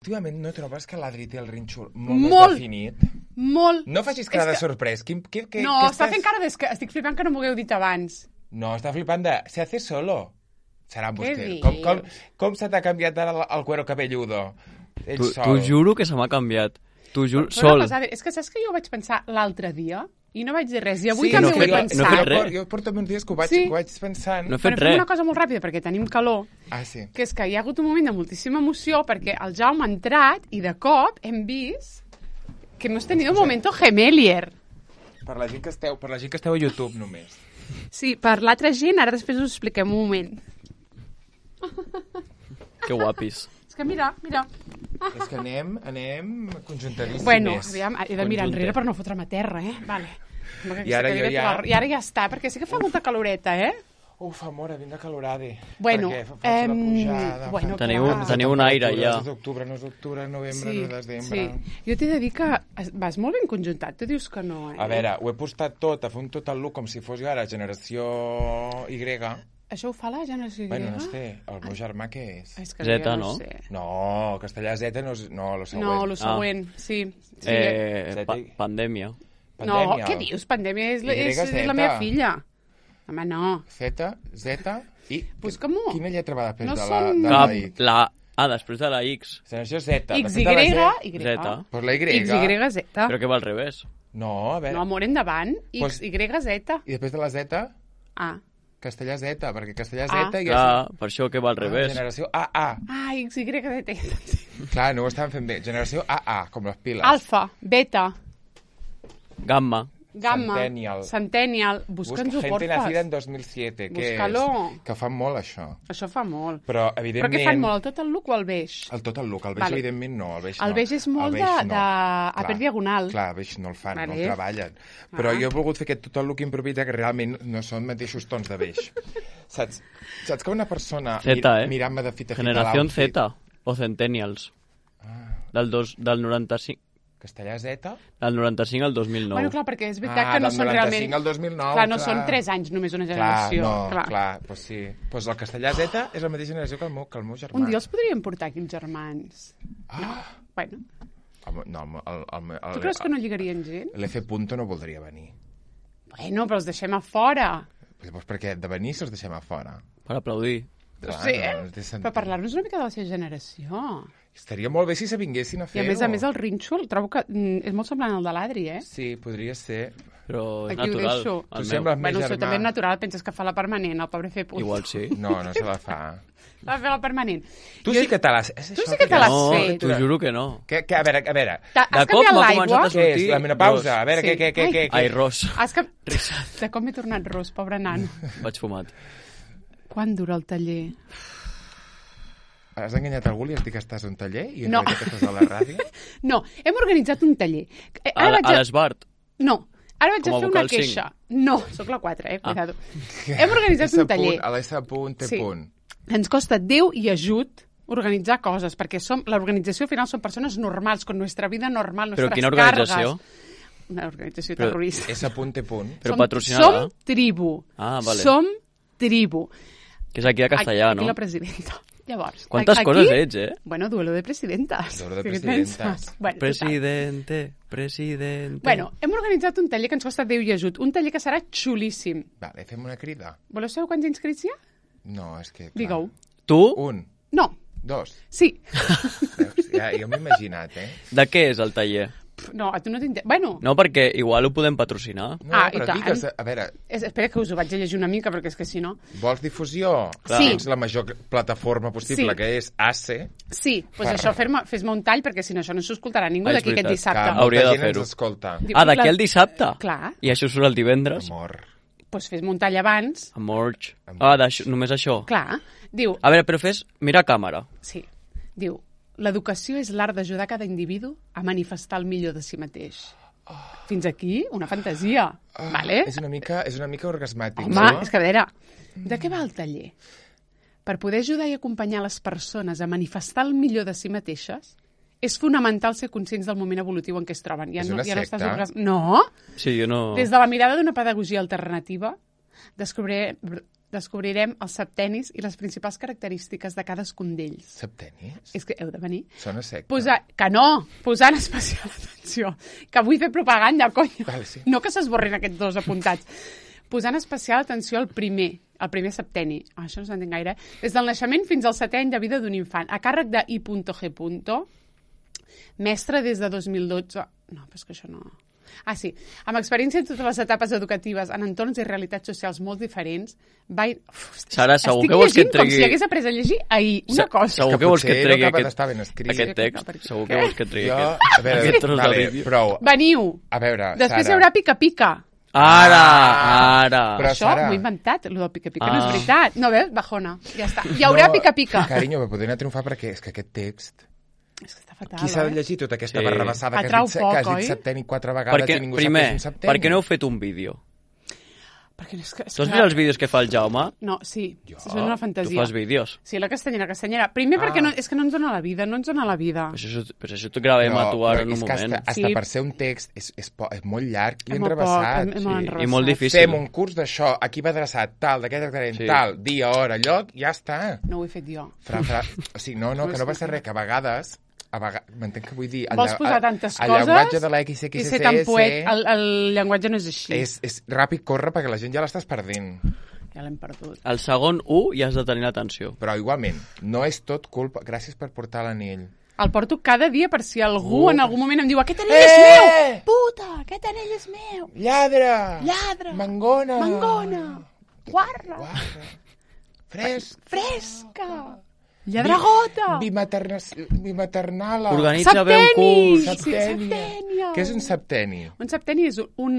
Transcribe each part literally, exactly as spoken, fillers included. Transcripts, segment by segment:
Últimament no trobes que l'Adri té el rínxol molt, molt més definit? Molt. No facis cara És de que... sorprès. Quin, que, que, no, que està estàs... fent cara de... Estic flipant que no m'ho hagueu dit abans. No, està flipant de... Se hace solo. Serà Què vostè. dius? Com, com, com se t'ha canviat ara el, el cuero cabelludo? Ell Tu, sol. t'ho juro que se m'ha canviat. T'ho juro, Però sol. una cosa, és que saps que jo ho vaig pensar l'altre dia i no vaig dir res. I avui Sí, també no ho he fet- pensat. no he fet res. Jo porto uns dies que ho vaig, Sí. que ho vaig pensant. No he Però fet fem res. una cosa molt ràpida, perquè tenim calor, Ah, sí. que és que hi ha hagut un moment de moltíssima emoció, perquè el Jaume ha entrat i de cop hem vist que hemos tenido un momento gemelier. Per la gent que esteu, per la gent que esteu a YouTube només. Sí, per l'altra gent, ara després us expliquem un moment. Que guapis. És que mira, mira. És que anem, anem conjuntadíssimes. Bueno, aviam, he de mirar enrere per no fotre'm a terra, eh? Vale. I ara jo ja... I ara ja està, perquè sí que fa molta caloreta, eh? Uf, amor, vinga calorade. Bueno, Perquè fa, fa em, la pujada, bueno, fa... Teniu, clar. teniu un aire ja. És d'octubre, no és d'octubre, novembre, Sí, no és desembre... sí. Jo t'he de dir que es- vas molt ben conjuntat, tu dius que no, eh? A veure, ho he postat tot, a fer un total look com si fos jo ara generació Y. Això ho fa la generació grega? Bueno, no sé, el meu germà què és? És que Zeta, jo no? Sé. No, castellà Z no és... No, lo següent. No, el següent, sí. sí. Eh, Zeta pa i- pandèmia. no, Pandèmia. què dius? Pandèmia és, la- Y, és, és Z. la meva filla. Home, no. Z, Z i... Busca-m'ho. Quina lletra va després No de la, són- de la Cap, I? la A després de la X. Generació Z. X, després Y, de la Z. Y. Zeta. Pues la Y. X, Y, Z. Però que va al revés. No, a veure... No, amor, endavant. X, Pues- Y, Z. I després de la Z, Ah. castellà Z, perquè castellà Ah. Z i... Clar, per això que va al Ah, revés. generació A A. Ah, X, Y, Z. Clar, no ho estàvem fent bé. Generació A A, com les piles. Alfa, beta, Gamma. gamma, Centennial. Centennial. Busca Busca'ns-ho, gente nacida porfa. en dos mil siete, que Búscalo. és... Que fan molt, això. Això fa molt. Però, Però evidentment... què fan molt, el tot el look o el beix? El tot el look. El beix, Vale. evidentment, no. El beix, El no. beix és molt El beix de- no. de- a Clar, per diagonal. Clar, el beix no el fan, Vale. no el treballen. Però Ah. jo he volgut fer aquest tot el look improvisat que realment no són mateixos tons de beix. Saps? Saps que una persona Z, mir- eh? mirant-me de fita a fita Generació l'outfit- Z o Centennials. Del, dos, del noranta-cinc Castellà Z? del noranta-cinc al dos mil nou. Bueno, clar, perquè és veritat Ah, que no del són realment... noranta-cinc al dos mil nou, clar, no clar. són tres anys només una Clar, generació. no, clar, clar pues sí. Pues el castellà Z és la mateixa generació que el meu, que el meu germà. Un dia els podríem portar aquí els germans. Ah, Bueno, el, no, el, el, el, el, tu creus que no lligarien gent? L'F Punto no voldria venir. Bueno, però els deixem a fora. Llavors, perquè de venir se'ls deixem a fora. Per aplaudir. No Clar, sé, no, eh? no té sentit. Per parlar-nos una mica de la seva generació. Estaria molt bé si se vinguessin a I fer-ho. a més a més el rínxol trobo que mm, és molt semblant al de l'Adri, eh? Sí, podria ser. Però és Aquí ho natural. deixo. El Tu meu. sembles més Bueno, això germà. també és natural, penses que fa la permanent, el pobre fer punt. Igual sí. No, no se la fa. Va fer la permanent. Tu Jo- sí que te l'has... és Tu això sí que te l'has No, fet. t'ho juro que no. Que, que, a veure, a veure. Ta- De Has cop canviat m'ha l'aigua? començat a Què és? sortir La menopausa? ros. A veure, Sí. què, què, què, Ai. què, Ai, què? ros. Has cap... De com m'he tornat ros, pobre nano. Vaig fumat. Quan dura el taller? Has enganyat algú i has dit que estàs a un taller i en No. realitat estàs a la ràdio? No, hem organitzat un taller. Eh, A, Ara a vaig a... l'Esbart. No, ara vaig Com a a fer una vocal cinc. queixa. No, sóc la quatre, eh? Ah. Cuidado. Hem organitzat S un taller. punt, a l'S punt, T Sí. punt. Ens costa Déu i ajut organitzar coses, perquè som l'organització al final són persones normals, con nuestra vida normal, Però nuestras quina organització? Cargues. Una organització Però- terrorista. S punt, T punt. Però som, patrocinada? Som tribu. Ah, vale. Som tribu. Que és aquí a Castellà, aquí, no? Aquí la presidenta. Llavors, Quantes aquí, coses ets, eh? Bueno, duelo de presidentas. Duelo de Què et presidentes. penses? Bueno, total. Presidente, presidente... Bueno, hem organitzat un taller que ens costa Déu i ajut. Un taller que serà xulíssim. Vale, fem una crida. Voleu saber quants inscrits hi ha? No, és que... Clar. Digue-ho. Tu? Un, No, dos. sí. Veus? Ja, jo m'he imaginat, eh? De què és el taller? Pff, No, a tu no t'interessa. Bueno, No, perquè igual ho podem patrocinar. No, Ah, i però tant. digues, a veure, és, espera que us ho vaig a llegir una mica, perquè és que si no... vols difusió? Clar. Sí. Tens la major plataforma possible, Sí. que és A C. Sí, doncs pues Per- això, fer-me- fes-me un tall, perquè si no això no s'ho escoltarà ningú Ah, és d'aquí aquest veritat. dissabte. Que molta Hauria de gent fer-ho. ens escolta. Diu, Ah, d'aquí la- al dissabte? Clar. I això surt el divendres? Amor. Doncs pues fes-me un tall abans. Amor. Ah, d'això- només això? Clar. Diu, A veure, però fes... Mira a càmera. sí, diu, l'educació és l'art d'ajudar cada individu a manifestar el millor de si mateix. Fins aquí, una fantasia. Ah, vale? És una mica, és una mica orgasmàtic. Home, no? és que a veure, de què va el taller? Per poder ajudar i acompanyar les persones a manifestar el millor de si mateixes, és fonamental ser conscients del moment evolutiu en què es troben. Ja És no, una ja no, secta? estàs orgas... no! Sí, jo no... Des de la mirada d'una pedagogia alternativa, descobrir, descobrirem els septenis i les principals característiques de cadascun d'ells. Septenis? És que heu de venir. Sona secta. Posar, que no, posant especial atenció, que vull fer propaganda, cony. Vale, sí. No que s'esborrin aquests dos apuntats. Posant especial atenció al primer, el primer septeni. Ah, això no s'entén gaire. Des del naixement fins al setè any de vida d'un infant, a càrrec de I G. Mestre des de dos mil dotze. No, però és que això no... Ah, sí. Amb experiència en totes les etapes educatives, en entorns i realitats socials molt diferents, va... Uf, Sara, segur estic que vols que et llegint com tregui... si hagués après a llegir ahir una cosa. Segur que vols que et potser tregui no acaba aquest, d'estar ben escrit. aquest text. Perquè- Segur que vols que et tregui Jo, aquest, a veure, aquest tros de vale, vídeo. prou. Veniu. A veure, Després Sara. hi haurà pica-pica. Ara, Ah, ara. però- Això Sara. m'ho he inventat, el del pica-pica, Ah. no és veritat. No, veus? Bajona. Ja està. Hi haurà No, pica-pica. Carinyo, però podria anar a triomfar perquè és que aquest text... És que està fatal, Qui s'ha de eh? llegir tota aquesta Sí. barrabassada que has Atrau dit, poc, que has oi? dit septeni quatre vegades Perquè, i ningú primer, sap què és un septeni? per què no heu fet un vídeo? Perquè no és que... és Tu has que- vist els vídeos que fa el Jaume? No, sí. Jo? És una Tu fantasia. fas vídeos. Sí, la castanyera, castanyera. Primer Ah. perquè no, és que no ens dona la vida, no ens dona la vida. Però això, però això t'ho gravem a tu ara en un és que moment. hasta, hasta Sí. per ser un text és, és, po- és molt llarg i És molt enrebaçat. poc, és molt Sí, enrevessat. i molt difícil. Fem un curs d'això, aquí va adreçat, tal, d'aquest tractament, Sí. tal, dia, hora, lloc, ja està. No ho he fet jo. Fra, fra... O sigui, no, no, que no passa res, que a vegades... A vegades m'entenc que vull dir... el Vols lla- posar el- tantes el coses llenguatge de l'X, i X, ser S, tan S, poet. El, el llenguatge no és així. és, és ràpid, corre, perquè la gent ja l'estàs perdent. Ja l'hem perdut. El segon u ja has de tenir l'atenció. Però igualment, no és tot culpa... Gràcies per portar l'anell. El porto cada dia per si algú Uh. en algun moment em diu aquest anell Eh! és meu! Puta, aquest anell és meu! Lladre! Lladre! Mangona! Mangona! Guarra! Guarra! Fresc! Fresca! Lladragota! Bimaterna... Bimaternala! Organitza bé un curs. Septènia. Septènia. Què és un septeni? Un septeni és un,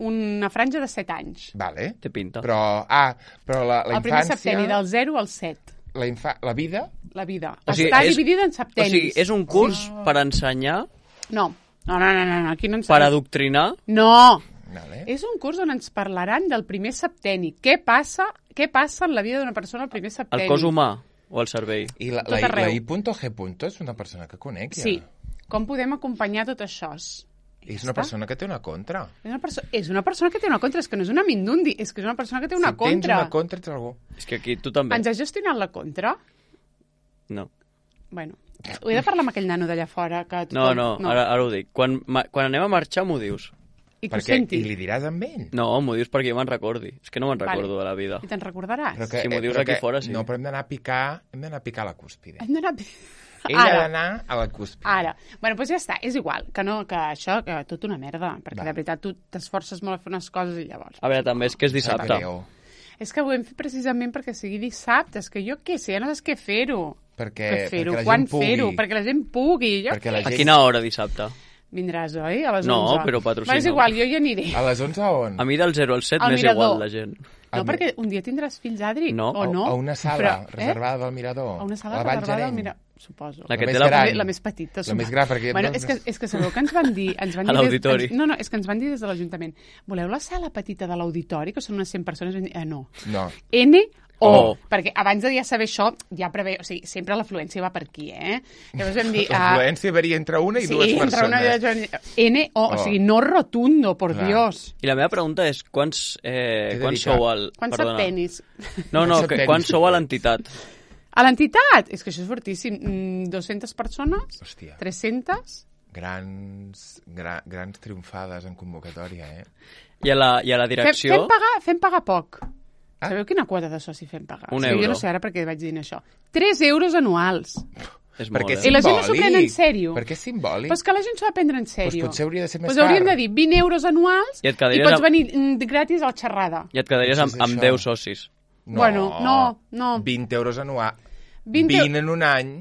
una franja de set anys. Vale. Té pinta. Però, ah, però la, la El primer infància... septeni, del zero al set. La, infa... la vida? La vida. O sigui, Està és- dividida en O septenis. sigui, és un curs per ensenyar, No. No, no, no, no, no, aquí no ens... per adoctrinar. No! Vale. És un curs on ens parlaran del primer septeni. Què passa, què passa en la vida d'una persona al primer septeni? El cos humà o el cervell. I la, Tot la, arreu. la I.G. és una persona que conec, ja. Sí. Com podem acompanyar tot això? És una persona que té una contra. És una, perso és una persona que té una contra, és que no és una mindundi, és que és una persona que té una si contra. tens una contra, ets algú. És que aquí tu també. Ens has gestionat la contra? No. Bueno, ho he de parlar amb aquell nano d'allà fora. Que No, tothom... no, ara, ara ho dic. Quan, ma, quan anem a marxar m'ho dius. I que ho Perquè, senti. I li diràs amb ell? No, m'ho dius perquè jo me'n recordi. És que no me'n Vale. recordo de la vida. I te'n recordaràs? Però que, Si m'ho eh, dius però aquí que- fora, sí. No, però hem d'anar a picar, hem d'anar a picar a la cúspide. Hem d'anar... Ell ha Ara. d'anar a la cúspide. Ara. Bueno, doncs ja està, és igual. Que no, que això, que tot una merda. Perquè Va. de veritat tu t'esforces molt a fer unes coses i llavors... A veure, també és que és dissabte. Greu, És que ho hem fet precisament perquè sigui dissabte. És que jo què sé, ja no saps què fer-ho. Perquè, Què fer-ho, perquè la quan gent pugui. fer-ho, perquè la gent pugui. Jo... Perquè la A gent... quina hora dissabte? Vindràs, oi? A les No, onze. però patrocina. Va, és igual, jo hi aniré. A les onze on? A mi del zero al set Al m'és mirador. igual la gent. No, Al- perquè un dia tindràs fills, Adri, No. o no? A una sala Però, eh? reservada del Mirador. A una sala La Vall reservada al Gerent. Mirador, suposo. La que més té la- gran. La, la més petita. La més gran, perquè... Bueno, és que, és que sabeu que ens van dir... Ens van A dir des- l'auditori. ens- No, no, és que ens van dir des de l'Ajuntament. Voleu la sala petita de l'auditori, que són unes cent persones? Vam dir, eh, no. No. N o, Oh. perquè abans de ja saber això, ja preve... O sigui, sempre l'afluència va per aquí, eh? Llavors vam dir... ah, L'afluència varia entre una i sí, dues entre persones. una i dues... N o, o Oh. sigui, no rotundo, por Clar. Dios. I la meva pregunta és quants, eh, T'he quants dedicat. sou al... Quants perdona. septenis? No, no, Quants que, septenis? quants sou a l'entitat? A l'entitat? És que això és fortíssim. Mm, dues-centes persones? Hòstia. tres-centes? Grans, gra, grans triomfades en convocatòria, eh? I a la, i a la Fem, direcció? fem, pagar, fem pagar poc. Ah. Sabeu quina quota de soci fem pagar? Un O sigui, euro. Jo no sé ara perquè vaig dir això. tres euros anuals. És Perquè molt, és I eh? la gent no s'ho simbòlic. pren en sèrio. Perquè és simbòlic. Però és que la gent s'ho ha de prendre en Pues sèrio. potser hauria de ser més pues haurien car. de dir vint euros anuals I i, et quedaries pots amb- venir mm, gratis a la xerrada. I et quedaries amb, Potser és amb això. deu socis. No, Bueno, no, no. vint euros anual. vint vint en un any.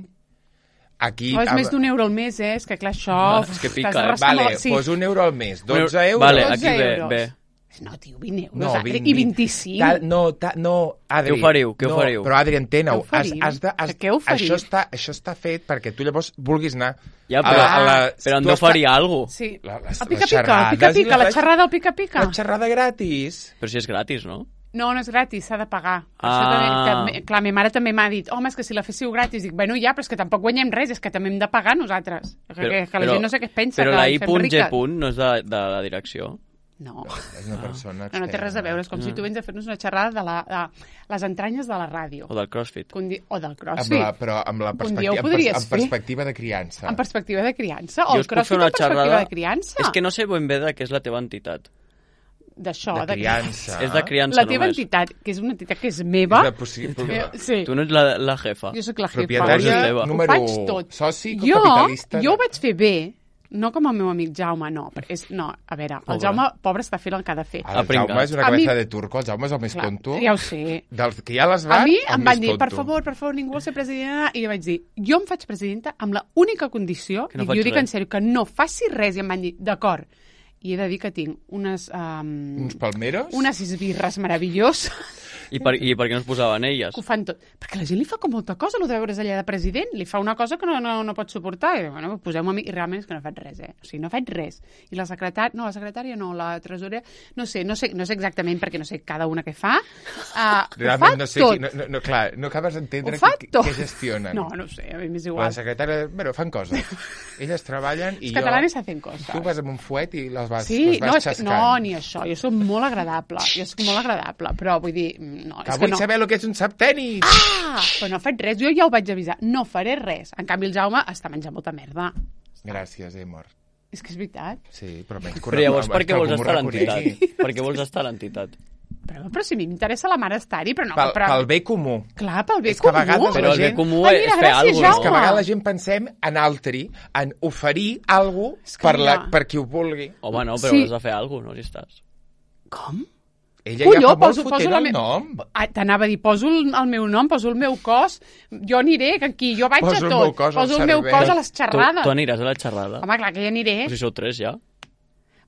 Aquí... Oh, és amb- més d'un euro al mes, eh? És que clar, això... Ah, és que pica, t'has de eh? rascar Vale, molt- sí. pues un euro al mes. dotze Un- euros. Vale, dotze aquí ve, euros. ve. No, tio, vint euros. No, Adri, vint, I vint-i-cinc. Ta, no, ta, no, Adri. Què oferiu? Què no, oferiu? Però, Adri, entena-ho. Què oferim? Has, has de, has, Què oferim? això, està, això està fet perquè tu llavors vulguis anar Ja, a però, la, a la, però han tu has d'oferir fa- alguna cosa. Sí. La- les- el les pica-pica, el xerrades i pica-pica, les- la xerrada al pica-pica. La xerrada gratis. Però si és gratis, no? No, no és gratis, s'ha de pagar. Per Ah. Això també, també, clar, ma mare també m'ha dit, home, és que si la féssiu gratis, dic, bueno, ja, però és que tampoc guanyem res, és que també hem de pagar nosaltres. Que, que, que la gent no sé què es pensa, Però que la ens fem riques. I.G. no és de, de la direcció. No. És una persona No, no té res a veure. És com si tu vens a fer-nos una xerrada de, la, de les entranyes de la ràdio. O del crossfit. Di... O del Amb crossfit. la, però amb la Un dia ho perspectiva, amb, podries pers amb perspectiva de criança. En perspectiva de criança. Jo O el us puc fer crossfit una en perspectiva xerrada... de criança. És que no sé ben bé de què és la teva entitat. D'això. De criança. És de criança La teva només. entitat, que és una entitat que és meva... És de possible. Eh, sí. Tu no ets la, la jefa. Jo sóc la jefa. Propietària Jo número ho faig tot. soci, jo, capitalista... Jo ho vaig fer bé, no com el meu amic Jaume, no. És, no, a veure, el Pobre. Jaume, pobre, està fent el que ha de fer. El pringat. Jaume és una A mi- cabeza de turco, el Jaume és el més Clar, tonto. ja ho sé. Dels que ja les A va, mi el em més van dir, tonto. per favor, per favor, ningú vol ser presidenta, i jo vaig dir, jo em faig presidenta amb la única condició, Que no i faig jo dic res. en sèrio, que no faci res, i em van dir, d'acord. I he de dir que tinc unes... Um, Uns palmeros? unes esbirres meravelloses I per, I per què no es posaven elles? que ho fan tot. Perquè la gent li fa com molta cosa, el de veure's allà de president. Li fa una cosa que no, no, no pot suportar. I, bueno, poseu-me a mi. I realment és que no faig res, eh? O sigui, no faig res. I la secretària... No, la secretària no, la tresorera... No sé, no sé, no sé exactament, perquè no sé cada una què fa. Uh, Realment ho fa no sé tot. qui, no, no, no, clar, no acabes d'entendre Ho fa què tot. què gestionen. No, no ho sé, a mi m'és La igual. secretària... Bueno, fan coses. Elles treballen i Els jo... catalanes hacen coses. Tu vas amb un fuet i les vas, Sí, les vas no, és que, xascant. no, ni això. Jo soc molt agradable. Jo soc molt agradable, però vull dir... No, Que és que vull no. saber el que és un septeni. Ah! Però no faig res. Jo ja ho vaig avisar. No faré res. En canvi, el Jaume està menjant molta merda. Gràcies, he mort. És que és veritat. Sí, però menys Però llavors per què que vols algú m'ho estar a reconegui. l'entitat? Per què vols estar a l'entitat? Però, però si a mi m'interessa la mare estar-hi, però no... Pel, però... pel bé comú. Clar, pel bé És que a comú. vegades Però la el bé gent- comú Ai, és mira, fer gràcies, alguna Jaume. És que a vegades la gent pensem en altri, en oferir alguna És cosa que per, la, mira. per qui ho vulgui. Home, no, però Sí. has de fer alguna cosa, no, si estàs. Com? Ella Colló, ja fa molt poso- fotent poso la el me- nom. Ah, t'anava a dir, poso el, el meu nom, poso el meu cos, jo aniré, que aquí, jo vaig Poso a el tot. meu cos al poso el meu servei. cos a les Tu, xerrades. tu aniràs a la xerrada? Home, clar que hi aniré. O si sou tres, ja?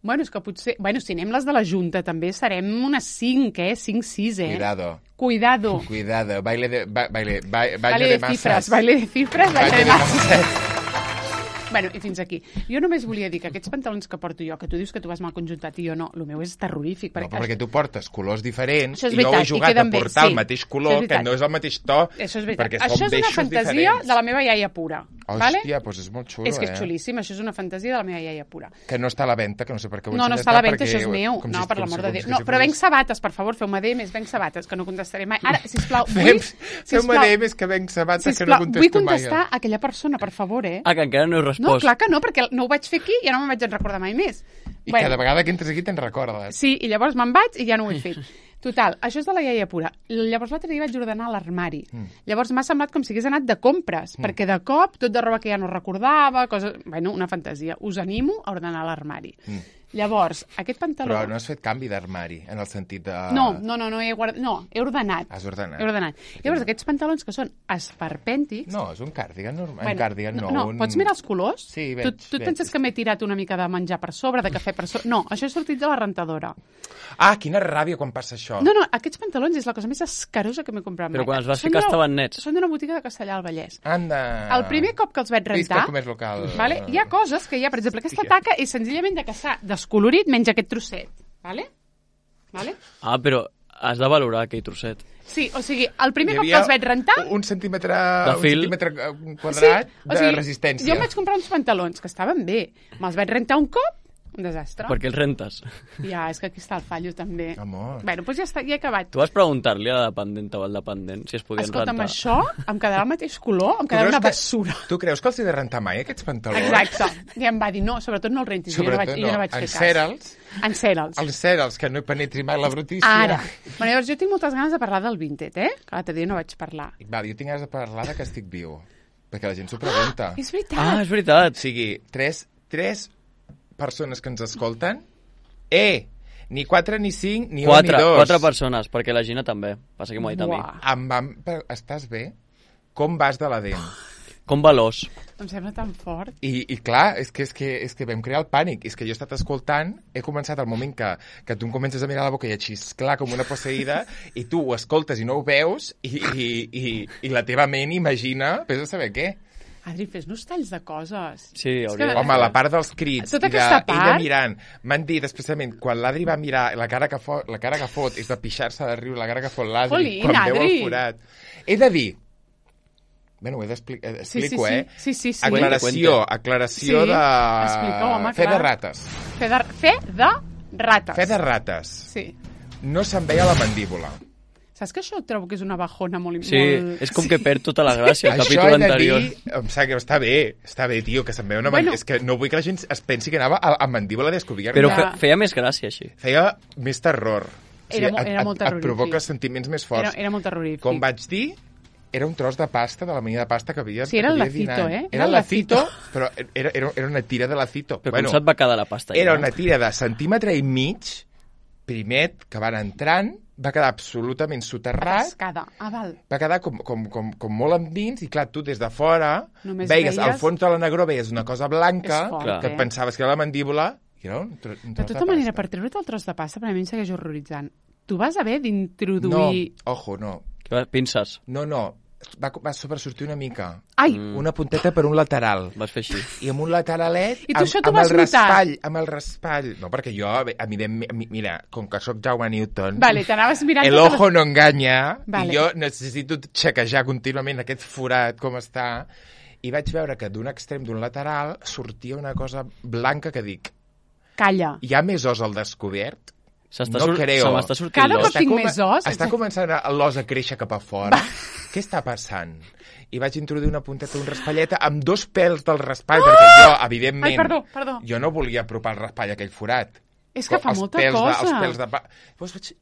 Bueno, és que potser... Bueno, si anem les de la Junta, també serem unes cinc, eh? Cinc, sis, eh? Cuidado, Cuidado. cuidado. Baile de... Ba, baile, ba, baile Baile de masas. cifres, baile de cifres, baile Baile de de masas. masas. Bueno, i fins aquí. Jo només volia dir que aquests pantalons que porto jo, que tu dius que tu vas mal conjuntat i jo no, el meu és terrorífic. No, però perquè tu portes colors diferents Això és i jo veritat, he i jugat a queden bé, portar sí. el mateix Això color, és que veritat. no és el mateix to, Això és veritat. perquè Això són és una beixos fantasia diferents. de la meva iaia pura. Hòstia, vale? doncs és molt xulo, És que és eh? xulíssim, això és una fantasia de la meva iaia pura. Que no està a la venda, que no sé per què ho No, no ensenyes està a la tant, venda, perquè això és meu. com No, si- per com l'amor si- de com Déu. si No, fos- però venc sabates, per favor, feu-me D més, venc sabates, que no contestaré mai. Ara, sisplau, vull... Fem, sisplau, feu-me D més que venc sabates que no sisplau, vull contesto mai. contestar a aquella persona, per favor, eh? Ah, que encara no he respost. No, clar que no, perquè no ho vaig fer aquí i ja no me'n vaig en recordar mai més. I cada vegada que entres aquí te'n recordes. Sí, i llavors me'n vaig i ja no ho he fet. Total, això és de la iaia pura. Llavors l'altre dia vaig ordenar l'armari. Mm. Llavors m'ha semblat com si hagués anat de compres, mm. perquè de cop tot de roba que ja no recordava, coses... Bueno, una fantasia. Us animo a ordenar l'armari. Mm. Llavors, aquest pantaló... Però no has fet canvi d'armari, en el sentit de... No, no, no, no he, guard... no, he ordenat. Has ordenat. He ordenat. Llavors, aquests pantalons que són esperpèntics... No, és un cardigan normal. Bueno, un cardigan, no, no, un... pots mirar els colors? Sí, veig, tu, tu et veig. penses que m'he tirat una mica de menjar per sobre, de cafè per sobre? No, això he sortit de la rentadora. Ah, quina ràbia quan passa això. No, no, aquests pantalons és la cosa més escarosa que m'he comprat mai. Però quan els vas Són ficar d'una- estaven nets. Són d'una botiga de Castellà al Vallès. Anda. El primer cop que els vaig Visca rentar... el comerç local. Vale? Hi ha coses que hi ha, per exemple, aquesta taca és senzillament de caçar descolorit menys aquest trosset. Vale? Vale? Ah, però has de valorar aquell trosset. Sí, o sigui, el primer Hi cop que havia els vaig rentar... un centímetre, De un fil. centímetre eh, un quadrat o sigui, de resistència. Jo em vaig comprar uns pantalons que estaven bé. Me'ls vaig rentar un cop, un desastre. Per què els rentes? Ja, és que aquí està el fallo, també. Amor. Bueno, doncs ja està, ja he acabat. Tu vas preguntar-li a la dependenta o al dependent si es podien Escolta'm, rentar. això em quedarà el mateix color, em Tu quedarà creus una que- bessura. Tu creus que els he de rentar mai, aquests pantalons? Exacte. I em va dir, no, sobretot no el rentis. I jo no vaig, Sobretot i jo no no. vaig fer cas. Encera'ls. Encera'ls. Els cèrals, que no hi penetri mai la brutícia. Ara. Bueno, llavors jo tinc moltes ganes de parlar del Vinted, eh? Que l'altre dia no vaig parlar. Va, jo tinc ganes de parlar de que estic viu. Perquè la gent s'ho pregunta. És veritat. Ah, és veritat. O sigui, tres, tres persones que ens escolten, eh, ni quatre, ni cinc, ni Quatre, un, ni dos. quatre persones, perquè la Gina també. Passa que m'ho ha dit a mi. Buah. Em van... per- Estàs bé? Com vas de la dent? Com va l'os? Em sembla tan fort. I, i clar, és que, és, que, és que vam crear el pànic. És que jo he estat escoltant, he començat al moment que, que tu em comences a mirar la boca i a xisclar com una posseïda, i tu ho escoltes i no ho veus, i, i, i, i la teva ment imagina, vés a saber què. Adri, fes-nos talls de coses. Sí, És hauria que- de- Home, la part dels crits Tota i de aquesta part- ella mirant, m'han dit especialment, quan l'Adri va mirar, la cara que fot, la cara que fot és de pixar-se de riure, la cara que fot l'Adri Jolín, quan veu Adri. el forat. He de dir, bueno, ho he d'explicar, Sí, sí, explico, sí. eh? Sí, sí, sí. Aclaració, Cuenta. aclaració Sí, de... explica, home, Fe de clar. rates. Fe de, fe de Rates. Fe de rates. Sí. No se'n veia la mandíbula. Saps que això trobo que és una bajona molt... Sí, molt... és com que perd tota la gràcia, el Això capítol he de anterior. dir, em sap que està bé, està bé, tio, que se'n veu una Bueno. mandíbula. És que no vull que la gent es pensi que anava a, a mandíbula descobierta. Però Ja. fe, feia més gràcia, així. Feia més terror. Era mo- et, era molt et, et terrorífic. provoca sentiments més Era, forts. era molt terrorífic. Com vaig dir, era un tros de pasta, de la mida de pasta que havia Sí, era el que havia lacito, dinant. eh? Era el lacito, però era, era, era una tira de lacito. Però bueno, com se't va quedar la pasta? Era ja? una tira de centímetre i mig, primet, que van entrant, va quedar absolutament soterrat, Cascada. Ah, val. va quedar com, com, com, com molt endins, i clar, tu des de fora Només veies, al veies- fons de la negró veies una cosa blanca, És fort, Clar. que et eh? pensaves que era la mandíbula, i era un, tro, un De tros tota de manera, pasta. per treure't el tros de pasta, per a mi em segueix horroritzant. Tu vas haver No, d'introduir... ojo, no. Que va- Pinces. No, no, va, va sobresortir una mica. Ai! Mm. Una punteta per un lateral. Vas fer així. I amb un lateralet, I tu amb, això t'ho amb vas el notar? raspall, amb el raspall. No, perquè jo, evidentment, mi- mira, com que sóc Jaume Newton, Vale, t'anaves mirant... el totes ojo no enganya, Vale. i jo necessito xequejar contínuament aquest forat, com està, i vaig veure que d'un extrem d'un lateral sortia una cosa blanca que dic, les- Calla. hi ha més os al descobert? S'està No sur- creo. Se m'està sortint Cada l'os. cop tinc més os. Està començant a- l'os a créixer cap a fora. Què està passant? I vaig introduir una punteta d'un raspalleta amb dos pèls del raspall, Ah! perquè jo, evidentment, Ai, perdó, perdó. jo no volia apropar el raspall a aquell forat. És que fa Els molta pèls cosa. De, els pèls de... pa- Llavors vaig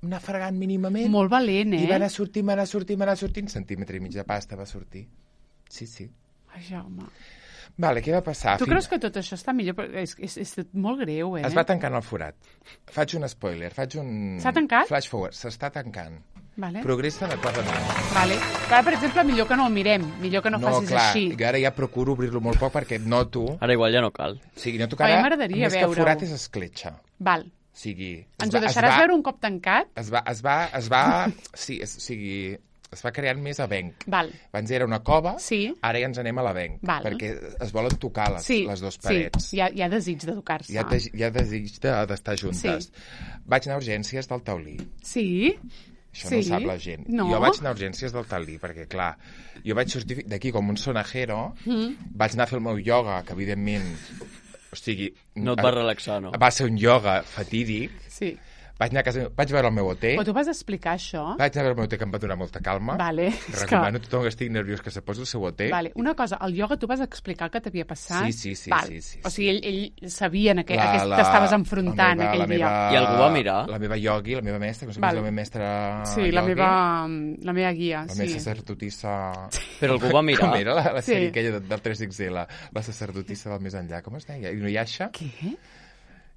anar fregant mínimament. Molt valent, eh? I va anar sortint, va anar sortint, va anar sortint. Centímetre i mig de pasta va sortir. Sí, sí. Ai, Jaume. Vale, què va passar? Tu Fins- creus que tot això està millor? Però És, és, és molt greu, eh? Es va tancant el forat. Faig un spoiler, faig un... S'ha tancat? Flash forward, s'està tancant. Vale. Progressa adequadament. Vale. Ara, per exemple, millor que no el mirem. Millor que no, No, facis clar, així. jo ara ja procuro obrir-lo molt poc perquè noto... O Ara igual ja no cal. sigui, noto que A mi ara, m'agradaria més que veure-ho. forat és escletxa. Val. O sigui... es Ens va- ho es deixaràs va- veure un cop tancat? Es va, es va, es va, sí, es, o sigui, es va creant més avenc. Val. Abans era una cova, Sí. ara ja ens anem a l'avenc, Val. perquè es volen tocar les, Sí, les dues parets. sí. Hi ha, hi ha desig de tocar-se. Hi ha, de, hi ha desig de- d'estar juntes. Sí. Vaig anar a urgències del taulí. Sí? Això Sí? no ho sap la gent. No? Jo vaig anar a urgències del taulí, perquè, clar, jo vaig sortir d'aquí com un sonajero, mm. vaig anar a fer el meu ioga, que, evidentment, o sigui... No et va relaxar, no? Va ser un ioga fatídic. Sí. Vaig anar a casa, vaig veure el meu hotel, Però tu vas explicar això? vaig anar a veure el meu hotel que em va donar molta calma. Vale. És Recomano que... a tothom que estigui nerviós que se posi el seu hotel. Vale. Una cosa, al ioga tu vas explicar el que t'havia passat? Sí, sí, sí, Val. sí, sí, O sí. sigui, ell, ell sabia en aquell, La- aquest, la- t'estaves enfrontant la meva, aquell la dia. meva, I algú va mirar? La meva iogui, la meva mestra, que no sé Vale. com és la meva mestra Sí, la iogui, meva, la meva guia. la sí. meva sacerdotissa... Però algú va mirar? Com era la, la Sí. sèrie aquella del tres ics ele, la sacerdotissa del més enllà, com es deia? Inuyasha? Què?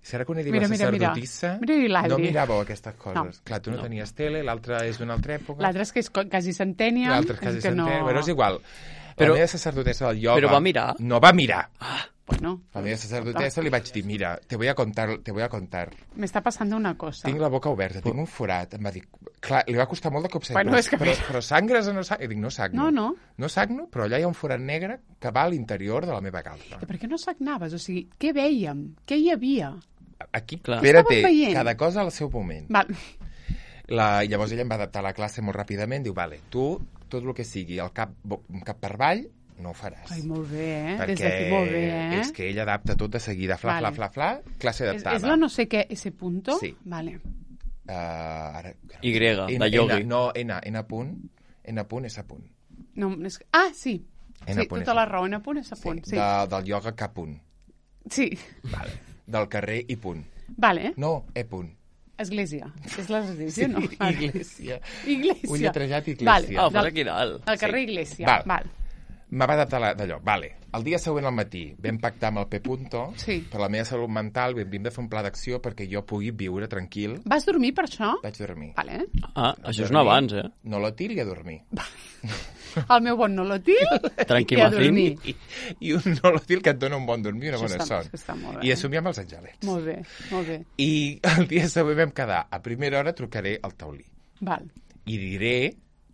Serà que una diva Mira, mira, mira. sacerdotissa? Mira l'Adri. No miràveu aquestes coses. No. Clar, tu no, No. tenies tele, l'altre és d'una altra època. L'altre és que és co- quasi centènia. L'altre és quasi que no... centè. Bueno, és igual. Però- la meva sacerdotessa del ioga... Però va mirar? No va mirar. Bueno, La meva sacerdotessa li vaig dir, mira, te voy a contar, te voy a contar. me està passant una cosa. Tinc la boca oberta, tinc un forat. Em va dir... Clar, li va costar molt de copsar. Bueno, però, és que- però, però sangres o no sangres? I dic, no sagno. No, no. No sagno, però allà hi ha un forat negre que va a l'interior de la meva calça. I per què no sagnaves? O sigui, què vèiem? Què hi havia? Aquí, Clar. espera't, Estàvem veient. cada cosa al seu moment. Val. La, llavors ella em va adaptar a la classe molt ràpidament, diu, vale, tu, tot el que sigui el cap, bo- cap per avall, no ho faràs. Ai, molt bé, eh? Des perquè d'aquí molt bé, eh? és que ella adapta tot de seguida, fla, Vale. fla, fla, fla, classe És, adaptada. és la no sé què, ese punto? Sí. Vale. Uh, ara, Y, N, de yogi. N, no, N, N punt, N punt, S punt. No, és... Ah, sí. N Sí, punt, tota S la punt. raó, N punt, S punt. Sí, Sí. de, del ioga K punt. Sí. Vale. Del carrer I punt. Vale. No, E punt. Església. És l'església, no? Iglésia. Iglésia. Un lletrejat Iglésia. Vale. Ah, ho fas Del- aquí dalt. Al carrer Sí. Iglésia. Val. Val. Me va adaptar la- d'allò. Vale. El dia següent al matí vam pactar amb el P. Punto, Sí. per la meva salut mental vam hem de fer un pla d'acció perquè jo pugui viure tranquil. Vas dormir per això? Vaig dormir. Vale. Ah, això és un avanç, eh? No l'otil i a dormir. El meu bon nolotil Tranquil, i a Macín. dormir. I, i un no l'otil que et dona un bon dormir i una Això bona està- son. això està molt bé. I assumir amb els angelets. Molt bé, molt bé. I el dia següent vam quedar. A primera hora trucaré al taulí. Val. I diré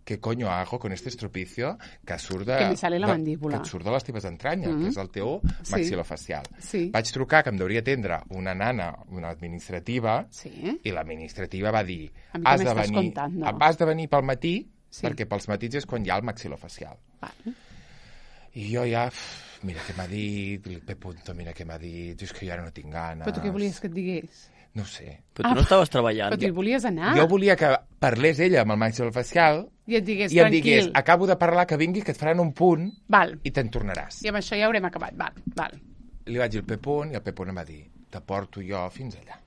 què coño hago con este estropicio que surt de... Que me sale la de- mandíbula. Que et surt de les teves entranyes, Mhm. que és el teu Sí. maxilofacial. Sí. Vaig trucar, que em deuria atendre una nana, una administrativa, Sí. i l'administrativa va dir A mi que has de, m'estàs venir, contando?" has de venir pel matí, Sí. perquè pels matins és quan hi ha el maxilofacial. Vale. I jo ja, uf, mira què m'ha dit, el P. Punto, mira què m'ha dit, és que jo ara no tinc gana. Però tu què volies que et digués? No ho sé. Però tu no estaves treballant. Però tu hi volies anar. Jo volia que parlés ella amb el maxilofacial I et digués, i em tranquil. digués, acabo de parlar, que vinguis, que et faran un punt Val. i te'n tornaràs. I amb això ja haurem acabat. Val, val. Li vaig dir el Pepón i el Pepón em va dir, te porto jo fins allà.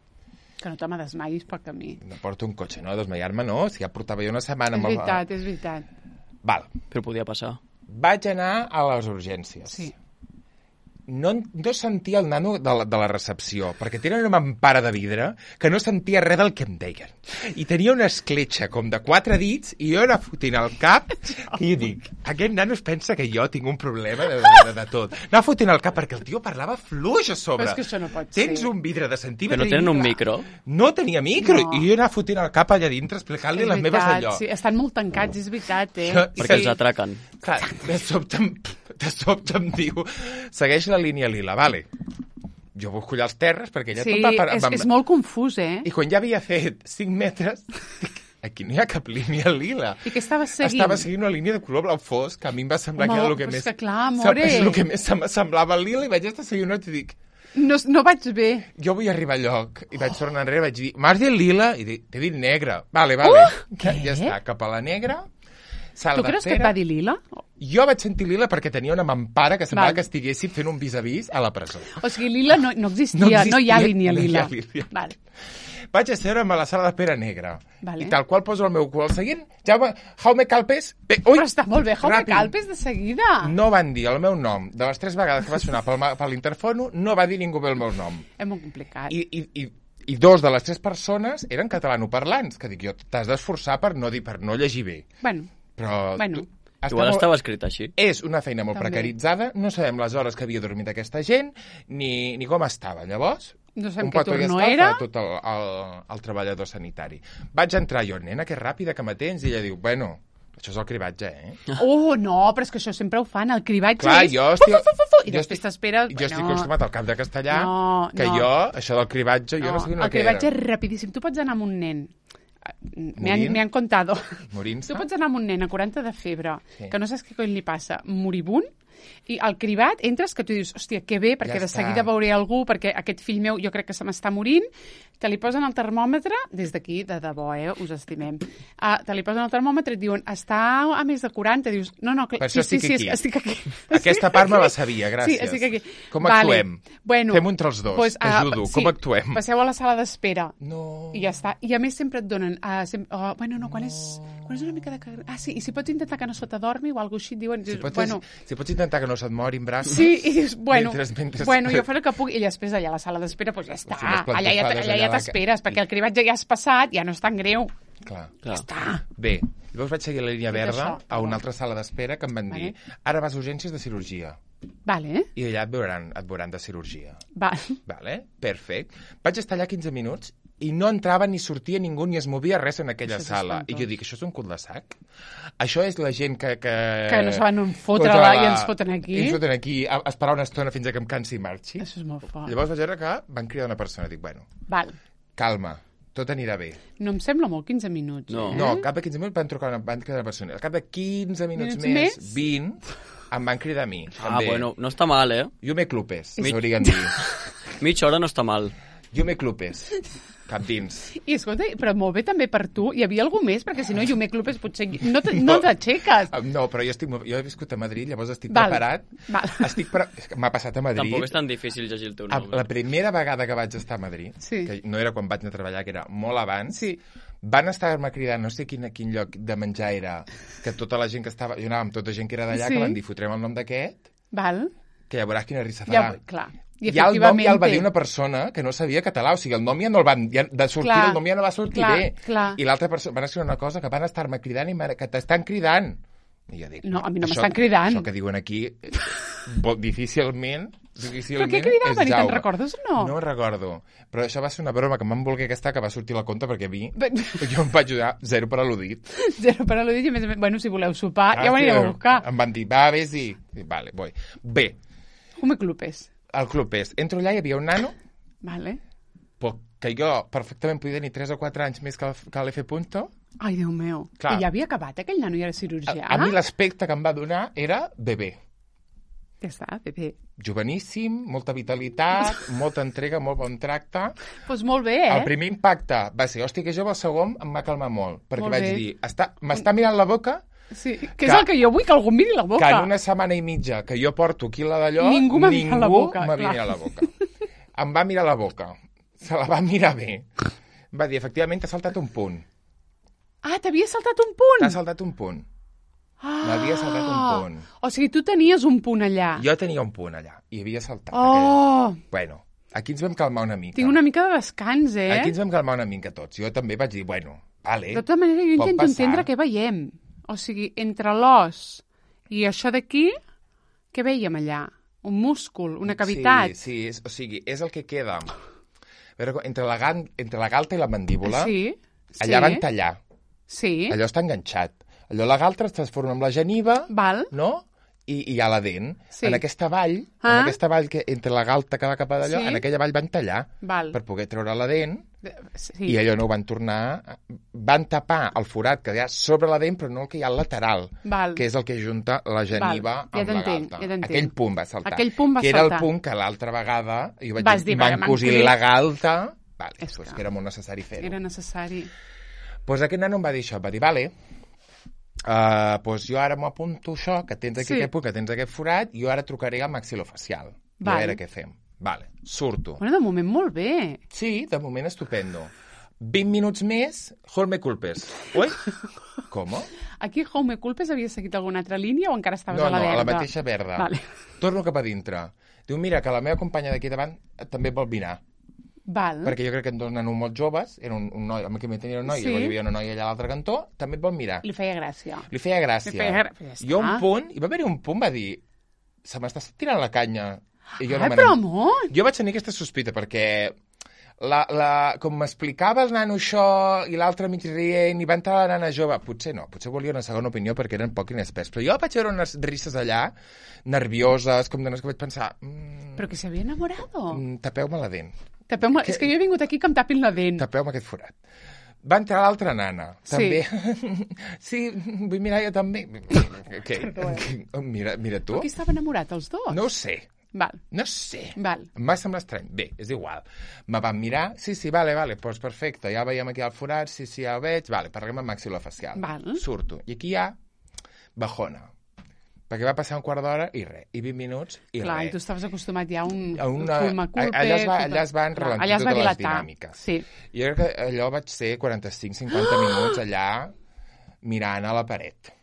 Que no te me desmaiis pel camí. Me porto un cotxe, no? Desmaiar-me no, si ja portava jo una setmana... És amb el- veritat, és veritat. Val. Però podia passar. Vaig anar a les urgències. Sí. No, no sentia el nano de la, de la recepció, perquè tenen una mampara de vidre que no sentia res del que em deien. I tenia una escletxa com de quatre dits i jo anava fotent el cap i jo dic, aquest nano es pensa que jo tinc un problema de, de, de, de tot. Anava fotent el cap perquè el tio parlava fluix a sobre. Però és que això no pot Tens ser. un vidre de centímetre... Però no tenen i- un micro? No tenia micro. No. I jo anava fotent el cap allà dintre explicant-li És les meves veritat, allò. sí. Estan molt tancats, és veritat, eh? Jo- Perquè Sí. els atraquen. Clar, de sobte, em, de sobte em diu, segueix la línia lila, vale. Jo busco allà els terres perquè ja Sí, tot va... Per, és, és molt confús, eh? I quan ja havia fet cinc metres, dic, aquí no hi ha cap línia lila. I què estaves seguint? Estava seguint una línia de color blau fosc, que a mi em va semblar Home, que era el que però és més... que clar, amore. És el que més se me semblava el lila i vaig estar seguint una altra i dic, No, no vaig bé. jo vull arribar al lloc. I vaig tornar enrere i vaig dir, m'has dit lila? I dic, t'he dit negra. Vale, vale. Uh, ja, què? ja està, cap a la negra. Sala Tu creus que et va dir lila? Jo vaig sentir lila perquè tenia una mampara que semblava Val. que estiguessin fent un vis-a-vis a la presó. O sigui, lila no, no, existia, No no, existia, hi ha línia no hi lila. ha línia. Val. Vaig asseure'm a la sala d'espera negra. Vale. I tal qual poso el meu cul al seguint. Jaume, Jaume Calpes... Bé, ui, Però està molt bé, Jaume ràpid. Calpes de seguida. No van dir el meu nom. De les tres vegades que va sonar pel, ma- per l'interfono, no va dir ningú bé el meu nom. És molt complicat. I, i, i, I dos de les tres persones eren catalanoparlants, que dic jo, t'has d'esforçar per no dir, per no llegir bé. Bueno, Però Bueno. tu, està Igual molt- estava escrit així. És una feina molt També. precaritzada, no sabem les hores que havia dormit aquesta gent, ni, ni com estava. Llavors, No sabem un què petó i turno estal era. fa tot el, el, el treballador sanitari. Vaig entrar jo, nena, que ràpida que m'atens, i ella diu, bueno, això és el cribatge, eh? oh, no, però és que això sempre ho fan. El cribatge Clar, és... jo estic... Fu, fu, fu, fu, I jo després estic- t'esperes... Jo estic acostumat al cap de castellà, No, que no. jo, això del cribatge, jo no, sé el el que cribatge era. és rapidíssim. Tu pots anar amb un nen. Me han, Morint? me han contado. Morint-se? Tu pots anar amb un nen a quaranta de febre, Sí. que no saps què cony li passa, moribund, i al cribat entres que tu dius, hòstia, que bé, perquè Ja de està. seguida veuré algú, perquè aquest fill meu jo crec que se m'està morint, te li posen el termòmetre, des d'aquí, de debò, eh, us estimem, uh, te li posen el termòmetre i et diuen, està a més de quaranta, dius, no, no, clar, Per sí, això sí, estic sí, aquí. estic aquí. Aquesta part me la sabia, gràcies. Sí, estic aquí. Com Vale. actuem? Bueno, Fem entre els dos, pues, t'ajudo. sí, Com actuem? Passeu a la sala d'espera. No... I ja està. I a més sempre et donen... Uh, sem oh, bueno, no, quan és, quan és una mica de... cag- Ah, sí, i si pots intentar que no se t'adormi o alguna cosa així, et diuen... Si pots, bueno, si pots intentar que no se't mori en braços... sí, i dius, bueno, Mentre- mentre- bueno, jo faré el que puc, i després allà a la sala d'espera, doncs ja està. Si unes Allà ja, plantofades allà ja allà la- t'esperes, perquè el cribatge ja has passat, ja no és tan greu. Clar. Clar. Està. Bé, llavors vaig seguir la línia Tot verda això. a una altra sala d'espera que em van dir, Vale. ara vas a urgències de cirurgia. Vale, eh? I allà et veuran, et veuran de cirurgia. Va. Vale? Perfecte. Vaig estar allà quinze minuts i no entrava ni sortia ningú ni es movia res en aquella Això és sala. espantós. I jo dic, això és un cul de sac? Això és la gent que... Que, Que no saben on fotre-la i ens foten aquí? I ens foten aquí, a, a esperar una estona fins a que em cansi i marxi. Això és molt fort. Llavors vaig veure que van cridar una persona. Dic, bueno, Val. calma, tot anirà bé. No em sembla molt quinze minuts, No. eh? No, al cap de quinze minuts van trucar una, van cridar una persona. Al cap de quinze minuts, Minuts més, més? vint, em van cridar a mi. Ah, també. bueno, no està mal, eh? Jo me clupes, Mi- m'haurien dir. Mitja hora no està mal. Jo me clupes. Cap dins. I escolta, però molt bé també per tu. Hi havia algú més? Perquè si no, Llume Clubes potser no te- no t'aixeques. Ah, No, però jo, estic, molt- jo he viscut a Madrid, llavors estic Val, preparat. val. Estic pre... és que M'ha passat a Madrid. Tampoc és tan difícil llegir el teu A- nom. La primera vegada que vaig estar a Madrid, Sí. que no era quan vaig anar a treballar, que era molt abans, Sí. van estar-me cridant, no sé quin, a quin lloc de menjar era, que tota la gent que estava... Jo anava amb tota gent que era d'allà, Sí. que van dir, fotrem el nom d'aquest, Val? que ja veuràs quina risa Ja, farà. clar. I Ja el nom ja el va efectivamente- dir una persona que no sabia català, o sigui, el nom ja no el van... Ja, de sortir, Clar, el nom ja no va sortir clar, bé. clar. I l'altra persona van escriure una cosa que van estar-me cridant i m'ha- que t'estan cridant. I jo dic, No, a mi no això- m'estan cridant. Això que diuen aquí, eh, bo- difícilment... difícilment Però què cridaven? és I te'n Jaume. recordes o no? No ho recordo. Però això va ser una broma que em van voler gastar, que va sortir a la compte perquè a mi... Bé- Jo em vaig ajudar zero per al·ludit. Zero per al·ludit i a més a més, bueno, si voleu sopar, ja ho anireu a buscar. Em van dir, va, vés-hi. I, vale, voy. Bé, Jume Clubes. el club és... Entro allà, hi havia un nano, Vale. però que jo perfectament podia tenir tres o quatre anys més que el- que l'F. Punto. Ai, Déu meu. Clar. I ja havia acabat aquell nano i era cirurgià? A, a mi l'aspecte que em va donar era bebè. Ja està, bé, bé. Joveníssim, molta vitalitat, molta entrega, molt bon tracte. Doncs pues molt bé, eh? El primer impacte va ser, hòstia, que jove, el segon em va calmar molt, perquè Molt vaig bé. dir, està, m'està mirant la boca, Sí, que, Que- és el que jo vull, que algú em miri la boca. que en una setmana i mitja que jo porto aquí la d'allò, Ningú m'ha mirat la boca, m'havia clar. mirat la boca. Em va mirar la boca. Se la va mirar bé. Va dir, efectivament, t'ha saltat un punt. Ah, t'havia saltat un punt? T'ha saltat un punt. Ah. M'havia saltat un punt. O sigui, tu tenies un punt allà. Jo tenia un punt allà i havia saltat. Oh, Aquell... Bueno, aquí ens vam calmar una mica. tinc una mica de descans, eh? Aquí ens vam calmar una mica tots. Jo també vaig dir, bueno, vale. De tota manera, jo pot intento passar. entendre què veiem. O sigui, entre l'os i això d'aquí, què veiem allà? Un múscul, una cavitat? Sí, sí, és, o sigui, és el que queda. A veure, entre la, gan, entre la galta i la mandíbula, Sí, allà sí. van tallar. Sí, Allò està enganxat. Allò la galta es transforma en la geniva, val. no? I, i hi ha la dent. Sí. En aquesta vall, Ah. en aquesta vall que entre la galta que va cap a d'allò, Sí. en aquella vall van tallar Val. per poder treure la dent Sí. i allò no ho van tornar... Van tapar el forat que hi ha sobre la dent, però no el que hi ha al lateral, Val. que és el que junta la geniva Val. Ja amb la t'entenc, galta. ja t'entenc. Aquell punt va saltar. Aquell punt va que era saltar. el punt que l'altra vegada jo vaig Vas dir, dir, m'han "M'han cosit cosit". la galta, vale, És pues que- que era molt necessari fer-ho. Era necessari. Pues aquest nano em va dir això, va dir, vale, uh, pues jo ara m'apunto això, que tens aquí Sí. aquest punt, que tens aquest forat, i jo ara trucaré al maxilofacial. I a Val. veure què fem. Vale, surto. Bueno, de moment molt bé. Sí, de moment estupendo. vint minuts més, hold me culpes. Ui? Com? Aquí Home Culpes havia seguit alguna altra línia o encara estaves No, a la no, verda? a la mateixa verda. Vale. Torno cap a dintre. Diu, mira, que la meva companya d'aquí davant també vol mirar. Val. Perquè jo crec que en dos nanos molt joves, era un, un noi, amb qui me tenia un noi, Sí. i hi havia una noia allà a l'altre cantó, també et vol mirar. Li feia gràcia. Li feia gràcia. Li feia gra- ja està. I un punt, i va haver un punt, va dir, se m'està tirant la canya. I jo Ai, me però n'en- amor! Jo vaig tenir aquesta sospita, perquè la, la, com m'explicava el nano això i l'altre mig rient i va entrar la nana jove, potser no, potser volia una segona opinió perquè eren poc inexperts, però jo vaig veure unes risses allà, nervioses, com de que vaig pensar, mm, Però que s'havia enamorado. mm, tapeu-me la dent, Tapeu-me... És que jo he vingut aquí que em tapin la dent. tapeu-me aquest forat. Va entrar l'altra nana, Sí. també. Sí, vull mirar jo també. Què? Mira, mira tu. Però qui estava enamorat, els dos? No ho sé, Val, no sé. val. Em va semblar estrany. Bé, és igual. Me van mirar, sí, sí, vale, vale, doncs perfecte, ja veiem aquí el forat, sí, sí, ja ho veig, vale, parlem amb maxilofacial. Val. Surto. I aquí hi ha bajona. Perquè va passar un quart d'hora i res, i vint minuts i Clar, i res. tu estaves acostumat ja a un, A una- un culpa-culpe, allà es va- tota- allà es van Clar, ralentir allà es va totes les dilatar. dinàmiques. Sí. Jo crec que allò vaig ser quaranta-cinc cinquanta minuts allà mirant a la paret.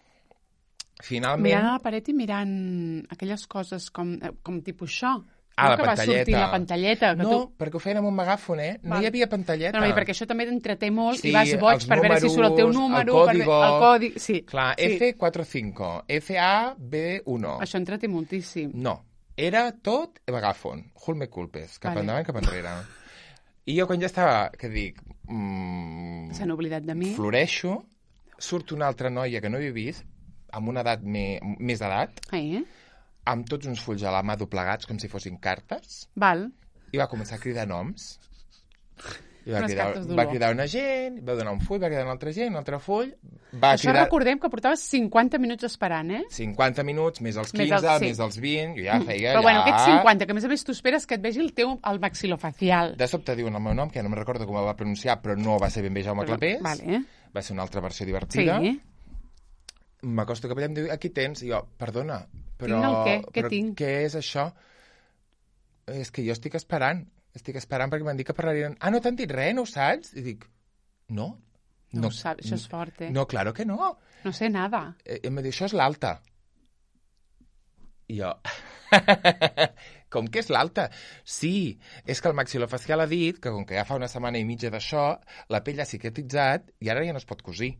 Finalment... Mirant a la paret i mirant aquelles coses com, eh, com tipus això. Ah, no? la que va sortir pantalleta. la pantalleta. Que No, tu... perquè ho feien amb un megàfon, eh? No Val. hi havia pantalleta. No, no, perquè això també t'entreté molt Sí, i vas boig els per veure si surt el teu números, número, el per código. ve- el codi... Sí, Clar, sí. F quaranta cinco, F A B uno. Això entreté moltíssim. No, era tot megàfon. Hold me culpes, cap Vale. endavant, cap enrere. I jo quan ja estava, que dic, mm, S'han oblidat de mi. floreixo, surt una altra noia que no havia vist, amb una edat me, més d'edat, Eh? amb tots uns fulls a la mà doblegats com si fossin cartes, Val. i va començar a cridar noms. I va Unes cridar, cartes d'olor. va cridar una gent, va donar un full, va cridar una altra gent, un altre full, va Això cridar recordem que portaves cinquanta minuts esperant, eh? cinquanta minuts, més els Més quinze, els- sí. més els vint, jo ja feia Però bueno, allà... aquests cinquanta, que a més a més tu esperes que et vegi el teu el maxilofacial. De sobte diuen el meu nom, que no me'n recordo com el va pronunciar, però no va ser ben bé Jaume Clapés. Vale. Va ser una altra versió Sí. divertida. M'acosto cap allà i em diu, aquí tens. I jo, perdona, però... Tinc el què? Què però tinc? Què és això? És que jo estic esperant. Estic esperant perquè m'han dit que parlarien... Ah, no t'han dit res, no ho saps? I dic, no. No, ho saps, això és fort, eh? No, claro que no. No sé nada. Eh, em va dir, això és l'alta. I jo... com que és l'alta? Sí, és que el maxilofacial ha dit que com que ja fa una setmana i mitja d'això, la pell ha cicatritzat i ara ja no es pot cosir.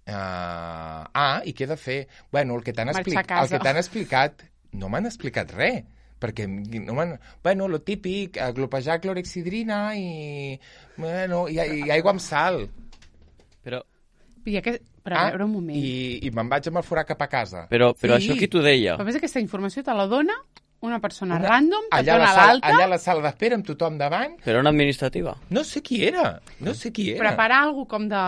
Uh, ah, i què he de fer? Bueno, el que t'han Marxar explic... a casa. el que t'han explicat, no m'han explicat res, perquè no m'han... Bueno, lo típic, eh, glopejar clorexidrina i... Bueno, i, i aigua amb sal. Però, I aquest... Però a veure un moment. Ah, I, i me'n vaig amb el forat cap a casa. però, però Sí. això qui t'ho deia? Però a més aquesta informació te la dona una persona Una- random, et allà a la dona sala, l'alta, allà a la sala d'espera amb tothom davant. Però una administrativa. No sé qui era, no sé qui era. preparar alguna com de...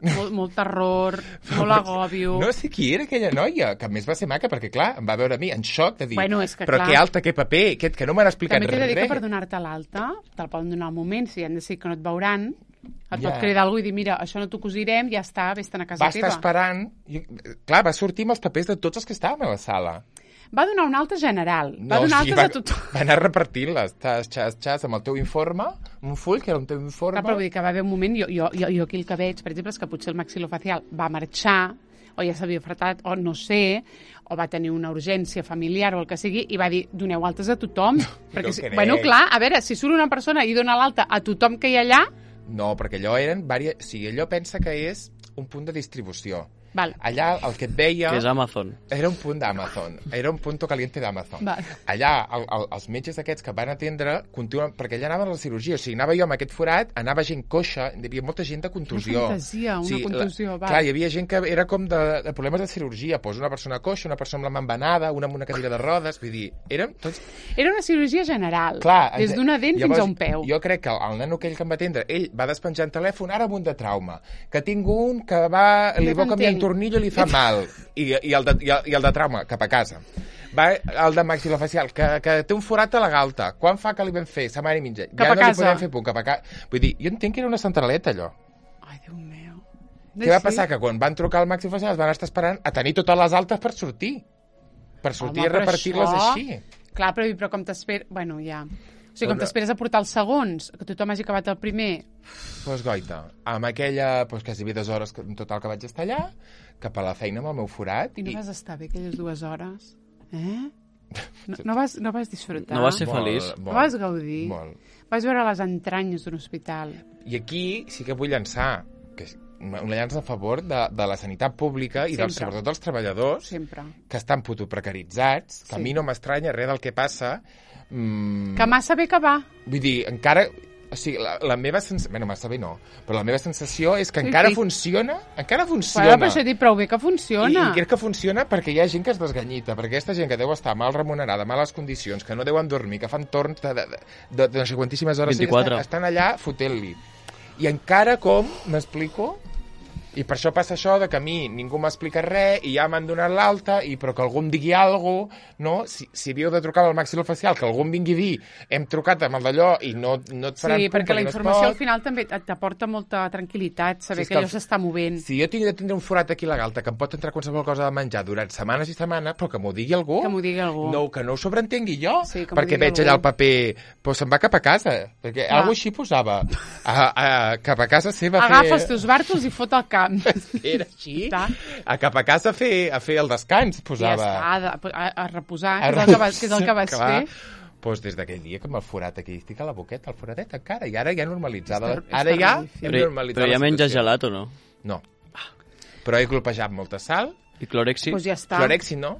molt, molt terror, molt agòbio. No sé qui era aquella noia, que a més va ser maca, perquè clar, em va veure a mi en xoc de dir, Bueno, és que, però clar. que alta, que paper, que, que no m'han explicat També t'he de dir res. que per donar-te l'alta, te'l poden donar al moment, si han decidit que no et veuran, et Ja. pot cridar algú i dir, mira, això no t'ho cosirem, ja està, vés-te'n a casa Va teva. estar esperant, i, clar, va sortir amb els papers de tots els que estàvem a la sala. Va donar una alta general, va donar sí, altes va, a tothom. va anar repartint-les, xas, xas, xas, amb el teu informe, un full que era un teu informe. Clar, però vull dir que va haver un moment, jo, jo, jo, jo aquí el que veig, per exemple, és que potser el maxilofacial va marxar, o ja s'havia fretat, o no sé, o va tenir una urgència familiar o el que sigui, i va dir, doneu altes a tothom. Perquè, si, crec. bueno, clar, a veure, si surt una persona i dona l'alta a tothom que hi ha allà, No, perquè allò eren... Varia... O sigui, allò pensa que és un punt de distribució. val. Allà el que et veia... Que és Amazon. Era un punt d'Amazon. Era un punto caliente d'Amazon. Val. Allà, el, el, els metges aquests que van atendre, continuen, perquè allà anaven a la cirurgia. O sigui, anava jo amb aquest forat, anava gent coixa, hi havia molta gent de contusió. Una fantasia, una contusió, la, val. Clar, hi havia gent que era com de, de problemes de cirurgia. Pues una persona coixa, una persona amb la mambanada, una amb una cadira de rodes. Vull dir, eren tots... Era una cirurgia general, Clar, des d'una dent llavors, fins a un peu. Jo crec que el, el nano aquell que em va atendre, ell va despenjant telèfon, ara amb un de trauma, que tinc un que va, li No va canviar un t'entenc. tornillo i li fa mal, i, i, el de, i, el, i el de trauma, cap a casa. Va el de maxilofacial, que, que té un forat a la galta. Quan fa que li vam fer? Setmana i mitja. Cap ja a no li casa. podem fer punt, cap a casa. Vull dir, jo entenc que era una centraleta, allò. Ai, Déu meu. Què va passar? Que quan van trucar al maxilofacial es van estar esperant a tenir totes les altes per sortir. Per sortir Home, i però repartir-les això- així. Clar, però, però com t'esperes... Bueno, ja... O sigui, com Però- t'esperes a portar els segons, que tothom hagi acabat el primer... Pues goita, amb aquella, pues, quasi dues hores que, en total que vaig estar allà, cap a la feina amb el meu forat. I no vas estar bé aquelles dues hores? Eh? No, no, vas, no vas disfrutar? No vas ser feliç? No vas gaudir? Molt. Vas veure les entranyes d'un hospital? I aquí sí que vull llançar, que és una una llança a favor de, de la sanitat pública i dels, Sempre. sobretot dels treballadors Sempre. que estan putoprecaritzats, que Sí. a mi no m'estranya res del que passa. Mm, Que massa bé que va. Vull dir, encara... O sigui, la, la meva sensació... Bueno, massa bé no, però la meva sensació és que Sí, encara sí. funciona, encara Bueno, funciona. però això he dit prou bé que I, funciona. I crec que funciona perquè hi ha gent que es desganyita, perquè aquesta gent que deu estar mal remunerada, males condicions, que no deuen dormir, que fan torns de, de, de, de no sé quantíssimes hores, vint-i-quatre. estan, estan allà fotent-li. I encara com, m'explico? I per això passa això de que a mi ningú m'explica res i ja m'han donat l'alta, i però que algú em digui alguna cosa, no? Si, si havíeu de trucar al maxilofacial, que algú em vingui a dir hem trucat amb el d'allò i no, no et faran Sí, punt perquè la no es informació pot. al final també et- t'aporta molta tranquil·litat, saber Si és que que allò el- s'està movent. Si jo tinc de tindre un forat aquí a la galta que em pot entrar qualsevol cosa de menjar durant setmanes i setmanes, però que m'ho digui algú. Que m'ho digui algú. No, que no ho sobreentengui jo, Sí, que m'ho perquè digui veig algú. allà el paper, doncs se'n va cap a casa, perquè Clar. algú així posava, a, a, cap a casa seva a Agafa fer... els teus bàrtols i fot al camp. Era així, Està. a cap a casa a fer, a fer el descans, I ja posava. està, a, a, a reposar, A que és el que vas, que és el que vas Clar. fer. Doncs des d'aquell dia que amb el forat aquí estic a la boqueta, el foradet encara, i ara ja normalitzada. És ter- és Ara ja terrífic. hem Però, normalitzat però ja la menges situació. gelat o no? No. Però he glopejat molta sal, I clorexi? Doncs ja està. Clorexi no,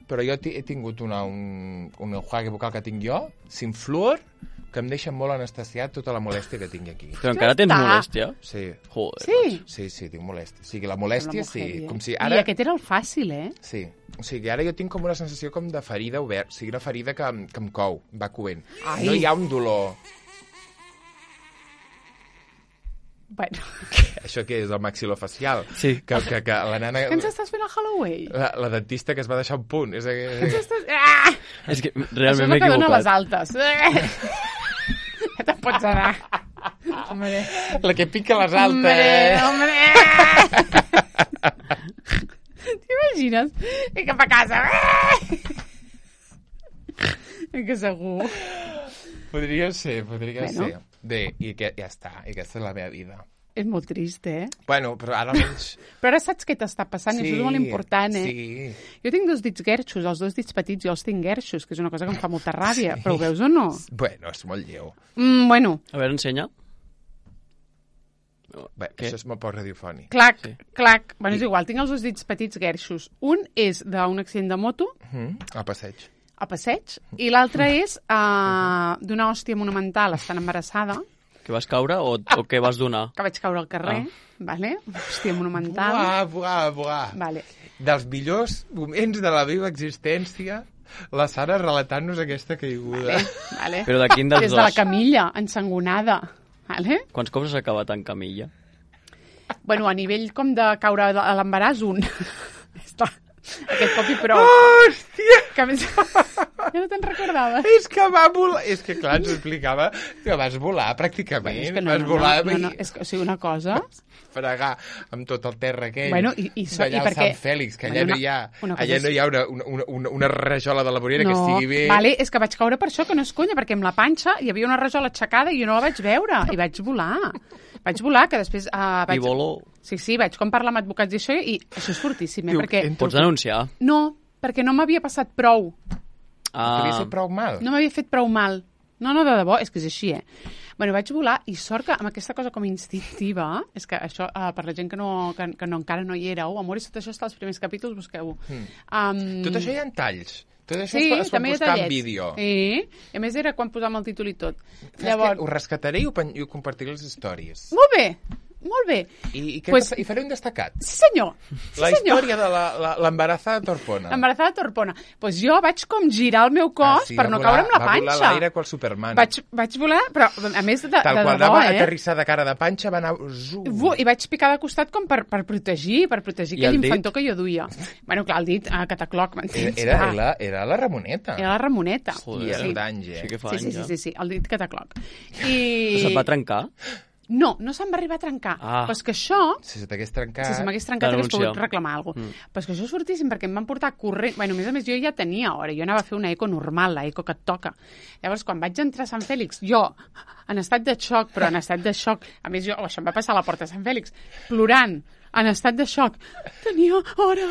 però jo he tingut una, un, un enjuague vocal que tinc jo, sin fluor, que em deixa molt anestesiat tota la molèstia que tinc aquí. Però encara tens està. molèstia? Sí, Joder. Sí. sí, sí, tinc molèstia. O sigui, la molèstia, Una sí. mujer, eh? Com si I ara... aquest era el fàcil, eh? Sí, o sigui, ara jo tinc com una sensació com de ferida oberta, o sigui, una ferida que, em- que em cou, va coent. Ai. No hi ha un dolor. Bueno, Això què és, el maxilofacial? Sí. Que, que, que la nana... què ens estàs fent a Halloween? La, la dentista que es va deixar un punt. És, Què ens és, estàs... Ah! És que Això és realment el m'he que dona les equivocat. altes. Eh! Ja te'n pots anar. Hombre, la que pica les altes. hombre, hombre. T'imagines? I cap a casa. Eh, que segur. Podria ser, podria Bueno. ser. Bé, i que, ja està, i aquesta és la meva vida. És molt trist, eh? Bueno, però ara almenys... Però ara saps què t'està passant, i això és molt important, eh? Sí, Jo tinc dos dits guerxos, els dos dits petits jo els tinc guerxos, que és una cosa que em fa molta ràbia, però ho veus o no? bueno, és molt lleu. Mm, bueno, A veure, ensenya. Bé, Què? això és molt poc radiofònic. clac, Sí. clac. Bueno, és igual, tinc els dos dits petits guerxos. Un és d'un accident de moto, Mm, al passeig. a passeig, i l'altre és uh, d'una hòstia monumental estant embarassada, Que vas caure o, o què vas donar? que vaig caure al carrer, vale? Hòstia monumental. Buah, buah, buah. Vale. Dels millors moments de la meva existència, la Sara relatant-nos aquesta caiguda. Vale, vale. Però de quin dels Des de la dos? camilla, ensangonada. Vale? Quants cops has acabat en camilla? Bueno, a nivell com de caure a l'embaràs, un. Està. Aquest cop i prou. Hòstia! Que a més... Ja no te'n recordaves. És que va volar... És que, clar, ens ho explicava que vas volar, pràcticament. Bueno, és que no, vas no, volar... no, no, no, és que, o sigui, una cosa... fregar amb tot el terra aquell. Bueno, i, i, so, d'allà i al perquè... Sant Fèlix, que allà bueno, no hi ha, una, una allà és... no hi ha una, una, una, una rajola de la vorera no, que estigui bé. Vale, és que vaig caure per això, que no és conya, perquè amb la panxa hi havia una rajola aixecada i jo no la vaig veure, i vaig volar. Vaig volar, que després... Uh, vaig... I voló. Sí, sí, vaig com parlar amb advocats i això, i això és fortíssim, eh? Diu, perquè... entro... Pots denunciar? No, perquè no m'havia passat prou. Ah. T'havia fet prou mal. No m'havia fet prou mal. No, no, de debò, és que és així, eh? Bueno, vaig volar i sort que amb aquesta cosa com instintiva, és que això, uh, per la gent que, no, que, que no, encara no hi éreu, Amor i tot això està als primers capítols, busqueu-ho. Mm. Um... Tot això hi ha talls. Tot això sí, es, es pot també hi ha buscar en tallets. vídeo. Sí, i a més era quan posàvem el títol i tot. Llavors... Llavors... Ho rescataré i ho, pen... i ho compartiré les històries. Molt bé, molt bé. I, i, què Pues- pues... I faré un destacat. Sí, senyor. Sí, La senyor. història de la- l'embarazada Torpona. Embarazada Torpona. Doncs pues jo vaig com girar el meu cos Ah, sí, per va no volar- caure amb la Va panxa. volar a l'aire qual Superman. Vaig, vaig volar, però a més de, Tal de qual debò, anava eh? aterrissar de cara de panxa, va anar... Zu. Vu- I vaig picar de costat com per, per protegir, per protegir I aquell el dit? infantó que jo duia. Bueno, clar, el dit, a catacloc, Era, m'entens? era, Clar. era, era la Ramoneta. Era la Ramoneta. Joder. I era sí. d'anys, eh? Sí que fa Sí, sí, anys, sí, ja. sí, sí, el dit catacloc. I... Se't va trencar? No, no se'm va arribar a trencar. Ah. Però és que això... Si se t'hagués trencat... Si se m'hagués trencat hagués Denúncia. pogut reclamar alguna cosa. Mm. Però és que això és fortíssim perquè em van portar corrent... Bueno, a més a més, jo ja tenia hora. Jo anava a fer una eco normal, la eco que et toca. Llavors, quan vaig entrar a Sant Fèlix, jo, en estat de xoc, però en estat de xoc... A més, jo, oh, això em va passar a la porta de Sant Fèlix, plorant, en estat de xoc. Tenia hora,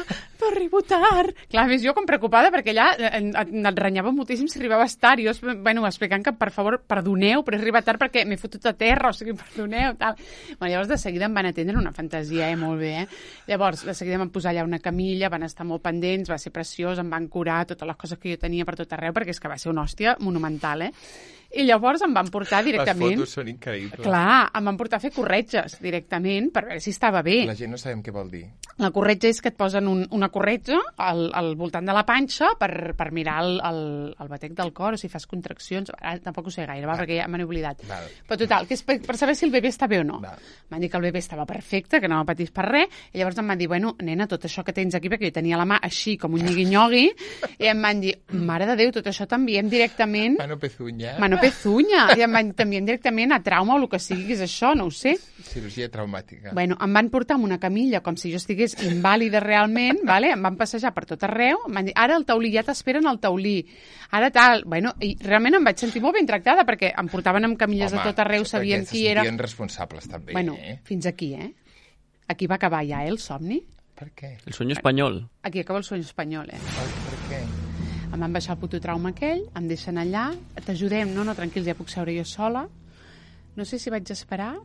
arribo tard. Clar, a més, jo com preocupada, perquè allà et, et renyava moltíssim si arribava tard. Jo, bueno, explicant que, per favor, perdoneu, però he arribat tard perquè m'he fotut a terra, o sigui, perdoneu, tal. Bueno, llavors, de seguida em van atendre una fantasia, eh, molt bé, eh? Llavors, de seguida em van posar allà una camilla, van estar molt pendents, va ser preciós, em van curar totes les coses que jo tenia per tot arreu, perquè és que va ser una hòstia monumental, eh? I llavors em van portar directament... Les fotos són increïbles. Clar, em van portar a fer corretges directament per veure si estava bé. La gent no sabem què vol dir. La corretja és que et posen un, una corretja al, al voltant de la panxa per, per mirar el, el, el batec del cor, o si fas contraccions. Ara tampoc ho sé gaire, va, perquè ja me n'he oblidat. Val. Però total, que és per, per saber si el bebè està bé o no. Val. M'han dit que el bebè estava perfecte, que no patís per res, i llavors em van dir, bueno, nena, tot això que tens aquí, perquè jo tenia la mà així, com un nyigui-nyogui, i em van dir, mare de Déu, tot això t'enviem directament... Mano pezuña. Mano pezuña. I em van t'envien directament a trauma o el que sigui que és això, no ho sé. Cirurgia traumàtica. Bueno, em van portar amb una camilla com si jo estigués invàlida realment, vale? Em van passejar per tot arreu, em van dir, ara el taulí, ja t'esperen al taulí, ara tal, bueno, i realment em vaig sentir molt ben tractada perquè em portaven amb camilles Home, de tot arreu, sabien qui era. Se sentien responsables també, Bueno, eh? fins aquí, eh? Aquí va acabar ja, eh, el somni. Per què? El sueño espanyol. Aquí acaba el sueño espanyol, eh? Per, per què? Em van baixar el puto trauma aquell, em deixen allà, t'ajudem, no, no, tranquils, ja puc seure jo sola. No sé si vaig esperar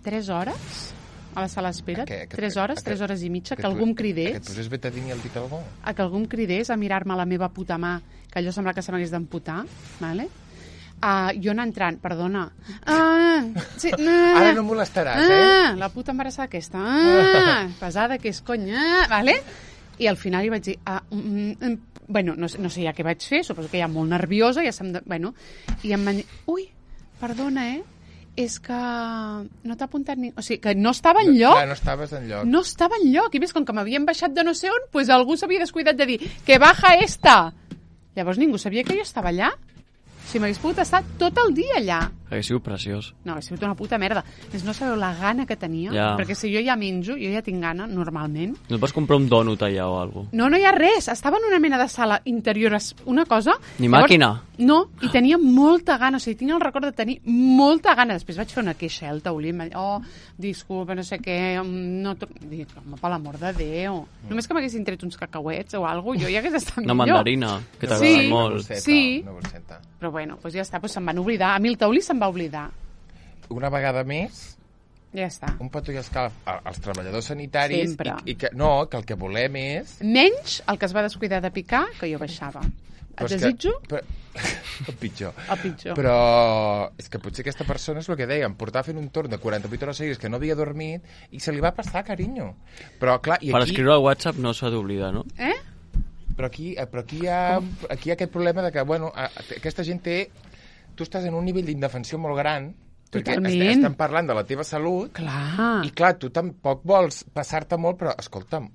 tres hores a la sala d'espera, Que- que- tres hores, que- tres hores i mitja, que tu- algú em Que et cridés, posés betadine al dit algú? a que algú em cridés a mirar-me la meva puta mà, que allò sembla que se m'hagués d'amputar, vale? Uh, jo anar entrant, perdona. Ah, sí, ah, Ara no em molestaràs, eh? ah, la puta embarassada aquesta. Ah, pesada que és, conya, vale? I al final hi vaig dir, ah, mm, mm, bueno, no, sé- no sé ja què vaig fer, suposo que ja molt nerviosa, ja se'm de, bueno, i em van dir, ui, perdona, eh? És que no t'ha apuntat ni... O sigui, que no estava enlloc. Clar, no estaves enlloc. No estava enlloc. I més, com que m'havien baixat de no sé on, pues algú s'havia descuidat de dir que baja esta. Llavors ningú sabia que jo estava allà. Si m'hagués pogut estar tot el dia allà. Hauria sigut preciós. No, hauria sigut una puta merda. Més no sabeu la gana que tenia. Ja. Perquè si jo ja menjo, jo ja tinc gana, normalment. No et vas comprar un dònut allà o alguna cosa? No, no hi ha res. Estava en una mena de sala interior, es- una cosa... Ni màquina? No, i tenia molta gana. O sigui, tinc el record de tenir molta gana. Després vaig fer una queixa al taulí. Em va dir, oh, disculpa, no sé què... mm, No tro-" Dic, home, per l'amor de Déu. Només que m'haguessin tret uns cacauets o alguna cosa, jo ja hagués estat Una millor. mandarina, que Sí. t'agrada Una molt. borseta, Sí. Una borseta. Però bueno, doncs ja està, doncs se'n van oblidar. A mi el taulí se'n va oblidar. Una vegada més, Ja està. un petó i escalf a- als treballadors sanitaris Sempre. i, i que, no, que el que volem és... Menys el que es va descuidar de picar, que jo baixava. Et Però és desitjo Que, però, el pitjor. el pitjor. Però és que potser aquesta persona és el que dèiem, portava fent un torn de quaranta-vuit hores seguides que no havia dormit i se li va passar, carinyo. Però clar, i Per aquí, escriure al WhatsApp no s'ha d'oblidar, no? Eh? però aquí, eh, però aquí, hi ha, aquí hi ha aquest problema de que, bueno, a- a- aquesta gent té... Tu estàs en un nivell d'indefensió molt gran Perquè Totalment. est- estem parlant de la teva salut Clar. i, clar, tu tampoc vols passar-te molt, però, escolta'm,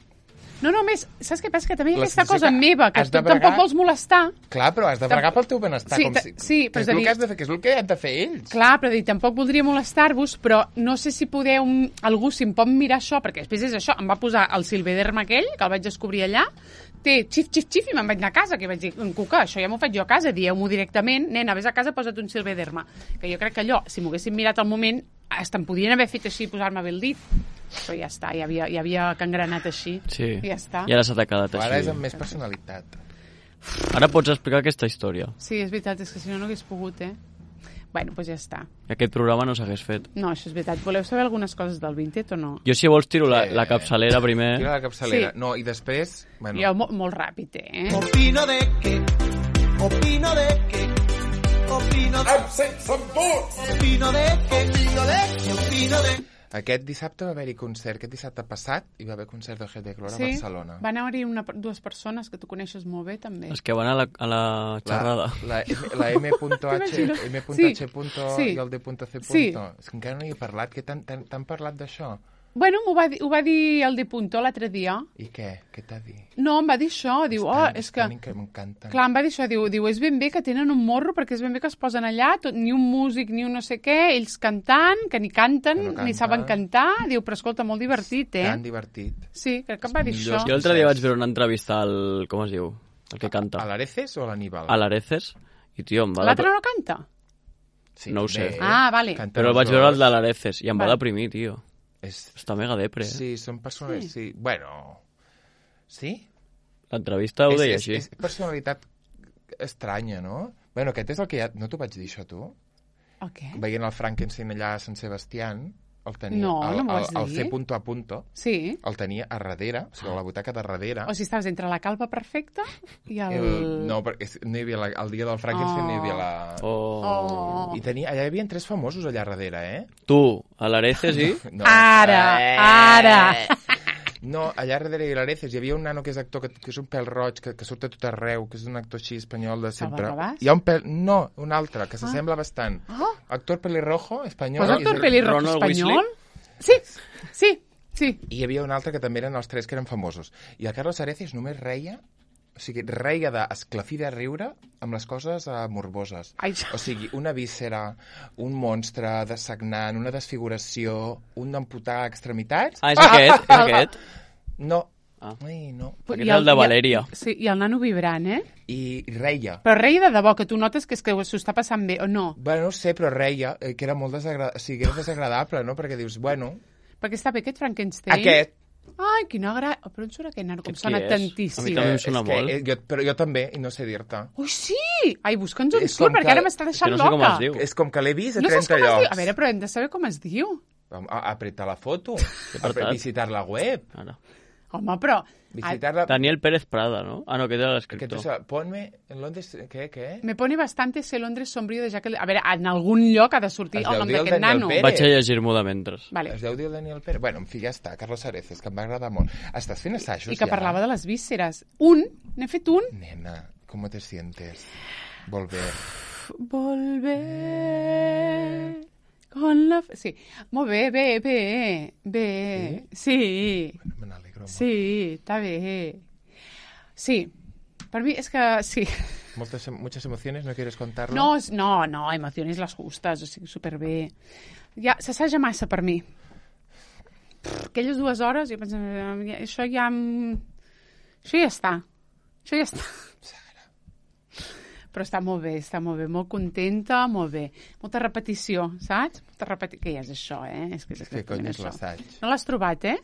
No, no, més, saps què passa? Que també hi ha La aquesta sensació cosa que meva, que has tu de bregar- tampoc vols molestar. clar, però has de bregar pel teu benestar. Sí, com ta- si, sí, però que és és a el dir- que has de fer, que és el que han de fer ells. Clar, però dir, tampoc voldria molestar-vos, però no sé si podeu, algú, si em pot mirar això, perquè després és això, em va posar el silvederm aquell, que el vaig descobrir allà, té xif, xif, xif, i me'n vaig anar a casa, que vaig dir, Cuca, això ja m'ho faig jo a casa, dieu-m'ho directament, nena, vés a casa, posa't un silvederma. Que jo crec que allò, si m'ho haguessin mirat al moment, hasta em podien haver fet així, posar-me bé el dit, però ja està, ja havia, ja havia cangrenat així. Sí. I ja està. I ara s'ha quedat Però ara és així. amb més personalitat. Ara pots explicar aquesta història. Sí, és veritat, és que si no, no hagués pogut, eh? Bueno, doncs ja està. I aquest programa no s'hagués fet. No, això és veritat. Voleu saber algunes coses del Vinted o no? Jo, si vols, tiro la, Eh, la capçalera primer. Tira la capçalera. Sí. No, i després... Bueno, Jo, mo molt ràpid, eh? Opino de que, opino de que, opino de, Absents amb tots! opino de que, opino de, opino de. Aquest dissabte va haver-hi concert. Aquest dissabte passat hi va haver concert de G de Clora a Barcelona. Van anar-hi una, dues persones que tu coneixes molt bé, també. Els que van a la, a la xerrada. La, la, la M.H, T'imagines? M.H. Sí. i el D.C. Sí. És que encara no hi he parlat. Que t'han t'han- t'han parlat d'això? Bueno, m'ho va, dir- ho va dir el de Punto l'altre dia. I què? Què t'ha dit? No, em va dir això. Diu, oh, Estan- és que... estan que m'encanten. Clar, em va dir això. Diu, diu, és ben bé que tenen un morro perquè és ben bé que es posen allà, tot, ni un músic, ni un no sé què, ells cantant, que ni canten, Que no ni canten. saben cantar. Diu, però escolta, molt divertit, eh? Tan divertit. Sí, crec que em va dir Millors això. Jo l'altre dia vaig veure una entrevista al... Com es diu? El que canta. A l'Areces o a l'Aníbal? A l'Areces. I, tio, em va... L'altre no canta? Sí, no ho sé. bé. Ah, vale. Canten Però el els vaig veure dos. el de l'Areces i em va Vale. deprimir, tio. És... Està mega depre, eh? Sí, són persones... Sí. sí. Bueno... Sí? L'entrevista ho és, deia és, així. és personalitat estranya, no? Bueno, aquest és el que ja... No t'ho vaig dir, això, tu? El què? Veient el Frankenstein allà a Sant Sebastián, el tenia... No, el, no m'ho el, vas el dir. C punto a punto, Sí. el tenia a darrere, o sigui, a la butaca de darrere. O sigui, estaves entre la calva perfecta i el... El, no, perquè és- no hi havia la, el dia del Frankenstein Oh. no hi havia la... Oh. Oh. I tenia, allà hi havia tres famosos allà darrere, eh? Tu, a l'Areces i... No. Ara, Eh. ara. No, allà darrere hi l'Areces hi havia un nano que és actor, que, que és un pèl roig, que, que surt a tot arreu, que és un actor així espanyol de sempre. Rabàs? Hi ha un pèl... No, un altre, que s'assembla bastant. Oh. Actor pelirrojo, espanyol. Pues i actor és el- pelirrojo Ronald espanyol? Weasley? Sí, sí, sí. I hi havia un altre que també eren els tres que eren famosos. I el Carlos Areces només reia, o sigui, reia d'esclafir de riure amb les coses uh, morboses. Ai. O sigui, una víscera, un monstre de sagnant, una desfiguració, un amputar extremitats... Ah, és aquest? És aquest? No. Ah. Ai, no. Aquest I és el de i Valèria. Sí, i el nano vibrant, eh? I reia. Però reia de debò, que tu notes que és que s'ho està passant bé, o no? Bueno, no sé, però reia, eh, que era molt desagradable, o sigui, era desagradable, no? Perquè dius, bueno, Perquè està bé aquest Frankenstein. aquest... Ai, quina gra... Oh, però on surt aquest nano? Com Aquest sona qui és? A mi tantíssim. també em eh, sona és que, molt. eh, jo, però jo també, i no sé dir-te. Ui, sí! Ai, busca'ns on És surt, com perquè que- ara m'està Que deixant no sé com loca. es diu. És com que l'he vist a No saps trenta com es diu? llocs. A veure, però hem de saber com es diu. A, a apretar la foto, a apartat? visitar la web, Ara. Home, però... visitar la... Daniel Pérez Prada, no? Ah, no, aquest era Que tu l'escriptor. saps, ponme en Londres... Què, què? Me pone bastante ese Londres sombrío de Jacques... A veure, en algun lloc ha de sortir Es el deu nom dir el d'aquest Daniel nano. Pérez. Vaig a llegir-m'ho de mentre. Vale. Es deu dir el Daniel Pérez. Bueno, en fi, ja està. Carlos Areces, que em va agradar molt. Estàs fent assajos I que ja? parlava de les vísceres. Un, n'he fet un. Nena, ¿cómo te sientes? Volver. Volver con la... Sí, molt bé, bé, bé, bé. Sí, Me n'alegro molt. sí, està bé. Sí, per mi és que sí. Moltes, muchas emociones, ¿no quieres contarlo? No, és- no, no, emociones les justes, o sigui, superbé. Ja, s'assaja massa per mi. Pff, aquelles dues hores, jo pensava, ja- això ja... em- Això ja està. Això ja està. Però està molt bé, està molt bé, molt contenta, molt bé. Molta repetició, saps? Molta repetició. Què és això, eh? És que és Què cony és això. l'assaig? No l'has trobat, eh?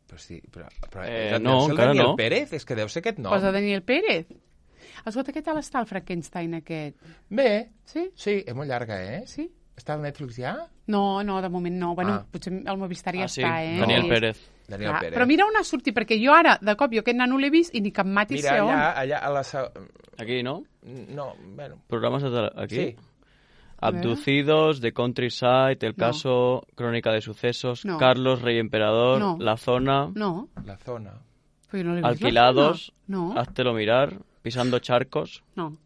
Però sí, però... però Eh, deu no, ser el encara Daniel no. Pérez, és que deu ser aquest nom. Posa Daniel Pérez. Escolta, què tal està el Frankenstein aquest? Bé, Sí? sí, és molt llarga, eh? Sí? Està al Netflix ja? No, no, de moment no. Bueno, Ah. potser el Movistar ja Ah, sí, està, eh? Daniel Sí. Pérez. Daniel Clar, Pérez. però mira on ha sortit, perquè jo ara, de cop, jo aquest nano l'he vist i ni cap mati Mira, sé on. allà, allà a la... sa- Aquí, no? No, bueno... Programes de tele... Aquí. Sí. Abducidos, The Countryside, El No. Caso, Crónica de Sucesos, No. Carlos, Rey Emperador, No. La Zona, No, La zona. però jo no l'he vist. Alquilados, No, Háztelo mirar, Pisando charcos. no.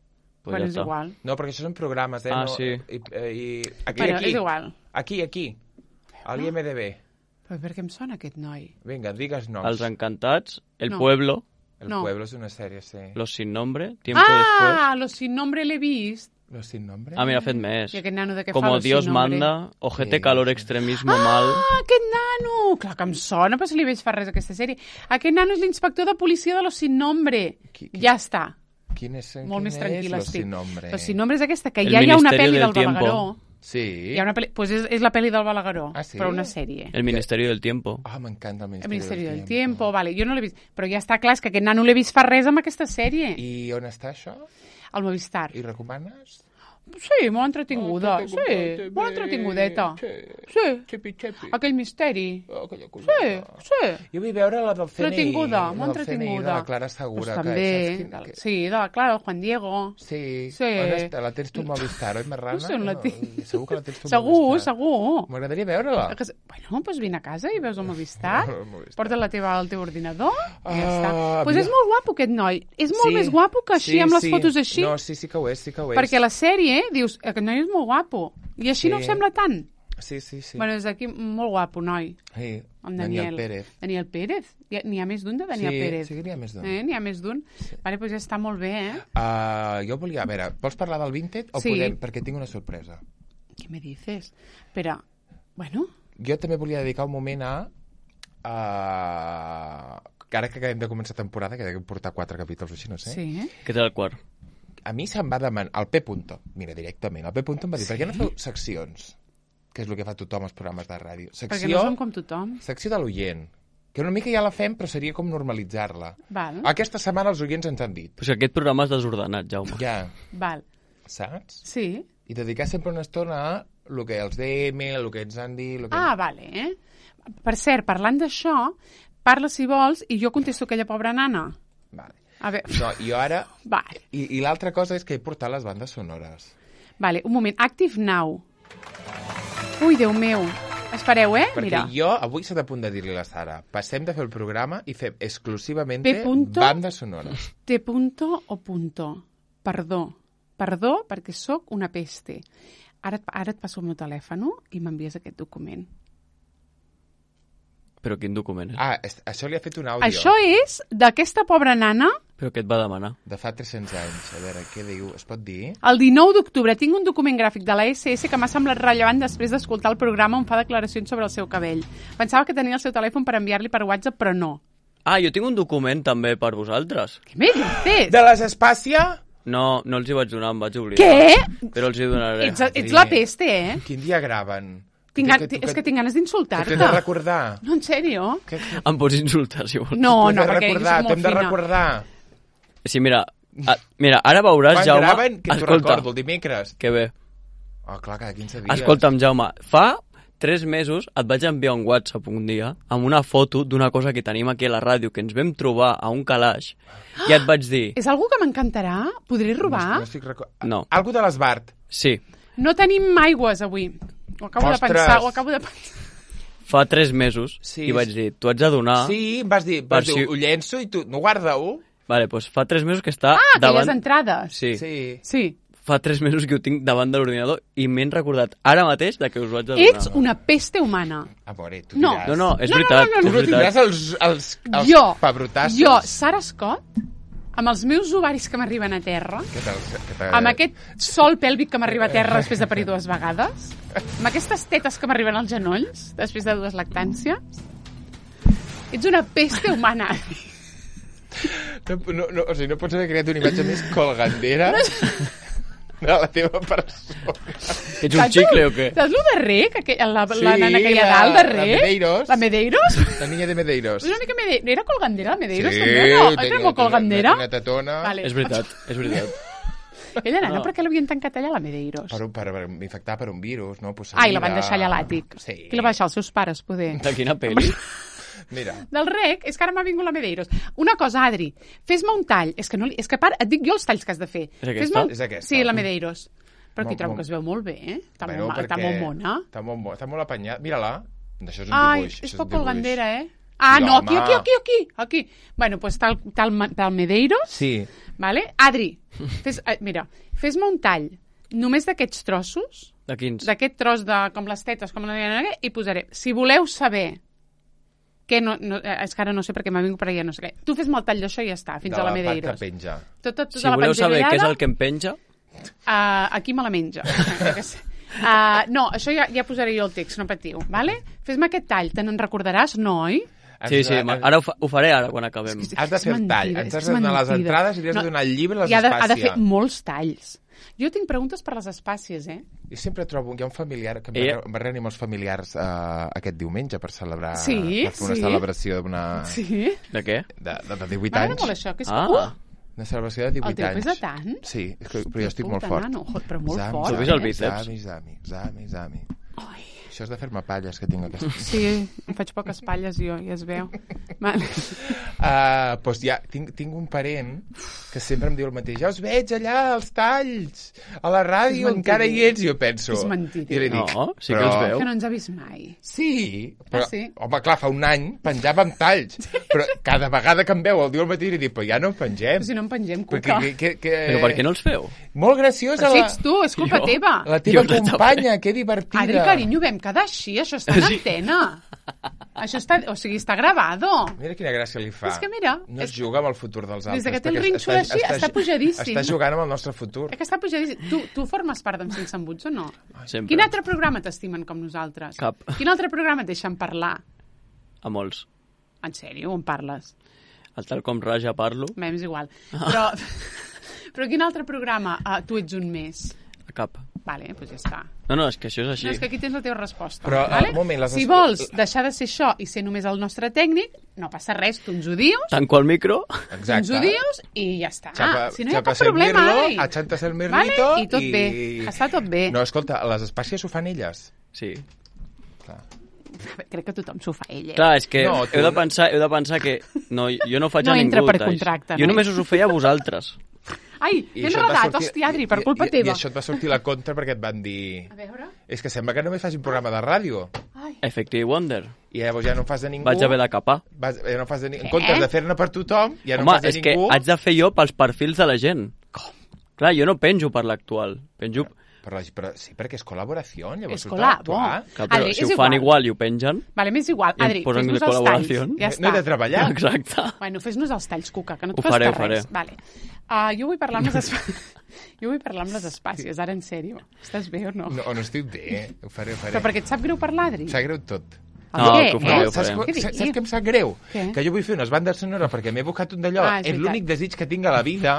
Pues bueno, ja és està. igual. No, perquè això són programes, eh? Ah, no, sí. I, i, aquí, Bueno, aquí. és igual. Aquí, aquí. A l'I M D B. Però per què em sona aquest noi? Vinga, digues noms. Els Encantats, El No. Pueblo, El No. Pueblo és una sèrie, sí. Los Sin Nombre, Tiempo Después... Ah, Los Sin Nombre l'he vist. Los sin nombre? Ah, mira, ha fet més. I aquest nano de què Como fa Los Dios Sin Nombre? manda, Ojete, Sí, Calor, sí. Extremismo, Mal... Ah, aquest nano! Clar que em sona, però se li veig fa res aquesta sèrie. Aquest nano és l'inspector de policia de Los Sin Nombre. Qui- qui- Ja està. Quin és, Molt quin més tranquil·la és Los estic. sin nombre? Los Sin Nombre és aquesta, que El ja hi ha una Ministerio pel·li del del Tiempo. Balagueró. Sí? Hi ha una pel·li... Pues és, és la pel·li del Balagueró, Ah, sí? però una sèrie. El Ministerio del Tiempo. Ah, m'encanta el El Ministeri, Ministeri del Tiempo, vale. Jo no l'he vist. Però ja està clar, és que aquest nano l'he vist fa res amb aquesta sèrie. I on està això? Al Movistar. I recomanes? Sí, molt entretinguda. Oh, Sí, molt entretingudeta. Sí. Sí. Xepi, xepi. Aquell misteri. Oh, aquella Sí, coseta. sí. Jo vull veure la del C N I. Entretinguda, la molt del C N I, entretinguda. De la Clara Segura. Pues que, també, saps quin- del- que- sí, de la Clara, el Juan Diego. Sí. Sí. On està? La tens tu al Movistar, oi, Marrana? No sé on la tinc. Segur que la tens tu al Segur, Movistar. segur. M'agradaria veure-la. Que se- Bueno, doncs vine a casa i veus el Movistar. El Movistar. Porta la teva al teu ordinador i ja Ah, està. Doncs pues mira. és molt guapo aquest noi. És molt Sí. més guapo que així, Sí, amb les sí. fotos així. No, sí, sí que ho és, sí que ho és. Perquè la sèrie, dius, aquest noi és molt guapo. I així Sí. no ho sembla tant. Sí, sí, sí. Bueno, és aquí molt guapo, noi. sí. En Daniel Daniel. Pérez. Daniel Pérez. Hi ha- N'hi ha més d'un de Daniel sí, Pérez. Sí, que n'hi ha més d'un. Eh, N'hi ha més d'un. Vale, doncs ja està molt bé, eh? Uh, jo volia... A veure, vols parlar del Vinted o Sí. podem... Perquè tinc una sorpresa. Què me dices? Espera, bueno, Jo també volia dedicar un moment a... a... que ara que acabem de començar temporada, que deguem portar quatre capítols o així, no sé. sí, eh? Què té el quart? A mi se'm va demanar... El P. Punto, mira, directament. El P. Punto em va dir, per què no feu seccions? Que és el que fa tothom als programes de ràdio. Perquè Secció, no som com tothom. secció de l'oient. Que una mica ja la fem, però seria com normalitzar-la. Val, Aquesta setmana els oients ens han dit. Però si aquest programa és desordenat, Jaume. Ja, val. saps? Sí. I dedicar sempre una estona a el que els D M, el que ens han dit... El que... Ah, vale, eh? Per cert, parlant d'això, parla si vols i jo contesto aquella pobra nana. Vale. A veure, No, jo ara... vale, I, i l'altra cosa és que he portat les bandes sonores. vale, un moment. Active Now. Ui, Déu meu. Espereu, eh? Perquè Mira. jo avui s'ha de punt de dir-li a la Sara, passem de fer el programa i fem exclusivament P. punto. bandes sonores. T punto o punto. Perdó. Perdó perquè sóc una peste. Ara, et- ara et passo el meu telèfon i m'envies aquest document. Però quin document és? Ah, es, això li ha fet un àudio. Això és d'aquesta pobra nana. Però què et va demanar? De fa tres-cents anys. A veure, què diu? Es pot dir? El dinou d'octubre tinc un document gràfic de la S S que m'ha semblat rellevant després d'escoltar el programa on fa declaracions sobre el seu cabell. Pensava que tenia el seu telèfon per enviar-li per WhatsApp, però no. Ah, jo tinc un document també per vosaltres. Què me dices? De les Espàcia? No, no els hi vaig donar, em vaig oblidar. Què? Però els hi donaré. Ets, ets la peste, eh? Quin dia graven? Tinc, Que- gan- que- és que tinc ganes Que d'insultar-te. t'he de recordar. No, en sèrio? Que, que, Em pots insultar, si vols. No, t'ho he no, de perquè jo recordar, soc molt t'hem de fina. recordar. Sí, mira, a, mira, ara veuràs, Quan Jaume... graven? Que t'ho Escolta, recordo, el dimecres. que bé. Oh, clar, cada quinze dies. Escolta'm, Jaume, fa tres mesos et vaig enviar un WhatsApp un dia amb una foto d'una cosa que tenim aquí a la ràdio, que ens vam trobar a un calaix, i et vaig dir... És algú que m'encantarà? Podré robar? No, estic record... No. Algo de l'Esbart. Sí, No tenim aigües avui. Ho acabo Ostres. de pensar, ho acabo de pensar. fa tres mesos, Sí, i vaig dir, tu haig de donar... Sí, em vas dir, vas Per dir si- ho llenço i tu, no guarda-ho. Vale, doncs fa tres mesos que està Ah, aquelles davant... entrades. Sí, Sí. Sí. fa tres mesos que ho tinc davant de l'ordinador i m'he recordat ara mateix de que us ho haig de donar. Ets una peste humana. Amore, tu No. diràs. No, no, és No, no, veritat. no, no, Tu és no veritat. tindràs els, els, els Jo, pebrotassos? jo, Sara Scott, amb els meus ovaris que m'arriben a terra, Que te'ls- que te- amb aquest sol pèlvic que m'arriba a terra després de parir dues vegades, amb aquestes tetes que m'arriben als genolls després de dues lactàncies, ets una peste humana. No, no, no, o sigui, no pots haver creat una imatge més colgandera de la teva persona. Ets un xicle o què? Saps lo de rec? Aqu- La, Sí, la nana que hi ha la- dalt de la rec? Medeiros. La Medeiros? La niña de Medeiros. És una mica Mede... Era colgandera, la Medeiros, Sí, també, no? tenia- Era molt colgandera? Una tetona. Vale. És veritat, és veritat. Aquella nana, No. per què l'havien tancat allà, la Medeiros? Per, per, per infectar per un virus, no? Pues Ai, la van mira. deixar allà a l'àtic. Sí. Qui la va deixar? Els seus pares, poder. De quina pel·li? Mira. Del rec, és que ara m'ha vingut la Medeiros. Una cosa, Adri, fes-me un tall. És que, no li... és que part, et dic jo els talls que has de fer. És aquesta? Fes-me un- És aquesta. Sí, la Medeiros. Però aquí Mo- trobo mo- que es veu molt bé, eh? Està, Bueno, molt, ma- està perquè molt mona. Està molt, mo- està molt apanyat. Mira-la. Això és un Ai, dibuix. és això poc un dibuix. colgandera, eh? Ah, Sí, no, home. aquí, aquí, aquí, aquí, aquí. Bueno, doncs tal, tal, tal Medeiros, Sí. vale? Adri, fes, eh, mira, fes-me un tall només d'aquests trossos, De quins? d'aquest tros de com les tetes, com la... i posaré, si voleu saber que no, no, eh, és que ara no sé perquè m'ha vingut per allà, no sé què. Tu fes-me el tall d'això i ja està, fins de a la part Medeiros. que penja. Tot, tot, tota Si la voleu saber què és penjallada, el que em penja, Uh, aquí me la menja. uh, no, això ja, ja posaré jo el text, no patiu, vale? Fes-me aquest tall, te n'en recordaràs, no, oi? sí, sí, Has- ara ho, fa, ho faré ara quan acabem. Has de És fer el tall, mentida, ens és has que de és donar les mentida. entrades i li has de donar el llibre i les I ha de, ha de espàcies. fer molts talls. Jo tinc preguntes per les espàcies, eh? Jo sempre trobo... Hi ha un familiar que em Ella- va, em va reunir amb els familiars uh, aquest diumenge per celebrar... Sí, per fer una sí. celebració d'una... Sí? De què? De, de, de divuit M'agrada anys. molt això, que és... Ah. Uh, Una celebració de divuit El teu anys. pesa tant? Sí, és que, però jo estic molt Puta, fort. nano, jo- però molt Zami, fort, Tu has vist el zami, bíceps? Zami, zami, zami, zami. Ai. Això és de fer-me palles que tinc aquesta... Sí, em faig poques palles jo, ja es veu. Vale. Uh, doncs ja, tinc, tinc un parent que sempre em diu el mateix. Ja us veig allà, als talls, a la ràdio, És encara hi mentider. ets. I jo penso... És mentider. I li dic, No, sí que els veu. Que no ens ha vist mai. Sí, però, Ah, sí? home, clar, fa un any penjàvem talls, però cada vegada que em veu el diu el mateix li dic, però ja no en pengem. Però si no en pengem, Perquè, cuca. que, que, que... Però per què no els feu? Molt graciosa Però si la, ets tu, és culpa Jo? teva. la teva Jo no companya, que divertida. Adri, carinyo, vam quedar així, això està en antena. Això està, o sigui, està gravado. Mira quina gràcia li fa. És que mira, No es és- juga amb el futur dels altres. Des que té el perquè rínxol així, està pujadíssim. Està jugant amb el nostre futur. Eh, que està pujadíssim. Tu, tu formes part d'en Sense Embuts o no? Sempre. Quin altre programa t'estimen com nosaltres? Cap. Quin altre programa et deixen parlar? A molts. En sèrio, on parles? El tal com raja parlo, Bé, és igual. Però, però quin altre programa uh, tu ets un més? a cap. Vale, doncs ja està. No, no, és que això és així. No, és que aquí tens la teva resposta. Però, vale? un moment, les si es- vols deixar de ser això i ser només el nostre tècnic, no passa res, tu ens ho dius, Tanco el micro, tu ens Exacte. ho dius i ja està. Xapa, si no hi ha xapa cap problema, servirlo, Adri. achanta el Vale? mirlito I tot bé, està tot bé. No, escolta, les espàcies ho fan elles. sí. Clar. Crec que tothom s'ho fa ell, eh? Clar, és que No, no, tu heu, de no. pensar, heu de pensar que no, jo no faig No a ningú. entra per talls. contracte, Jo no? només us ho feia a vosaltres. Ai, I ben això et va rodat, sortir- hòstia, Adri, per i- culpa i, teva. I això et va sortir la contra perquè et van dir... A veure... És que sembla que només fas un programa de ràdio. Ai. Effective Wonder. I llavors ja no en fas de ningú. Vaig haver de capar. Vas, ja no fas de ningú. En Què? comptes de fer-ne per tothom, ja no Home, en fas de és que ningú. haig de fer jo pels perfils de la gent. Com? Clar, jo no penjo per l'actual. Penjo... Però, però, sí, perquè és col·laboració, llavors És tu t'has col·labo. d'actuar. Clar, però Adri, si és ho fan igual. igual i ho pengen... Vale, m'és igual. I em Adri, posen fes-nos de els talls. col·laboració. Ja No he de està. treballar. Exacte. Bueno, fes-nos els talls, Cuca, que no et Ho costa faré, ho res. faré. Vale. Uh, jo vull parlar amb les espàcies. Jo vull parlar amb les espàcies, ara en sèrio. Estàs bé o no? No, o no estic bé. Ho faré, ho faré. Però perquè et sap greu parlar, Adri? Em sap greu tot. No, Què? que ho faré, Eh? ho Saps, faré. què- Què saps, dius? saps què em sap greu? Què? Que jo vull fer unes bandes sonores perquè m'he buscat un d'allò. Ah, és és veritat. l'únic desig que tinc a la vida.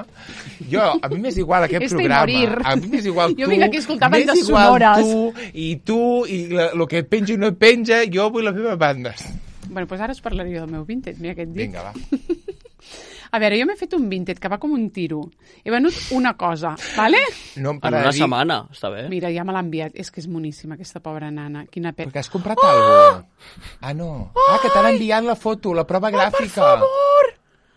Jo, a mi m'és igual aquest Este i programa. morir. A mi m'és igual tu. Jo vinc aquí a escoltar m'és bandes igual sonores. tu, i tu, i el que penja i no penja, jo vull les meves bandes. Bueno, doncs ara us parlaré del meu vintage, mira què et dic. Vinga, va. A veure, jo m'he fet un vintage que va com un tiro. He venut una cosa, vale? No em En para una de dir... setmana, està bé. Mira, ja me l'ha enviat. És que és moníssima, aquesta pobra nana. Quina pena. Perquè has comprat oh! alguna cosa. Ah, no. Ah, que t'han enviat la foto, la prova gràfica. Per favor!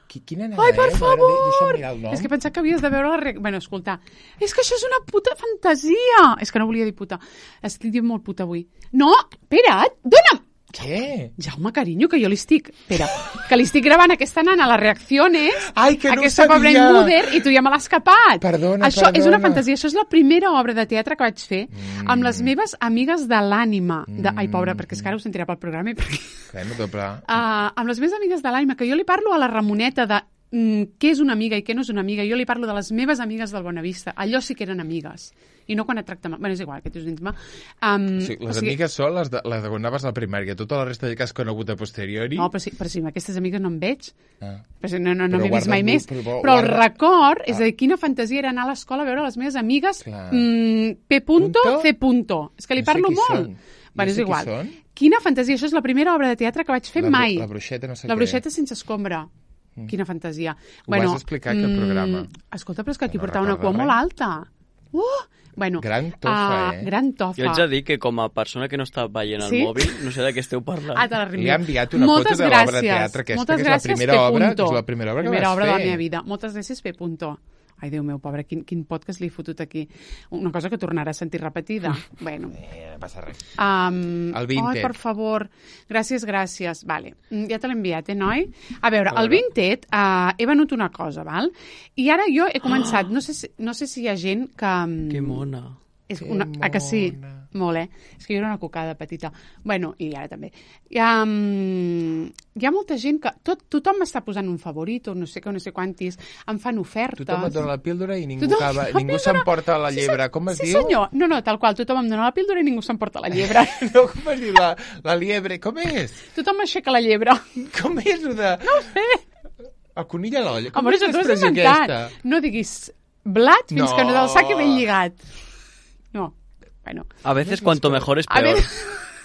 Qui, quina nena Ai, per és? A veure, favor! de- Deixa'm mirar el nom. És que pensava que havies de veure la... Re... Bueno, escolta, és que això és una puta fantasia! És que no volia dir puta. Estic dient molt puta avui. No, espera't, dona'm! Què? Jaume, carinyo, que jo li estic... Espera, que li estic gravant a aquesta nana les reacciones, Ai, que no aquesta pobra sabia. Inguder, i tu ja me l'has escapat. Perdona, Això és una perdona. fantasia, això és la primera obra de teatre que vaig fer mm. amb les meves amigues de l'ànima. De... Ai, pobra, perquè és que ara ho sentirà pel programa i perquè... Bueno, doble. Uh, amb les meves amigues de l'ànima, que jo li parlo a la Ramoneta de mm, què és una amiga i què no és una amiga. Jo li parlo de les meves amigues del Bonavista. Allò sí que eren amigues. I no quan et tracta mal. Bueno, és igual, aquest és un intima. Um, Sí, les amigues són les de, les de quan anaves a la primària. Tota la resta de que has conegut a posteriori... No, però sí, però sí, amb aquestes amigues no em veig. Ah. Però sí, no, no, no Però m'he vist guarda mai el- més. però Però el guarda- record és Ah. de quina fantasia era anar a l'escola a veure les meves amigues Clar. mm, P. Punto, Punto? C. Punto. És que li No sé parlo qui molt. són. Bueno, No és sé qui igual. són. Quina fantasia. Això és la primera obra de teatre que vaig fer La bru- mai. la bruixeta no sé La què. bruixeta sense escombra. Mm. Quina fantasia. Ho vas explicar, aquest programa. Escolta, però és que aquí No portava una recordo cua res. molt alta. Uh! Bueno, Gran tofa, ah, eh? Gran tofa. Jo haig de dir que com a persona que no està veient el Sí? mòbil, no sé de què esteu parlant. Ah, te la reenvio. Li ha enviat una Moltes foto de l'obra de gràcies. teatre aquesta, Moltes que és la gràcies, primera P. obra- Punto. és la primera obra que primera vas obra de la fer. meva vida. Moltes gràcies, P. Punto. Ai, Déu meu, pobre, quin, quin podcast li he fotut aquí. Una cosa que tornarà a sentir repetida. Bueno. Eh, no passa res. Um, El Vinted. Ai, per favor. Gràcies, gràcies. Vale. Mm, Ja te l'he enviat, eh, noi? A veure, A el veure. Vinted, uh, he venut una cosa, val? I ara jo he començat, no sé si, no sé si hi ha gent que... mm, Que mona. És Que una, a que sí? mona. Molt, eh? És que jo era una cocada petita. Bueno, i ara també. Hi ha, um, hi ha molta gent que... Tot, tothom m'està posant un favorit o no sé què, no sé quantis. Em fan ofertes. Tothom et dona la píldora i ningú, Tothom acaba, la ningú píldora. s'emporta la Sí, llebre. se- Com es sí, diu? senyor. No, no, tal qual. Tothom em dona la píldora i ningú s'emporta la llebre. No, com es diu la, la liebre? Com és? Tothom aixeca la llebre. Com és, ho de... No ho sé. El conill a l'olla. Com Amor, és això t'ho has l'expressió inventat. aquesta? No diguis blat fins No. que no del sac i ben lligat. No. Bueno. A veces cuanto mejor es A peor. ver,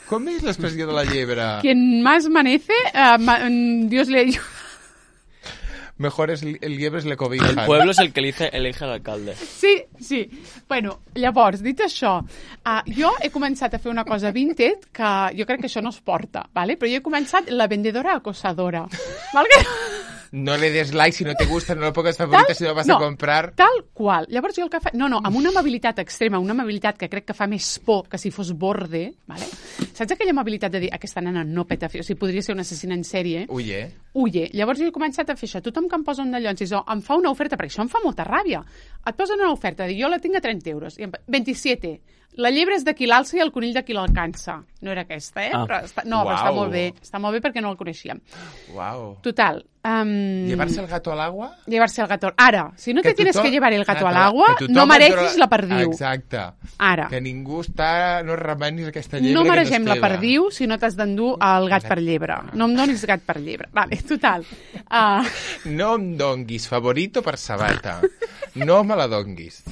Com és l'expressió de la llebre? quien más manece, uh, ma Dios le ayuda. Mejor es el liebre es le cobija. El pueblo es el que elige, elige al alcalde. Sí, sí. Bueno, llavors, dit això, uh, jo he començat a fer una cosa Vinted que jo crec que això no es porta, ¿vale? Però jo he començat la vendedora acosadora. ¿Vale? No le des like si no te gusta, no lo pongas favorita si no vas no, a comprar. Tal qual. Llavors jo el que fa... No, no, amb una amabilitat extrema, una amabilitat que crec que fa més por que si fos borde, ¿vale? Saps aquella amabilitat de dir aquesta nena no peta fi, o sigui, podria ser una assassina en sèrie? Ui, eh? Uye. Llavors jo he començat a fer això. Tothom que em posa un dallons i so, em fa una oferta, perquè això em fa molta ràbia. Et posen una oferta, dic, jo la tinc a trenta euros. I em... veintisiete. La llebre és de qui l'alça i el conill de qui l'alcança. No era aquesta, eh? Ah. Però està... No, però està Uau. molt bé. Està molt bé perquè no el coneixíem. Wow. Total. Um... ¿Llevarse el gato al agua? Llevarse el gato. Ara, si no Que te tienes tothom- que llevar el gato Ah, al agua, que tothom no et mereixis dona- la perdiu. Exacte. Ara. Que ningú està... No remenis aquesta llebre No que maregem nos la queda. perdiu si no t'has d'endur el gat per llebre. No em donis gat per llebre. Vale, total. Uh, No em donguis favorito per sabata. No me la donguis.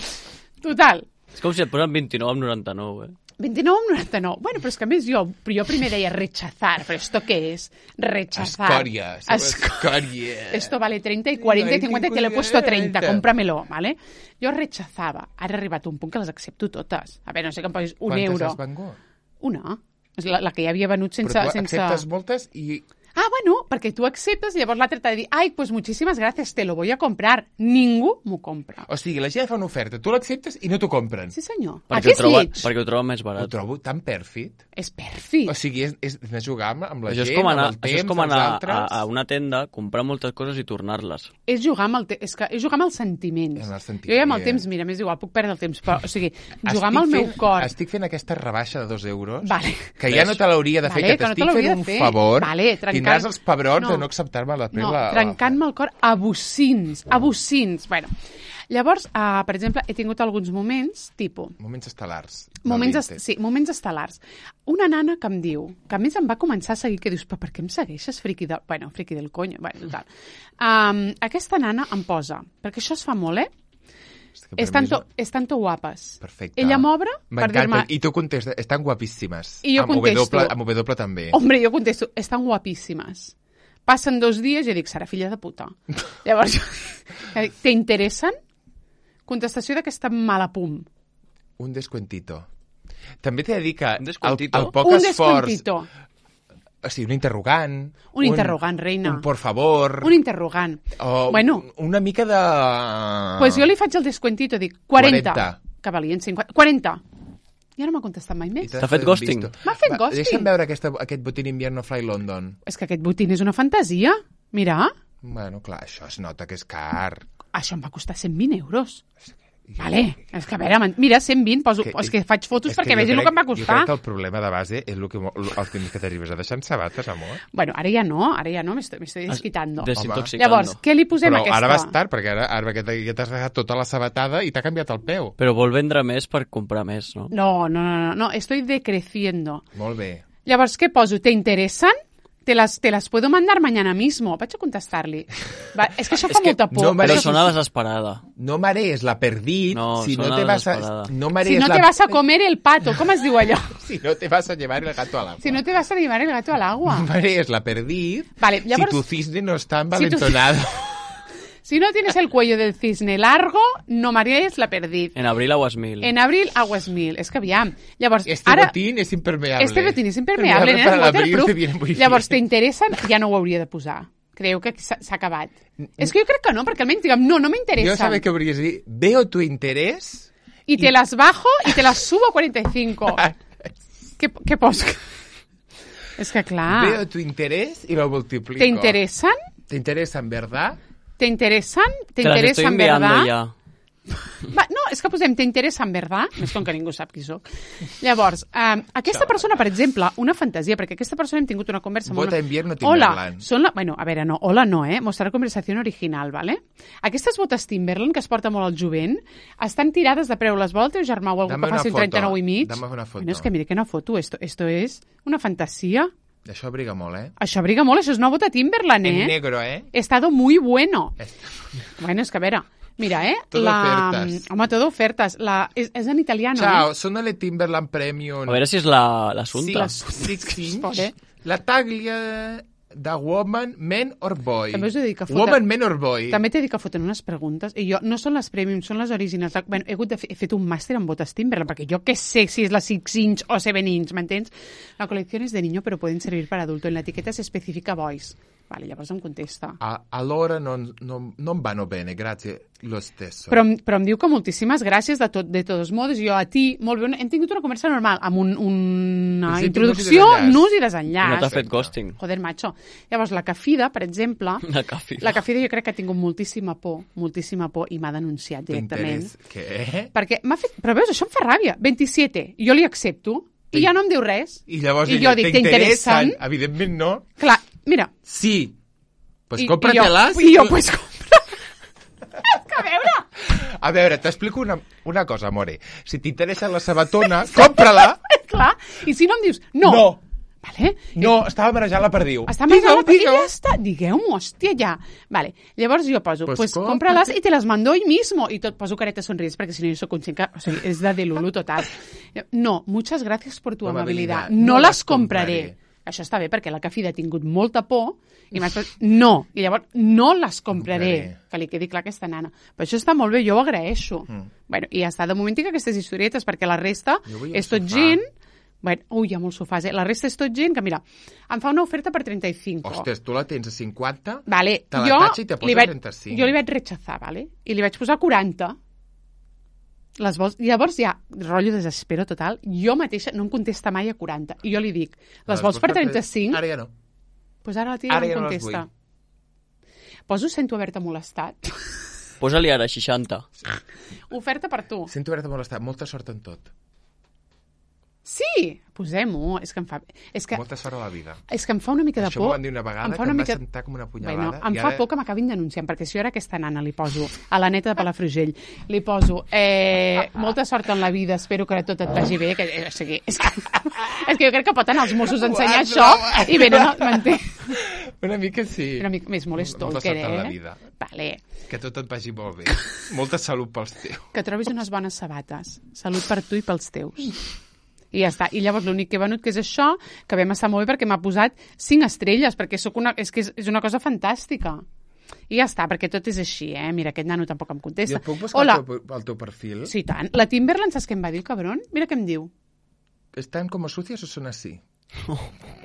total. És com si et posen vint-i-nou amb noranta-nou, eh? vint-i-nou amb noranta-nou. Bueno, però és que a més jo, jo primer deia rechazar, però esto què es? Rechazar. Escoria. Esco- Escoria. Esto vale treinta y cuarenta y cincuenta y te lo he puesto a treinta, cómpramelo, ¿vale? Jo rechazava. Ara ha arribat un punt que les accepto totes. A veure, no sé que em posis un Quantes euro. has vengut? Una. És la, la que ja havia venut sense... Però tu sense... acceptes moltes i... Ah, bueno, perquè tu acceptes i llavors l'altre t'ha de dir ai, pues muchísimas gracias, te lo voy a comprar. Ningú m'ho compra. O sigui, la gent fa una oferta, tu l'acceptes i no t'ho compren. Sí, senyor. Perquè Aquí ho, és troba, lleig. perquè ho troba més Ho barat. trobo tan pèrfid. És pèrfid. O sigui, és, és, és jugar amb, amb la Això és gent, com anar, amb el temps, això és com els anar a, altres. a una tenda, comprar moltes coses i tornar-les. És jugar amb el, te és que és jugar amb els sentiments. Amb els sentiments. Jo ja amb el temps, mira, m'és igual, puc perdre el temps, però, o sigui, jugar amb el Estic meu fent, cor. Estic fent aquesta rebaixa de dos euros, Vale. que ja no te l'hauria de fer, Vale, que que no te t'estic l'hauria fent un de fer. favor, Vale, trencant- tindràs els pebrons No. de no acceptar-me la No, la, trencant-me el cor a bocins, a bocins. Bueno, llavors, uh, per exemple, he tingut alguns moments, tipus, Moments estel·lars. del moments, est Vinted. sí, moments estel·lars. Una nana que em diu, que a més em va començar a seguir, que dius, però per què em segueixes, friqui del... Bueno, friqui del coño, bueno, total. Um, aquesta nana em posa, perquè això es fa molt, eh? És que per Estan, mi és- to, estan to guapes. Perfecte. Ella m'obre per M'encanta. dir-me... I tu contestes, estan guapíssimes. I jo amb contesto. W, amb W també. Hombre, jo contesto, estan guapíssimes. Passen dos dies i jo dic, serà filla de puta. Llavors, jo dic, ¿te interessen? Contestació d'aquesta mala pum. Un descuentito. També t'he de dir que Un descuentito? el, el poc Un esforç... descuentito. O sigui, un interrogant. Un interrogant, reina. Un por favor. Un interrogant. O Bueno. una mica de... Pues jo li faig el descuentito, dic, quaranta. quaranta. Que valien cinquanta. quaranta. I ara no m'ha contestat mai I més. t'has T'ha fet ghosting? visto. M'ha fet Va, ghosting. Deixa'm veure aquesta, aquest botín invierno Fly London. És que aquest botín és una fantasia. Mira, Bueno, clar, això es nota que és car. això em va costar cent vint euros. Vale, és que a veure, man- mira, cent vint, poso, Que- és que faig fotos és que perquè jo vegi el crec- que em va Jo costar. crec que el problema de base és el que, mo- el temps que t'arribes a deixar en sabates, amor. Bueno, ara ja no, ara ja no, me estoy, me estoy desquitando. Desintoxicando. Llavors, què li posem Però a aquesta? ara vas tard, perquè ara, ara que t'ha- que t'has deixat tota la sabatada i t'ha canviat el peu. Però vol vendre més per comprar més, no? No, no, no, no, no, estoy decreciendo. Molt bé. Llavors, què poso? ¿Te interesan? Te las, te las puedo mandar mañana mismo. Vaig a contestar-li. Va, és que això fa que molta por. no Però mereix- sona desesperada. No marees la perdit No, si no sona te vas a... desesperada. No Si marees no la... te vas a comer el pato, com es diu allò? Si no te vas a llevar el gato al agua. Si no te vas a llevar el gato al agua. No marees la perdit Vale, llavors- si tu cisne no està Si tu- envalentonado. Si no tienes el cuello del cisne largo, no marees la perdiz. En abril aguas mil. En abril, aguas mil. És que aviam. Llavors, Este ara... botín és impermeable. Este botín és impermeable, Para nena, és l'abril te waterproof. viene muy Llavors, bien. t'interessen? Ja no ho hauria de posar. Creieu que s'ha s'ha acabat. És que jo crec que no, perquè almenys diguem, no, no m'interessa. Jo sabia que hauries de dir, veo tu interés... Y te las bajo y te las subo a cuarenta y cinco. ¿Qué, qué pos? Es que clar... Veo tu interés y lo multiplico. ¿Te interesan? ¿Te interesan, verdad? ¿Te interesan? ¿Te Te las estoy interesan, enviando verdad? ya. Va, no, és que posem t'interessen, verdad? Més com que ningú sap qui soc. Llavors, um, aquesta persona, per exemple, una fantasia, perquè aquesta persona hem tingut una conversa... Vota molt... invierno Hola, Timberland. són la... Bueno, a veure, no, hola no, eh? Mostrar conversació original, ¿vale? Aquestes botes Timberland, que es porta molt al jovent, estan tirades de preu. Les vol el teu germà o algú Dame que faci una un trenta-nou foto. i mig? Dame una foto. Bueno, és que mira que una foto, esto, esto és una fantasia. Això abriga molt, eh? Això abriga molt, això és una bota Timberland, eh? En negro, eh? He estado muy bueno. Está- Bueno, és que a veure, mira, eh? Todo la... ofertas. Home, todo ofertas. La... És, és en italiano, Ciao, eh? sono le Timberland Premium. A veure si és la- l'assumpte. Six, six inch. Pobre. La taglia de woman, man or boy. També us he dit que foten- Woman, man or boy. També t'he dit que foten unes preguntes, i jo, no són les premium, són les originals. Bueno, he, hagut de fer, he fet un màster en botes Timberland, perquè jo què sé si és la six inch o seven inch, m'entens? La col·lecció és de niño, però poden servir per adulto. En l'etiqueta s'especifica boys. Vale, llavors em contesta. A- allora non, non, non vanno bene, grazie lo stesso. Però, em- però em diu que moltíssimes gràcies de, tot, de todos modos. Jo a ti, molt bé, hem tingut una conversa normal, amb un, una Principi, introducció, nus i desenllaç. nus i No desenllaç. t'ha fet ghosting. Joder, macho. Llavors, la Cafida, per exemple, La cafida. la Cafida jo crec que ha tingut moltíssima por, moltíssima por, i m'ha denunciat directament. T'interès- Què? Perquè m'ha fet... Però veus, això em fa ràbia. veintisiete. Jo li accepto, i ja no em diu res. I llavors I ella, jo dic, t'interessen? t'interessen? Evidentment no. Clar, mira. Sí. Pues I- cómpratelas. I jo, i jo pues compra. És que a veure... A veure, t'explico una, una cosa, amore. Si t'interessa la sabatona, compra-la. Clar, i si no em dius, no. No. Vale? No, estava marejant la perdiu. Està més Digue'm, a la... I digue'm. ja està. Digueu-m'ho, hòstia, ja. Vale. Llavors jo poso, Pues pues, cómprate. cómpralas y te las mando hoy mismo. I tot poso careta sonríes, perquè si no jo soc conscient que... O sigui, és de delulu total. No, muchas gracias por tu Amabilidad. amabilidad. No, No las las compraré. compraré. Això està bé, perquè la Cafida ha tingut molta por i m'ha dit, no. I llavors, no les compraré. Compraré. Que li quedi clar a aquesta nana. Però això està molt bé, jo ho agraeixo. Mm. Bueno, i ja està, de moment tinc aquestes historietes, perquè la resta Jo vull un és tot sofà. gent... Bueno, ui, hi ha molts sofàs, eh? La resta és tot gent que, mira, em fa una oferta per trenta-cinco. Ostres, tu la tens a cinquanta, Vale, te la jo tatxa i te li posa vaig, trenta-cinc. jo li vaig rechazar, vale? I li vaig posar quaranta. Les vols... Llavors ja, rotllo desespero total, jo mateixa no em contesta mai a quaranta. I jo li dic, les vols per trenta-cinc? Ara ja no. Doncs ara la tia Ara no ja em no les contesta. Poso sento haver-te molestat. Posa-li ara seixanta. Oferta per tu. Sento haver-te molestat. Molta sort en tot. Sí, posem-ho. És que em fa... És que, Molta sort a la vida. és que em fa una mica de Això por. m'ho van dir una vegada, Em fa que una em va mica... sentar com una punyalada. Bueno, em i fa ara- por que m'acabin denunciant, perquè si jo ara aquesta nana li poso a la neta de Palafrugell, li poso eh, molta sort en la vida, espero que tot et vagi bé, que, eh, o sigui, és, que, és que jo crec que pot anar als Mossos a ensenyar What? això i venen, no, m'entens? Una mica sí. Una mica més molt Molta stalker, sort en la eh? vida. Vale. Que tot et vagi molt bé. Molta salut pels teus. Que trobis unes bones sabates. Salut per tu i pels teus. I ja està. I llavors l'únic que he venut que és això, que vam estar molt bé perquè m'ha posat cinc estrelles, perquè soc una, és que és, és una cosa fantàstica. I ja està, perquè tot és així, eh? Mira, aquest nano tampoc em contesta. Jo puc buscar Hola. el teu, el teu perfil? Sí, tant. La Timberland, saps què em va dir, cabron? Mira què em diu. ¿Están como sucias o son así?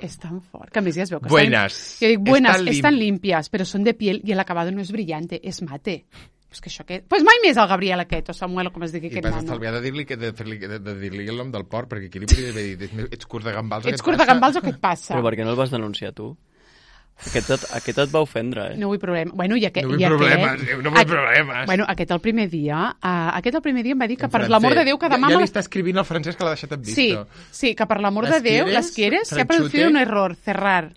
És tan fort, que a més ja es veu que Buenas. estan... Jo dic, buenas, Están lim- están limpias, pero son de piel y el acabado no es brillante, es mate. Pues que això què... Pues mai més el Gabriel aquest, o Samuel, o com es digui I aquest vas nano. estalviar de dir-li que de, fer-li, de, de dir-li el nom del porc, perquè aquí li podria haver dit, "Ets- ets curt de gambals o què Ets et curt de passa?" gambals o què et passa? Però per què no el vas denunciar tu? Aquest et, aquest et va ofendre, eh? No vull problema. Bueno, i aquest, No vull i aquest, problemes, eh, no vull Aqu- problemes. Bueno, aquest el primer dia, uh, aquest el primer dia em va dir que En per francès. l'amor de Déu que demà... Ja, ja me li les- està escrivint el francès que l'ha deixat en visto. Sí, sí, que per l'amor de ¿Las Déu, quieres? les quieres, se ha Franchute? producido un error, cerrar.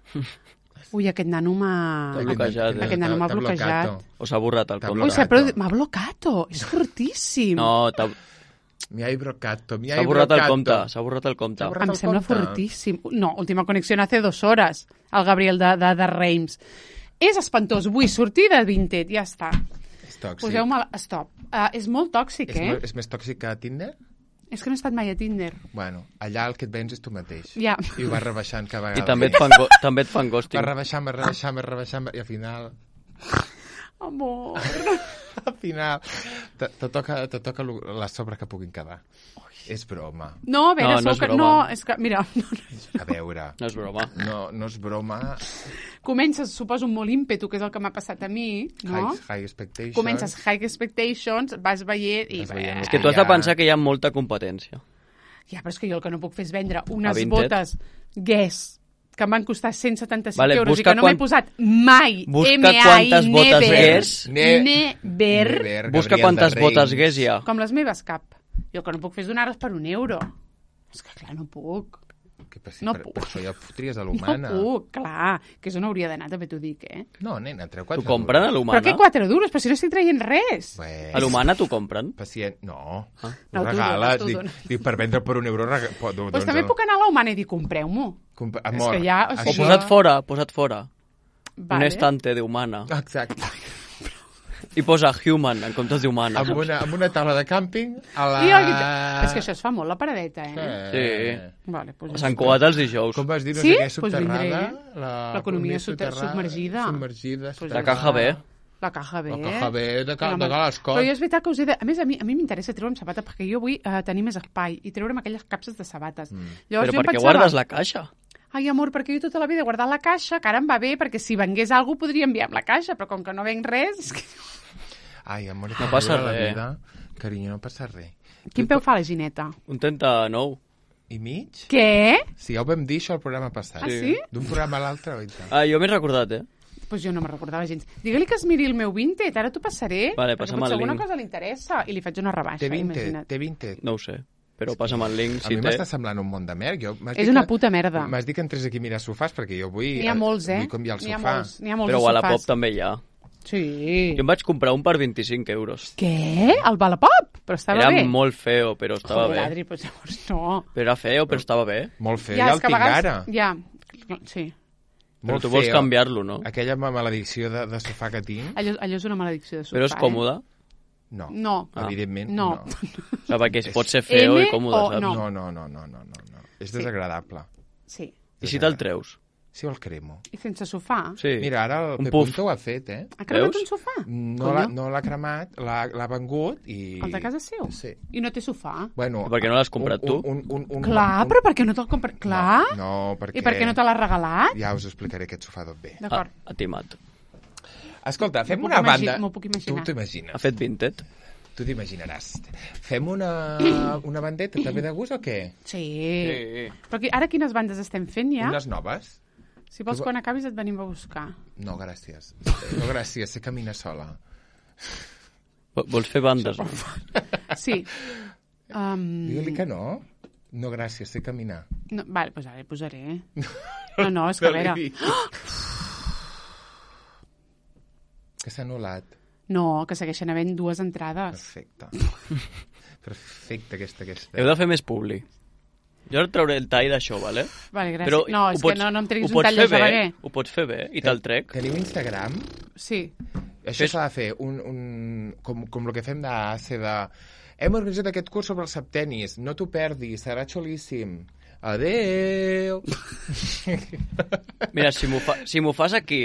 Ui, aquest nano m'ha... T'ha bloquejat, eh? Aquest nano m'ha T'ha bloquejat. blocato. O s'ha borrat el T'ha compte? Ui, s'ha blocat. produ... m'ha blocato, és fortíssim. No, t'ha Mi hai brocato, mi s'ha hai borrat el brocato. compte, s'ha borrat el compte. S'ha borrat Em el sembla compte. fortíssim. No, última connexió hace dos hores, el Gabriel de, de, de Reims. És espantós, vull sortir de Vinted, ja està. És tòxic. Poseu-me... Stop. Uh, és molt tòxic, És, eh? mo- és més tòxic que Tinder? És que no he estat mai a Tinder. Bueno, allà el que et vens és tu mateix. Ja. I ho vas rebaixant cada vegada. I també et fan, go també et fan ghosting. Vas rebaixant, vas rebaixant, vas rebaixant, i al final... Amor. Al final te, te toca, te toca lo- la sobra que puguin quedar. És broma. No, a veure, No, no sou és que... broma. No, és que, mira, A veure, No és broma. no, no és broma. comences, suposo, amb molt ímpetu, que és el que m'ha passat a mi, no? High, high expectations. Comences high expectations, vas veient i... Vas veient És que tu has de Ja. pensar que hi ha molta competència. Ja, però és que jo el que no puc fer és vendre unes Vinted. botes Guess que em van costar cent setanta-cinc Vale, euros i busca que no quan- m'he posat mai Busca M A I, quantes botes never, Guess. Ne- never, Never, Busca Gabriel quantes de botes Reis. Guess hi ha. com les meves cap. Jo el que no puc fer és donar-les per un euro. És que clar, no puc. Que per, si No per, puc. per això ja fotries a No l'humana. puc, clar, que és on hauria d'anar, també t'ho dic, eh? No, nena, treu Tu quatre compren a duros. l'Humana? Però què quatre duros? Però si no estic traient res. Bé, A l'Humana t'ho compren? pacient. No, Ah. No, ho tu regales. dones, tu Dic, dones. dic, per vendre per un euro... Rega... po- do- Doncs doncs també el- puc anar a la Humana i dir, compreu-m'ho. Compa- És Amor, que ja, o O sigui, això- posat fora, posat fora. Vale. Un estante d'Humana. Exacte. I posa Human en comptes d'Humana. Amb una, amb una taula de càmping a la... I el- És que això es fa molt, la paradeta, eh? Sí. Vale, doncs A Sant Cugat els dijous. Com vas dir, no Sí? sé què, Pues subterrada? vindré. La- L'economia soter- soterrada, submergida. Submergida. Pues La soterrada. caja B. La caja B. La caja B de, ca, Home, de Cal Escot. Però jo és veritat que us he de... A més, a mi, a mi m'interessa treure'm sabates perquè jo vull eh, tenir més espai i treure'm aquelles capses de sabates. Mm. Llavors, Però jo em per què pensava, guardes la caixa? Ai, amor, perquè jo tota la vida he guardat la caixa, que ara em va bé, perquè si vengués alguna cosa podria enviar amb la caixa, però com que no venc res... És que... Ai, amor, No passa la res. vida. Carinyo, no passa res. Quin peu fa la Gineta? Un trenta-nou. I mig? Què? Sí, ja ho vam dir, això, al programa passat. Ah, sí? D'un programa a l'altre, oi tant. Ah, jo m'he recordat, eh? Doncs pues jo no me'n recordava gens. Digue-li que es miri el meu Vinted, ara t'ho passaré. Vale, perquè passa'm potser el alguna link. cosa li interessa. I li faig una rebaixa, Té vint, imagina't. té vint. No ho sé. Però passa'm el link, A si mi té. m'està semblant un món de merda. Jo, m'has És dit una que- puta merda. M'has dit que entrés aquí a mirar sofàs, perquè jo vull... N'hi ha molts, eh? Vull canviar el N'hi ha sofà. molts, n'hi ha molts Però de a Wallapop sofàs. també hi ha. Sí. Jo em vaig comprar un per vint-i-cinc euros. Què? El Wallapop? Però estava Era bé. molt feo, però estava Joder, bé. Adri, doncs llavors no. Però era feo, però estava bé. Molt feo, Ja, ja, és el que a tinc vegades... ara. Ja, sí. Però Molt tu vols feo. canviar-lo, no? Aquella maledicció de, de sofà que tinc, Allò, allò és una maledicció de sofà, Però és còmode. no. No. Ah. Evidentment, No. no. O sigui, perquè es pot ser feo M i còmode, o saps? no? No, no, no, no, no, no, no. És desagradable. Sí. I si te'l treus? Si el cremo. I sense sofà? Sí. Mira, ara el Un Pep puff. Punto ho ha fet, eh? Ha cremat Veus? un sofà? No l'ha no l'ha cremat, l'ha l'ha vengut i... El de casa seu? Sí. I no té sofà? Bueno, I per què no l'has comprat un, tu? Un, un, un, un, Clar, un, però per què no te'l compres? Clar. No, no, perquè... I per què no te l'has regalat? Ja us explicaré aquest sofà d'on ve. Ah, D'acord. ha timat. Escolta, fem M'ho una puc imagi- banda... m'ho puc imaginar. Tu t'imagines. Ha fet Vinted? Tu t'imaginaràs. Fem una, una bandeta també de gust o què? Sí. Sí. Però aquí, ara quines bandes estem fent ja? Unes noves? Si vols, quan acabis et venim a buscar. No, gràcies. No, gràcies, sé caminar sola. Vo- Vols fer bandes? No? Sí. Um, Digue-li que no. No, gràcies, sé caminar. no, vale, doncs ara hi posaré. No, no, és que a veure... Que s'ha anul·lat. No, que segueixen havent dues entrades. Perfecte. Perfecte, aquesta, aquesta. Heu de fer més publi. Jo ara trauré el tall d'això, vale? Vale, gràcies. Però no, ho és pots- que no, no em ho treguis un pots tall fer de Sabaguer. bé, Ho pots fer bé i te'l trec. Teniu Instagram? Sí. Això Fes- s'ha de fer un, un, com, com el que fem d'A C de... Hem organitzat aquest curs sobre els septenis, no t'ho perdis, serà xulíssim. Adeu! Mira, si m'ho fa, si m'ho fas aquí,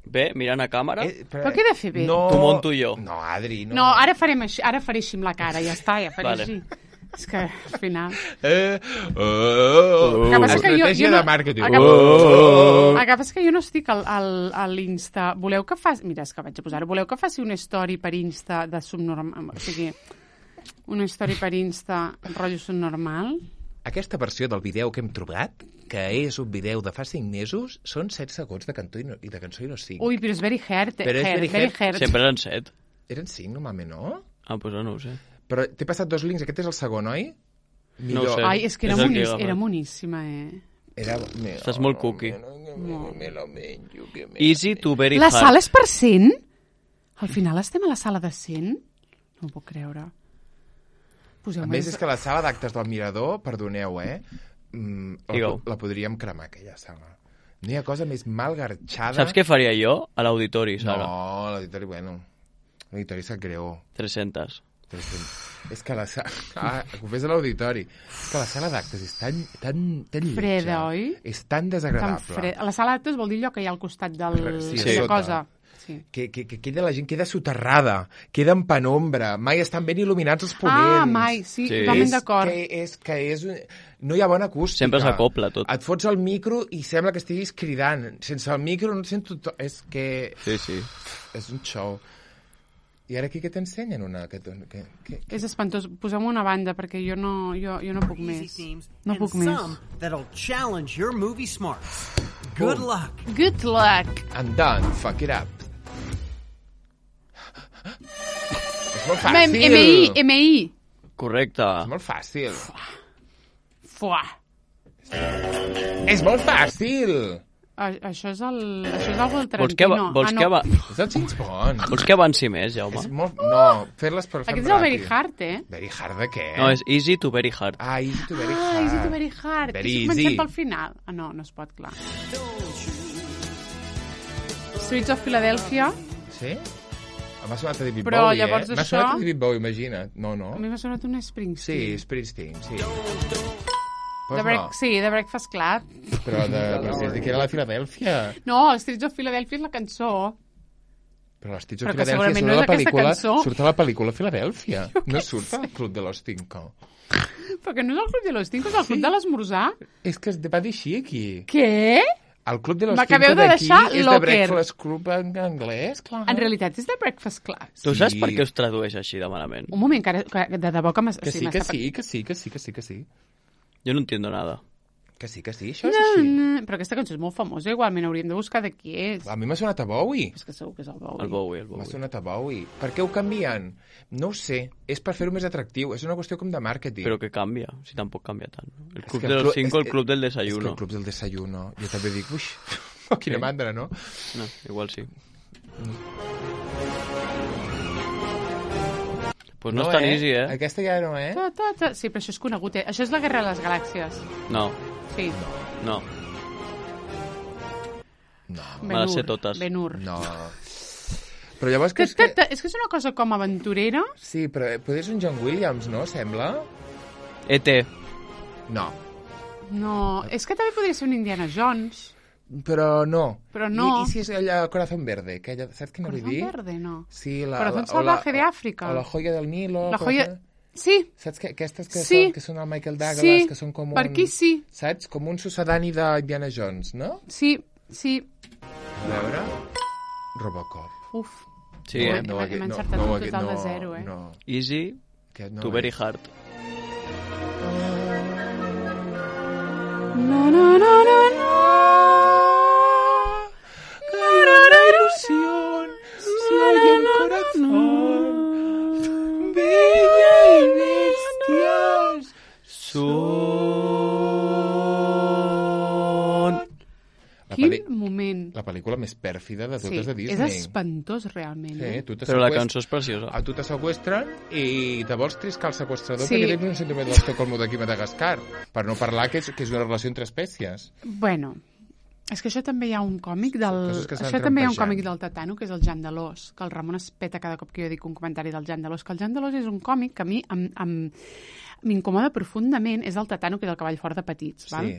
bé, mirant a càmera, Eh, Però què he de fer bé? No, T'ho monto jo. No, Adri, no. No, ara farem així, ara faré així amb la cara, ja està, ja faré Vale. així. És que, al final... Eh, oh, El que passa és que jo- Estratègia jo no- de màrqueting. el que- Oh. El que passa és que jo no estic al, al, a l'Insta. Voleu que faci... Mira, és que vaig a posar-ho. Voleu que faci una story per Insta de subnormal... O sigui, una story per Insta rotllo subnormal? Aquesta versió del vídeo que hem trobat, que és un vídeo de fa cinc mesos, són set segons de cançó i, no, i de cançó i no cinc. Ui, però és very hard. Però és hard, very very hard. hard. sempre eren set. Eren cinc, normalment, no? Ah, doncs no ho sé. Però t'he passat dos links, aquest és el segon, oi? No ho sé. Ai, és que era, És el que monis, agafa. era moníssima, eh? Era... Me, Estàs molt cookie. Me, me, me lo menjo, que me... Easy to very La hard. sala és per cent? Al final estem a la sala de cent? No ho puc creure. Poseu A més, és que la sala d'actes del Mirador, perdoneu, eh? Mm, la, Digueu. la podríem cremar, aquella sala. No hi ha cosa més mal garxada... Saps què faria jo a l'auditori, No, Sara? l'auditori, bueno... L'auditori sap greu. tres-centes. És que la sala... Ah, ho fes a l'auditori. És que la sala d'actes és tan, tan, tan lletja. Freda, oi? És tan Tan desagradable. fred. A la sala d'actes vol dir allò que hi ha al costat del... Sí, de sota. cosa. Sí. que, que, que queda la gent queda soterrada, queda en penombra, mai estan ben il·luminats els ponents. Ah, mai, sí, Sí. totalment És d'acord. que, és que és un... no hi ha bona acústica. Sempre s'acopla tot. Et fots el micro i sembla que estiguis cridant. Sense el micro no et sento... To... És que... Sí, sí. És un show. I ara aquí què t'ensenyen? Una... Que, que, que... És espantós. Posem una banda, perquè jo no, jo, jo no puc Easy més. themes, No and puc més. some that'll challenge your movie smarts. Good Boom. luck. Good luck. I'm done. Fuck it up. És molt M fàcil. M I, M I. Correcte. És molt fàcil. Fuà. És molt fàcil. A, això és el, això és algo del Vols que, Tarantino. ava- vols ah, que, no. ava- És el James Bond. vols que avanci més, Jaume? És molt... No, fer-les per fer Aquest és el Very Hard, eh? Very hard de què? No, és easy to very hard. Ah, easy to very Ah, hard. Easy to Very Hard. Very I si easy. comencem pel final? Ah, no, no es pot, clar. Streets of Philadelphia. Sí? M'ha sonat a David Però Bowie, llavors eh? M'ha això- sonat a David Bowie, imagina't. No, no. A mi m'ha sonat un Sí, Springsteen. Springsteen, sí. The Pues Break, no, Sí, The Breakfast Club. però de, però si es diu que era la Filadèlfia. No, Streets of Philadelphia és la cançó. Però les Tits of Però que Filadèlfia segurament surt no a és la aquesta pel·lícula, cançó. surt a la pel·lícula Filadèlfia. No surt al Club de los Cinco. Però que no és el Club de los Cinco, és el Club de l'esmorzar. És que es va dir així aquí. Què? El Club de los M'acabeu Cinco de d'aquí deixar és de locker. Breakfast Club en anglès, clar. En realitat és The Breakfast Club. Tu saps Sí. per què us tradueix així de malament? Un moment, que, ara, que de debò que m'has... Que o sigui, sí, que m'està- sí, que sí, que sí, que sí, que sí. Jo no entiendo nada. Que sí, que sí, això és No, així. no, però aquesta cançó és molt famosa, igualment hauríem de buscar de qui és. A mi m'ha sonat a Bowie. És que segur que és el Bowie. El Bowie, el M'ha Bowie. sonat a Bowie. Per què ho canvien? No ho sé. És per fer-ho més atractiu. És una qüestió com de màrqueting. Però que canvia, si tampoc canvia tant. El És club que de el los clu- cinco, és- el club del És que desayuno. el club del desayuno. Jo també dic, uix, quina mandra, no? No, igual sí. Pues no, és tan easy, eh? Aquesta ja no, eh? Ta, ta, ta. Sí, però això és conegut, eh? Això és la Guerra de les Galàxies. No, Sí. no. No. M'ha de ser totes. Ben-Hur. No. Però llavors que Ta, és ta, que... ta. És que és una cosa com aventurera. Sí, però potser és un John Williams, no? Sembla? E T. No. No, és que també podria ser un Indiana Jones. Però no. Però no. I, i si és allà Corazón Verde? Que allà, saps què vull Corazón dir? Verde, no. Sí, la, Corazón la, o Salvaje la- de África. O la joia del Nilo. La com joia... es- Sí, Saps que aquestes que, Sí. són, que són el Michael Douglas, Sí, que són com un... per aquí sí. Saps? Com un sucedani d'Indiana Jones, no? sí, sí. A veure... Robocop. Uf. Sí, No, eh? hem- hem encertat un total de zero, eh? No, Easy que no to very és. hard. No, no, no, no, no. La ilusión, si hay un corazón, bella y bestias. Són... La, Quin pel·li- moment. la pel·lícula més pèrfida de Sí, totes de és Disney. espantós, realment. Sí, Eh? tu te Però la seqüest- cançó és preciosa. A tu te seqüestren i te vols triscar el seqüestrador Sí. perquè tens un sentiment d'Estocolmo d'aquí a Madagascar. Per no parlar que és, que és una relació entre espècies. Bueno, és que això també hi ha un còmic del... coses que s'han Això també hi ha un trampejant. còmic del Tatano, que és el Jan Delós, que el Ramon es peta cada cop que jo dic un comentari del Jan Delós, que el Jan Delós és un còmic que a mi em, em, m'incomoda profundament, és el Tatano, que és el cavall fort de petits, val? Sí.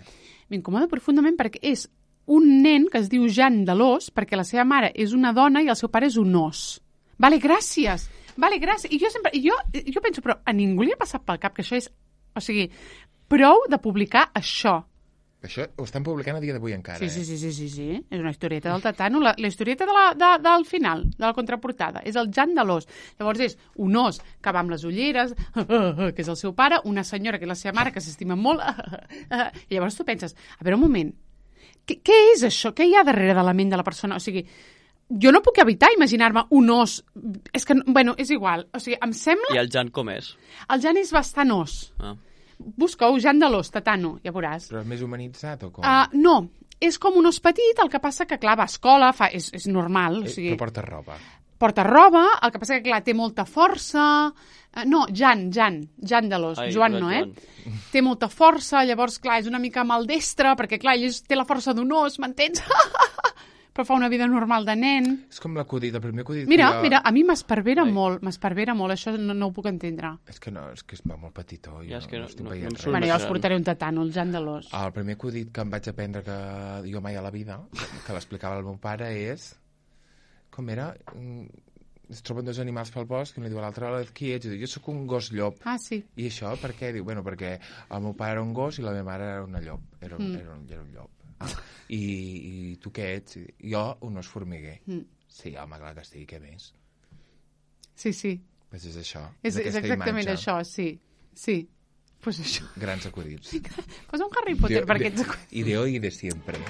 M'incomoda profundament perquè és un nen que es diu Jan Delós, perquè la seva mare és una dona i el seu pare és un os. Vale, gràcies. Vale, gràcies. I jo sempre... I jo, jo penso, però a ningú li ha passat pel cap que això és... O sigui, prou de publicar això. Això ho estan publicant a dia d'avui encara, Sí, eh? sí, sí, sí, sí, sí. És una historieta del Tatano. La, la historieta de la, de, del final, de la contraportada. És el Jan de l'os. Llavors és un os que va amb les ulleres, que és el seu pare, una senyora que és la seva mare, que s'estima molt, i llavors tu penses, a veure un moment, què, què és això? Què hi ha darrere de la ment de la persona? O sigui, jo no puc evitar imaginar-me un os. És que, bueno, és igual. O sigui, em sembla... I el Jan com és? El Jan és bastant os. Ah. Busca-ho, Jan de l'os, Tatano, ja veuràs. Però és més humanitzat o com? Uh, no, és com un os petit, el que passa que, clar, va a escola, fa, és, és normal. O Eh, sigui, Però porta roba. porta roba, el que passa que, clar, té molta força... Uh, no, Jan, Jan, Jan de l'os, Ai, Joan el no, eh? Joan. Té molta força, llavors, clar, és una mica maldestre, perquè, clar, ell és, té la força d'un os, m'entens? Però fa una vida normal de nen. És com l'acudit, el primer acudit. Mira, que jo- mira, a mi m'esparvera Ai. molt, m'esparvera molt, això no, no ho puc entendre. És que no, és que es va molt petitó. Jo Ja, és que no- estic no- veient no em res. surt Bueno, més jo els gran. portaré un tatano, el Jan de l'os. El primer acudit que em vaig aprendre que jo mai a la vida, que l'explicava el meu pare, és com era? Es troben dos animals pel bosc i li diu a l'altre, qui ets? I diu, jo sóc un gos llop. Ah, sí. I això per què? Diu, bueno, perquè el meu pare era un gos i la meva mare era una llop. Era un, mm. era un, era un llop. Ah. I, I tu què ets? I jo, un os formiguer. Mm. Sí, home, clar que sí, què més? Sí, sí. Pues és això. És, és exactament imatge. Això, sí. Sí. Pues això. Grans acudits. Posa un Harry Potter de, per aquests acudits. I de hoy i de siempre.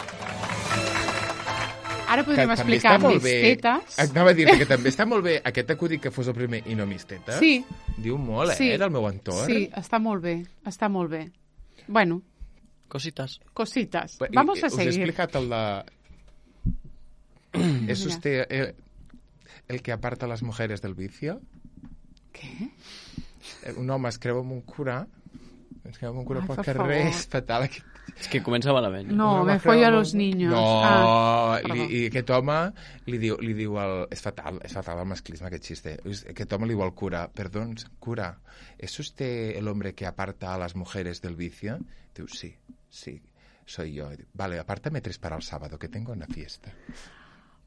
Ara podríem que explicar mis bé, tetes. Anava a dir que també està molt bé aquest acudit que fos el primer i no mis tetes. Sí. Diu molt, sí. eh, del meu entorn. Sí, està molt bé. Està molt bé. Bueno. Cositas. Cositas. Vamos a seguir. Us he explicat el de... ¿Es usted el, el que aparta a las mujeres del vicio? ¿Qué? Un home es creu amb un cura, es creu amb un cura Ai, pel per carrer, favor. és fatal. És que comença malament. No, me follo a los niños. No, ah, li, i aquest home li diu, li diu el... És fatal, és fatal el masclisme, aquest xiste. Aquest home li diu al cura, perdón, cura, ¿es usted el hombre que aparta a las mujeres del vicio? Diu, sí, sí, soy yo. Diu, vale, apártame tres para el sábado, que tengo una fiesta.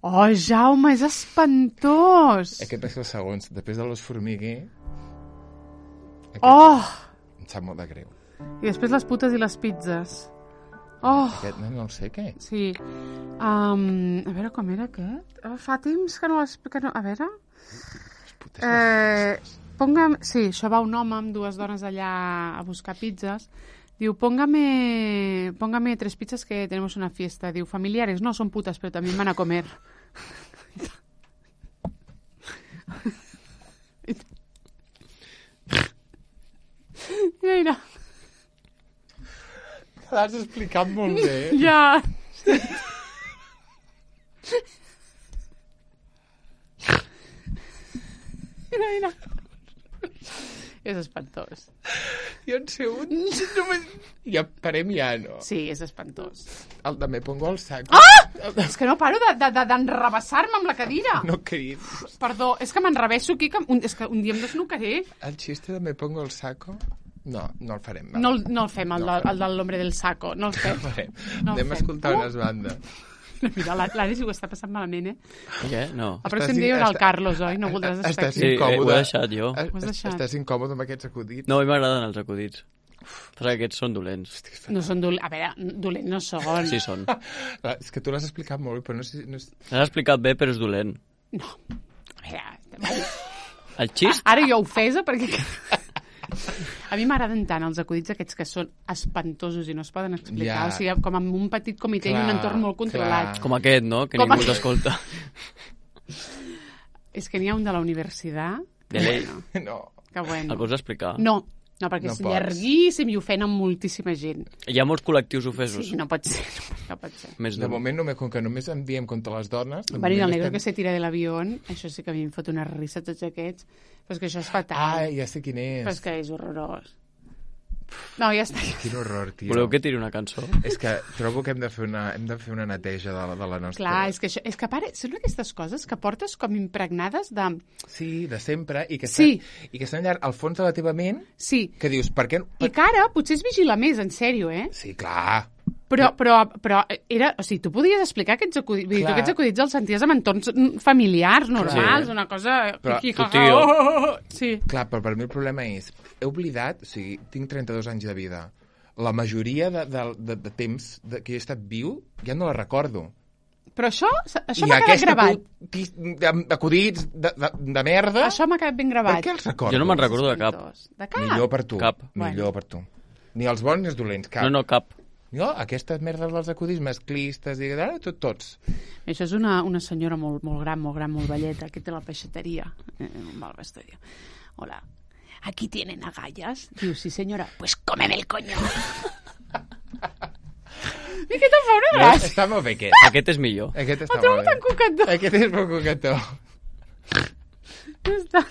Oh, Jaume, és espantós! Aquest és el segon. Després de los formiguer... Oh! Em sap molt de greu. I després les putes i les pizzas. Oh! Aquest, no, no el sé, què? Sí. Um, a veure, com era aquest? Oh, fa temps que no... Que no... A veure... Eh, póngame... Sí, això va un home amb dues dones allà a buscar pizzas. Diu, póngame, póngame tres pizzas que tenemos una fiesta. Diu, familiares, no, son putas, pero también van a comer. Mira. L'has explicat molt bé. Ja. Mira, mira. És espantós. Jo en sé un... Només... Ja parem ja, no? Sí, és espantós. El de me pongo el saco. Ah! És que no paro d'enrebaçar-me amb la cadira. No crids. Perdó, és que m'enrebeço aquí, que un, és que un dia em desnucaré. El xiste de me pongo el saco... No, no el farem. Va. No, no el fem, el, no. de, el de l'hombre del saco. No el fem. No el farem. No el Anem fem. a escoltar uh! unes bandes. Mira, l'Ari s'ho està passant malament, eh? Què? No. El pròxim dia hi haurà el Carlos, oi? No voldràs estar Estàs aquí. Sí, incòmode. ho he deixat jo. Ho has deixat. Estàs incòmode amb aquests acudits? No, a mi m'agraden els acudits. Però aquests són dolents. No són dolents. A veure, dolents no són. Sí, són. És que tu l'has explicat molt bé, però no sé... No és... L'has explicat bé, però és dolent. No. A veure... El xist? Ara jo ofesa perquè... A mi m'agraden tant els acudits aquests que són espantosos i no es poden explicar. Ja. O sigui, com amb un petit comitè i Clar, un entorn molt controlat. clar. Com aquest, no? Que Com ningú aquest. t'escolta. És que n'hi ha un de la universitat. De lei. Bueno, No. que bueno. El pots explicar? No, no, perquè No és pots. llarguíssim i ofenen moltíssima gent. Hi ha molts col·lectius ofesos. Sí, no pot ser, no, no pot ser. Més De d'un. moment, només, com que només enviem contra les dones... de Bueno, i el moment negro estem- que se tira de l'avión, això sí que a mi em fot una risa tots aquests, però és que això és fatal. Ah, ja sé quin és. Però és que és horrorós. No, ja està. Quin horror, tio. Voleu que tiri una cançó? És que trobo que hem de fer una, hem de fer una neteja de, la- de la nostra... Clar, és que, això, és que a part, són aquestes coses que portes com impregnades de... Sí, de sempre, i que Sí. estan, i que estan allà al fons de la teva ment, Sí, que dius, per què... i que ara potser es vigila més, en sèrio, eh? Sí, clar. Però, però, però era... O sigui, tu podies explicar aquests acudits, vull dir, tu Clar. aquests acudits els senties amb entorns mm, familiars, normals, Sí. una cosa... Però Hi, hi, tu, ha, ha, tio. oh, oh, oh. Sí. Clar, però per mi el problema és... He oblidat, o sigui, tinc trenta-dos anys de vida. La majoria de, de, de, de temps de, que he estat viu ja no la recordo. Però això, això I m'ha quedat aquest gravat. acudit de- acudits de, de, de merda... Això m'ha quedat ben Per gravat. què els recordo? Jo no me'n recordo de cap. De cap? Millor per tu. Cap. Millor per tu. Ni els bons ni els dolents, cap. No, no, cap. Jo, aquestes merdes dels acudits masclistes i ara, tot, tots. Això és una, una senyora molt, molt gran, molt gran, molt velleta, que té la peixateria. Eh, va al vestuario. Hola, ¿aquí tienen agallas? Diu, sí, senyora. Pues cómeme el coño. I què te'n fa una gràcia? Està molt bé, aquest. Aquest és millor. Aquest està El trobo molt bé. tan coquetó. Aquest és molt coquetó. Ja està.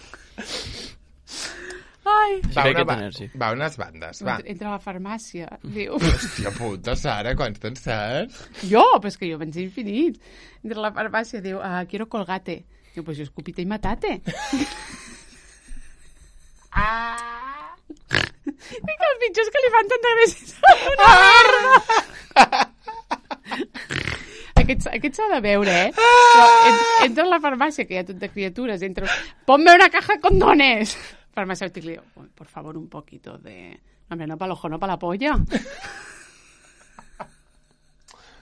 Ai. Sí Va, que una, aquest va, energy. va, unes bandes, va. Entra a la farmàcia. Diu... Hòstia puta, Sara, quants te'n saps? Jo, però és que jo penso infinit. Entra a la farmàcia, diu, ah, quiero colgate. Diu, pues yo escupite y matate. Ah. I que el pitjor és que li fan tanta gràcia. Una merda! aquest, aquest s'ha de veure, eh? Però en- entra a la farmàcia, que hi ha tot de criatures, entra... Ponme una caja de condones! Farmacèutic li diu, por favor, un poquito de... Hombre, no para el ojo, no para la polla.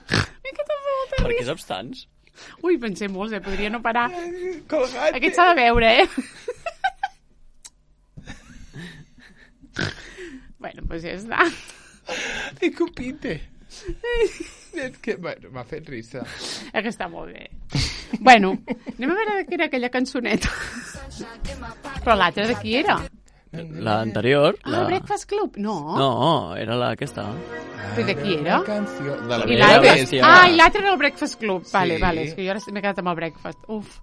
Per què saps tants? Ui, pensé molts, eh? Podria no parar. Colgate. Aquest s'ha de veure, eh? Bueno, pues ja està. I compite. És que, bueno, m'ha fet risa. És que està molt bé. Bueno, anem a veure de què era aquella cançoneta. Però l'altra de qui era? L'anterior... Ah, La... Breakfast Club? No. No, era la aquesta. Però de qui era? La canció de la I Era l'altre... Gràcia. Ah, i l'altre era el Breakfast Club. Vale, Sí. vale, és que jo ara m'he quedat amb el Breakfast. Uf,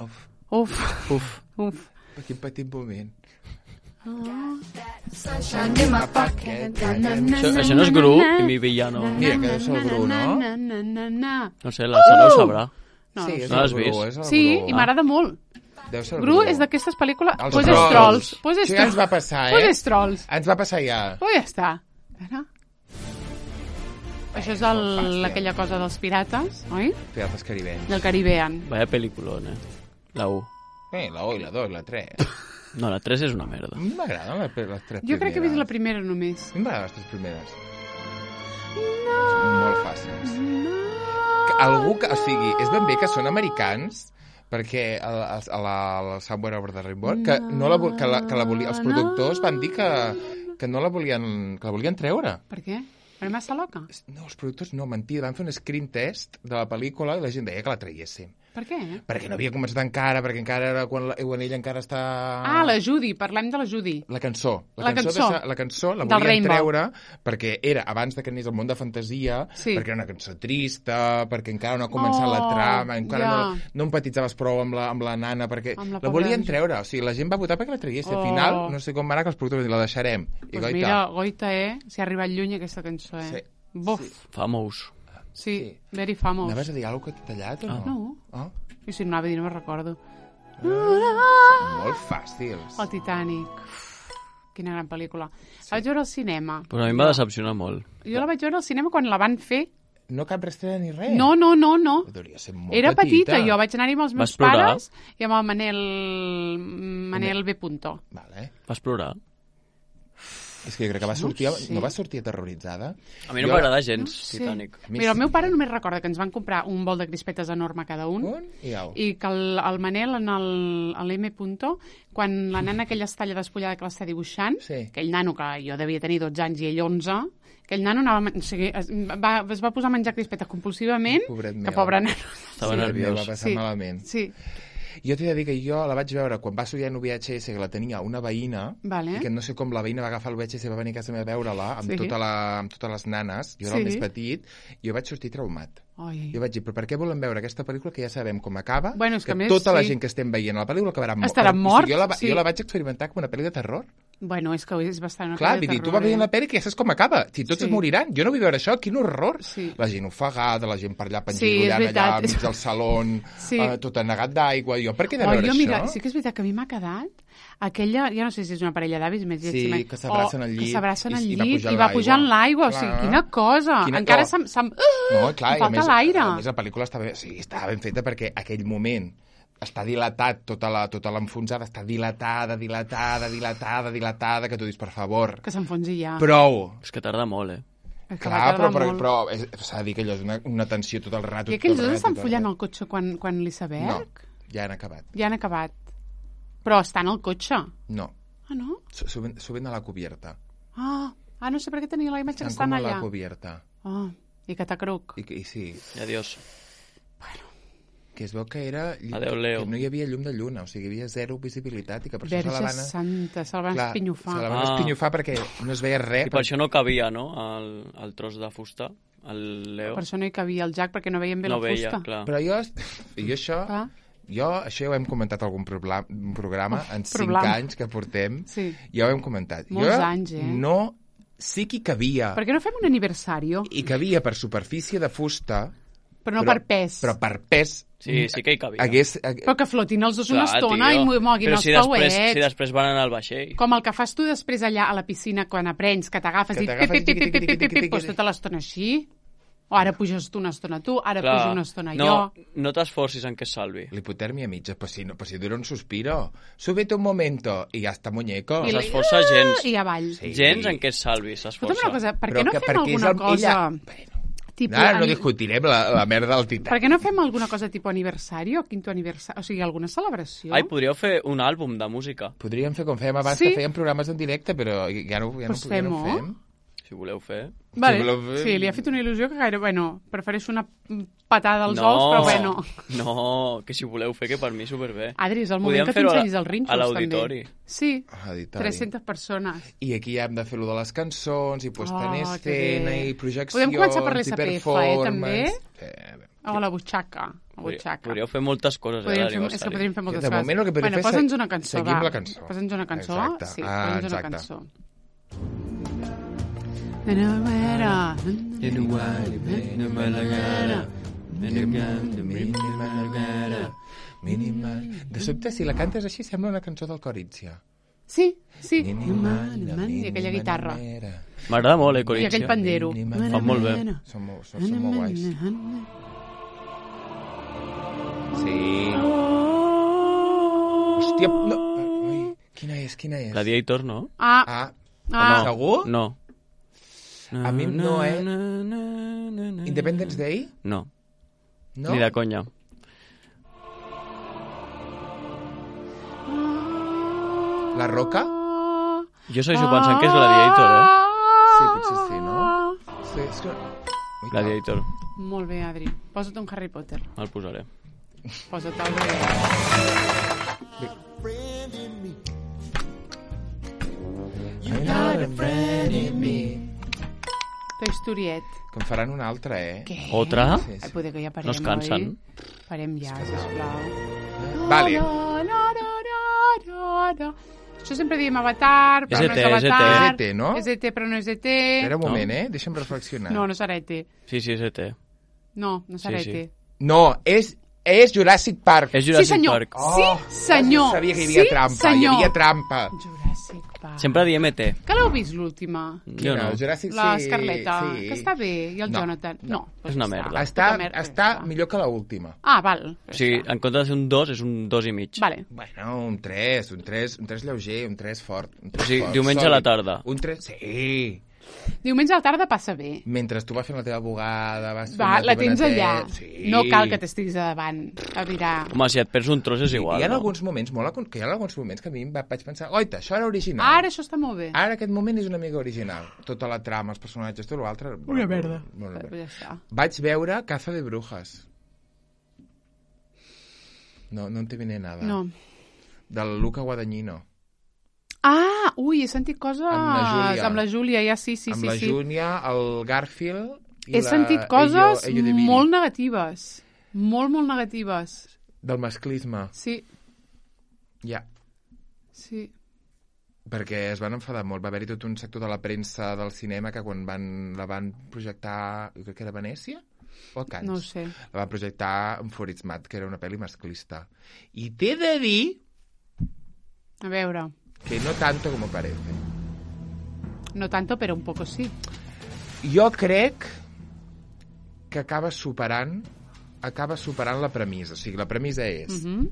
Uf, uf, Uf. uf. quin petit moment. Ah. Això, això no és Gru i mi villano. Mira, que deu ser el Bru, no? Na, na, na, na. No sé, la Sara ho sabrà. No, Sí, no és No el l'has Bru, vist? és el Sí, Bru. i m'agrada molt. Deu ser el Gru Bru. és d'aquestes pel·lícules... Els Pues és trolls. trolls. Pues és Això ja ens trolls. va passar, Pues eh? és trolls. Ens va passar ja. Pues ja està. Ara. Això és el, aquella cosa dels pirates, oi? Pirates caribenys. Del Caribbean. Vaya peliculón, eh? La U. Eh, la U i la dos, la tres. No, la tres és una merda. A mi m'agraden les, les tres Jo crec que he vist la primeres. primera només. A mi m'agraden les tres primeres. Són molt fàcils. Que algú que... O sigui, és ben bé que són americans, perquè a, a, a la, a la Somewhere Over the Rainbow, que, no la, vol- que, la, que la volia, els productors van dir que, que no la volien, que la volien treure. Per què? Per massa loca? No, els productors no, mentida, van fer un screen test de la pel·lícula i la gent deia que la traiéssim. Per què? Perquè no havia començat encara, perquè encara era quan, la, quan ella encara està... Ah, la Judy, parlem de la Judy. La cançó. La cançó. De, sa- la cançó la Del volien Rainbow. treure perquè era abans de que anés al món de fantasia, Sí. perquè era una cançó trista, perquè encara no ha començat Oh, la trama, encara ja. no, no empatitzaves prou amb la, amb la nana, perquè Amb la la, pobra volien Ju- treure. O sigui, la gent va votar perquè la traiessin. Oh. Al final, no sé com va anar, que els productors van dir, la deixarem. I Pues goita. mira, goita, eh? Si ha arribat lluny aquesta cançó, eh? Sí. Buf. Famous. Sí, Sí. very famous. Anaves a dir alguna cosa que t'he tallat o no? No. Ah, I si no anava a dir, no me'n recordo. molt fàcils. El Titanic. Uf, quina gran pel·lícula. La vaig veure al cinema. Però a mi em va decepcionar molt. Jo la vaig veure al cinema quan la van fer. No cap restrena ni res. No, no, no, no. Hauria ser molt Era petita, jo vaig anar-hi amb els meus Vas plorar? pares i amb el Manel, Manel B. Punto. Vale. Vas plorar? És que jo crec que va No sortir, sé. no va sortir aterroritzada. A mi no Jo- m'agrada gens, Sí. Titanic. A mi Mira, el sí. meu pare només recorda que ens van comprar un bol de crispetes enorme cada un, Un i au. i que el, el Manel en el, a l'M. Punto, quan la nana aquella es talla despullada que l'està dibuixant, Sí. aquell nano que jo devia tenir dotze anys i ell onze, aquell nano anava, a men- o sigui, es, va, es va posar a menjar crispetes compulsivament, Pobret que meu. pobre nano. Estava Sí, nerviós. va passar Sí. malament. Sí, Jo t'he de dir que jo la vaig veure quan va sortir en V H S, que la tenia una veïna, Vale. i que no sé com la veïna va agafar el V H S i va venir a casa meva a veure-la amb, Sí. tota la, amb totes les nanes. Jo era Sí. el més petit, i jo vaig sortir traumat. Ai. Jo vaig dir, però per què volem veure aquesta pel·lícula que ja sabem com acaba? Bueno, és que a més, tota la sí. gent que estem veient a la pel·lícula acabarà mort. Estaran O sigui, morts, jo, la, va- sí. jo la vaig experimentar com una pel·li de terror. Bueno, és que és bastant una Clar, pel·li de vull dir, tu terror, vas veient eh? la pel·li que ja saps com acaba. Si tots Sí. es moriran. Jo no vull veure això, quin horror. Sí. La gent ofegada, la gent per allà Sí, és pengirollant veritat. allà mig del saló, Sí. eh, tot anegat d'aigua. Jo, per què he de Oh, veure jo, això? mira, sí que és veritat que a mi m'ha quedat aquella, ja no sé si és una parella d'avis més Sí, lletja, que s'abracen o al que llit s'abracen i- al i va llit pujant i va l'aigua. pujant l'aigua, o sigui, Clar. quina cosa. Quina- Encara oh. se'm... se'm... No, clar, Em i a falta més, l'aire. a més la pel·lícula estava, ben, sí, estava ben feta perquè aquell moment està dilatat, tota la tota l'enfonsada està dilatada, dilatada, dilatada, dilatada, que tu dius, per favor, Que s'enfonsi ja. prou. És que tarda molt, eh? És que Clar, va però, tardar però, molt. però és- s'ha de dir que allò és una, una tensió tot el rato. I aquells tot el dos rato, estan tot el follant rato. el cotxe quan, quan l'iceberg? No, ja han acabat. Ja han acabat. Però estan al cotxe. No, Ah, no? suben, suben a la cubierta. Ah, ah no sé per què tenia la imatge que Estan estan com a allà. la cubierta. Ah, i catacruc. I, i sí, I adiós. que es veu que era... Adéu, Leo. Que no hi havia llum de lluna, o sigui, hi havia zero visibilitat i que per això se la Verge van... santa, se'l van Clar, espinyofar. Se la van Ah. espinyofar perquè no es veia res. I per això no cabia, no?, el, el tros de fusta, el Leo. Per això no hi cabia el Jack, perquè no veiem bé no la veia, fusta. clar. Però jo, jo això... Clar. Jo, això ja ho hem comentat a algun probla- programa, Uf, en cinc problema. anys que portem, Sí. ja ho hem comentat. Molts jo anys, eh? no... Sí que hi cabia, Per què no fem un aniversari? i cabia per superfície de fusta, Però no però- per pes. però per pes... Sí, sí que hi cabia. Hagués, hagués, Però que flotin els dos una Clar, estona tio. i mo- moguin Però els si després, pauets. si després van anar al vaixell. Com el que fas tu després allà a la piscina quan aprens, que t'agafes Que i t'agafes pip, pip, i tiqui, pip, tiqui, pip, tiqui, pip, tiqui, pip, pues tiqui. tota l'estona així. O ara puges tu una estona tu, ara Clar, pujo una estona no, jo. no t'esforcis en que es salvi. L'hipotèrmia mitja, pues si, no, pues si dura un suspiro. Súbete un momento i ja està muñeco. No s'esforça gens. I avall. Sí. Gens en què es salvi, Escolta'm una s'esforça. cosa, per Però què no que- fem perquè és alguna el- cosa... ella- Bueno, Tipo, ara no ani- discutirem la, la merda del tità. Per què no fem alguna cosa tipus aniversari o quinto aniversari? O sigui, alguna celebració? Ai, podríeu fer un àlbum de música, Podríem fer com fèiem abans, Sí. que fèiem programes en directe, però ja no, ja Pues no, ja no fem-ho. fem. si voleu fer. Vale. Si voleu fer- Sí, li ha fet una il·lusió que gaire... Bueno, prefereixo una patada als no, ous, però bueno. No, que si voleu fer, que per mi superbé. Adri, és el moment Podríem que fer-ho a la- t'ensenyis els rinxos, a l'auditori. també. Sí, Ah, auditori. tres-centes persones. I aquí ja hem de fer-lo de les cançons, i puesta en Oh, que escena, bé. i projeccions, Podem començar per i l'S P F, eh, performance. també? Sí, bé. O la butxaca. La Podríeu, butxaca. podríeu fer moltes coses, Podríem eh, fer, és que l'aniversari. podríem fer moltes De coses. moment el que podríem bueno, fer és posa'ns una cançó, seguim va. la cançó. Posa'ns una cançó, Exacte. sí, Ah, posa'ns una exacte. cançó. Minimal. De sobte, si la cantes així, sembla una cançó del Corizia. Sí, sí. Minimal, I aquella guitarra. M'agrada molt, eh, I Corinxia. aquell pandero. Fa molt bé. Són molt, són, són molt guais. Sí. Hòstia, no. Ai, quina és, quina és? Gladiator, no? Ah, Ah, ah. segur? No. A mi no, eh? eh? Independence Day? No, No? ni de conya. La Roca? Jo segueixo pensant que és Gladiator, eh? Sí, potser sí, no? Sí, és que... Ui, Gladiator, Molt bé, Adri. Posa't un Harry Potter. el posaré. Posa't el bé. Friend in me. You're not a friend in me. Toy Storiet. Que en faran una altra, eh? Què? Otra? Sí, Ai, sí. poder que ja parem, No es cansen? oi? Parem ja, sisplau. Vale. No, no, no, no, no, no. Això sempre diem Avatar, però És no E T, és és E T. Avatar. És E T, no? És E T, però no és E T. Espera un No. moment, eh? Deixa'm reflexionar. No, no serà E T. Sí, sí, és E T. No, no serà Sí, sí. E T. No, és, és Jurassic Park. És Sí, Jurassic senyor. Park. Sí, senyor. Sabia que hi havia sí, trampa, senyor. hi havia trampa. Jurassic Park. Sempre diem E T. Que l'heu vist, l'última? Jo no. El Jurassic La sí, Escarleta, sí. que està bé, i el No, Jonathan. No, doncs És una ja merda. Està, Puta merda, està ja està. millor que l'última. Ah, val. O sigui, en compte de ser un dos, és un dos i mig. Vale. Bueno, un tres, un tres, un tres lleuger, un tres fort. Un tres O sigui, fort, diumenge a la tarda. Un tres, sí. Diumenge a la tarda passa bé. Mentre tu vas fent la teva bugada, vas fent Va, el la teu tens benetet, allà. Sí. No cal que t'estiguis a davant a mirar. Home, si et perds un tros és igual, Hi ha no? alguns moments, molt, acon- que hi ha alguns moments que a mi em va- vaig pensar, oita, això era original. Ara això està molt bé. Ara aquest moment és una mica original. Tota la trama, els personatges, tot l'altre... Una merda. Molt Però bé. ja està. Vaig veure Caza de Brujas. No, no en te viene nada. No. Del Luca Guadagnino. Ah, ui, he sentit coses... Amb la Júlia. Amb la Júlia, ja sí, sí, amb sí. la sí. Júlia, el Garfield... I He la sentit coses Ello, Ello de Viri. molt negatives. Molt, molt negatives. Del masclisme. Sí, Ja. sí. Perquè es van enfadar molt. Va haver-hi tot un sector de la premsa del cinema que quan van, la van projectar... Jo crec que era a Venècia? O a Cannes? No ho sé. La van projectar en Forismat, que era una pel·li masclista. I t'he de dir A veure, que no tanto como parece. no tanto, però un poco sí. Jo crec que acaba superant acaba superant la premissa. O sigui, la premissa és Mhm,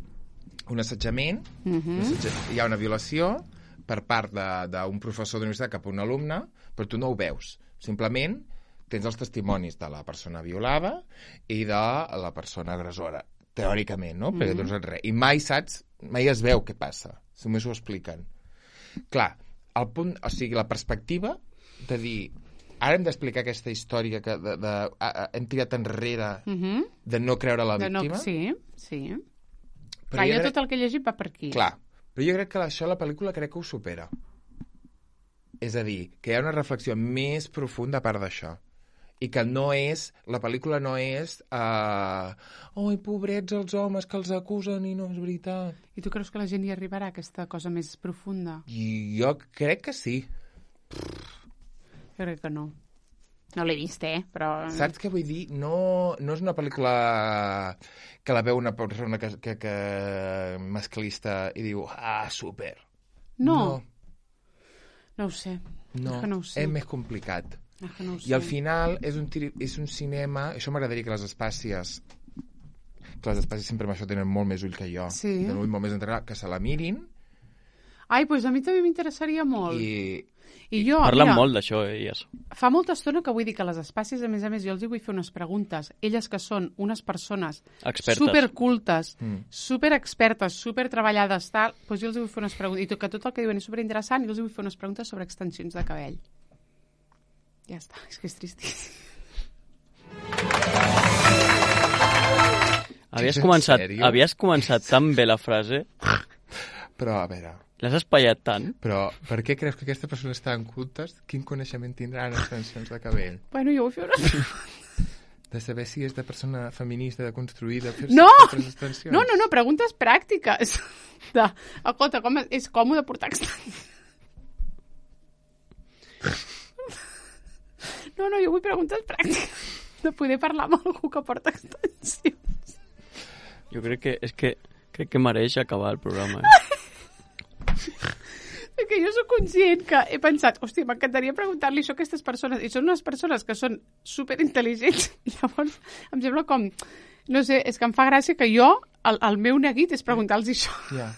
un assetjament, mhm. un assetja- hi ha una violació per part de- d'un professor d'universitat cap a un alumne, però tu no ho veus. Simplement tens els testimonis de la persona violada i de la persona agressora, teòricament, no? Perquè doncs res. I mai saps, mai es veu què passa. Només ho expliquen. Clar, el punt, o sigui, la perspectiva de dir ara hem d'explicar aquesta història que de, de, a, a, hem tirat enrere Mhm. de no creure la De no, víctima. sí, sí. Però Clar, jo jo crec- tot el que he llegit va per aquí. Clar, però jo crec que això la pel·lícula crec que ho supera. És a dir, que hi ha una reflexió més profunda a part d'això. I que no és, la pel·lícula no és uh, oi, pobrets els homes que els acusen i no és veritat. I tu creus que la gent hi arribarà a aquesta cosa més profunda? I jo crec que sí. Jo crec que no. No l'he vist, eh? Però... Saps què vull dir? No, no és una pel·lícula que la veu una persona que, que, que masclista i diu, ah, super. No. No ho sé. No, És que no ho sé. és més complicat. Ah, que no ho sé. I al final és un, tiri, és un cinema... Això m'agradaria que les espàcies... Que les espàcies sempre amb això tenen molt més ull que jo. Sí. Tenen ull molt més entrenat, que se la mirin. Ai, doncs a mi també m'interessaria molt. I... I jo, Parlen mira, molt d'això, elles. fa molta estona que vull dir que les espàcies, a més a més, jo els hi vull fer unes preguntes. Elles que són unes persones Expertes. supercultes, Mm. superexpertes, supertreballades, tal, doncs jo els hi vull fer unes preguntes. I tot, que tot el que diuen és superinteressant, i jo els hi vull fer unes preguntes sobre extensions de cabell. Ja està, és que és tristíssim. Havies En començat, sèrio? havies començat tan bé la frase, Però, a veure... l'has espaiat tant. Però per què creus que aquesta persona està en cultes? Quin coneixement tindrà en extensions de cabell? Bueno, jo vull fer una... De saber si és de persona feminista, de construïda, fer No! altres extensions? No, no, no, preguntes pràctiques. De, escolta, com és còmode portar extensions? No, no, jo vull preguntes pràctiques. De poder parlar amb algú que porta extensions. Jo crec que és que crec que mereix acabar el programa. Eh? Que jo sóc conscient que he pensat, hòstia, m'encantaria preguntar-li això a aquestes persones, i són unes persones que són superintel·ligents, i llavors em sembla com, no sé, és que em fa gràcia que jo, el, el meu neguit és preguntar-los això. Ja.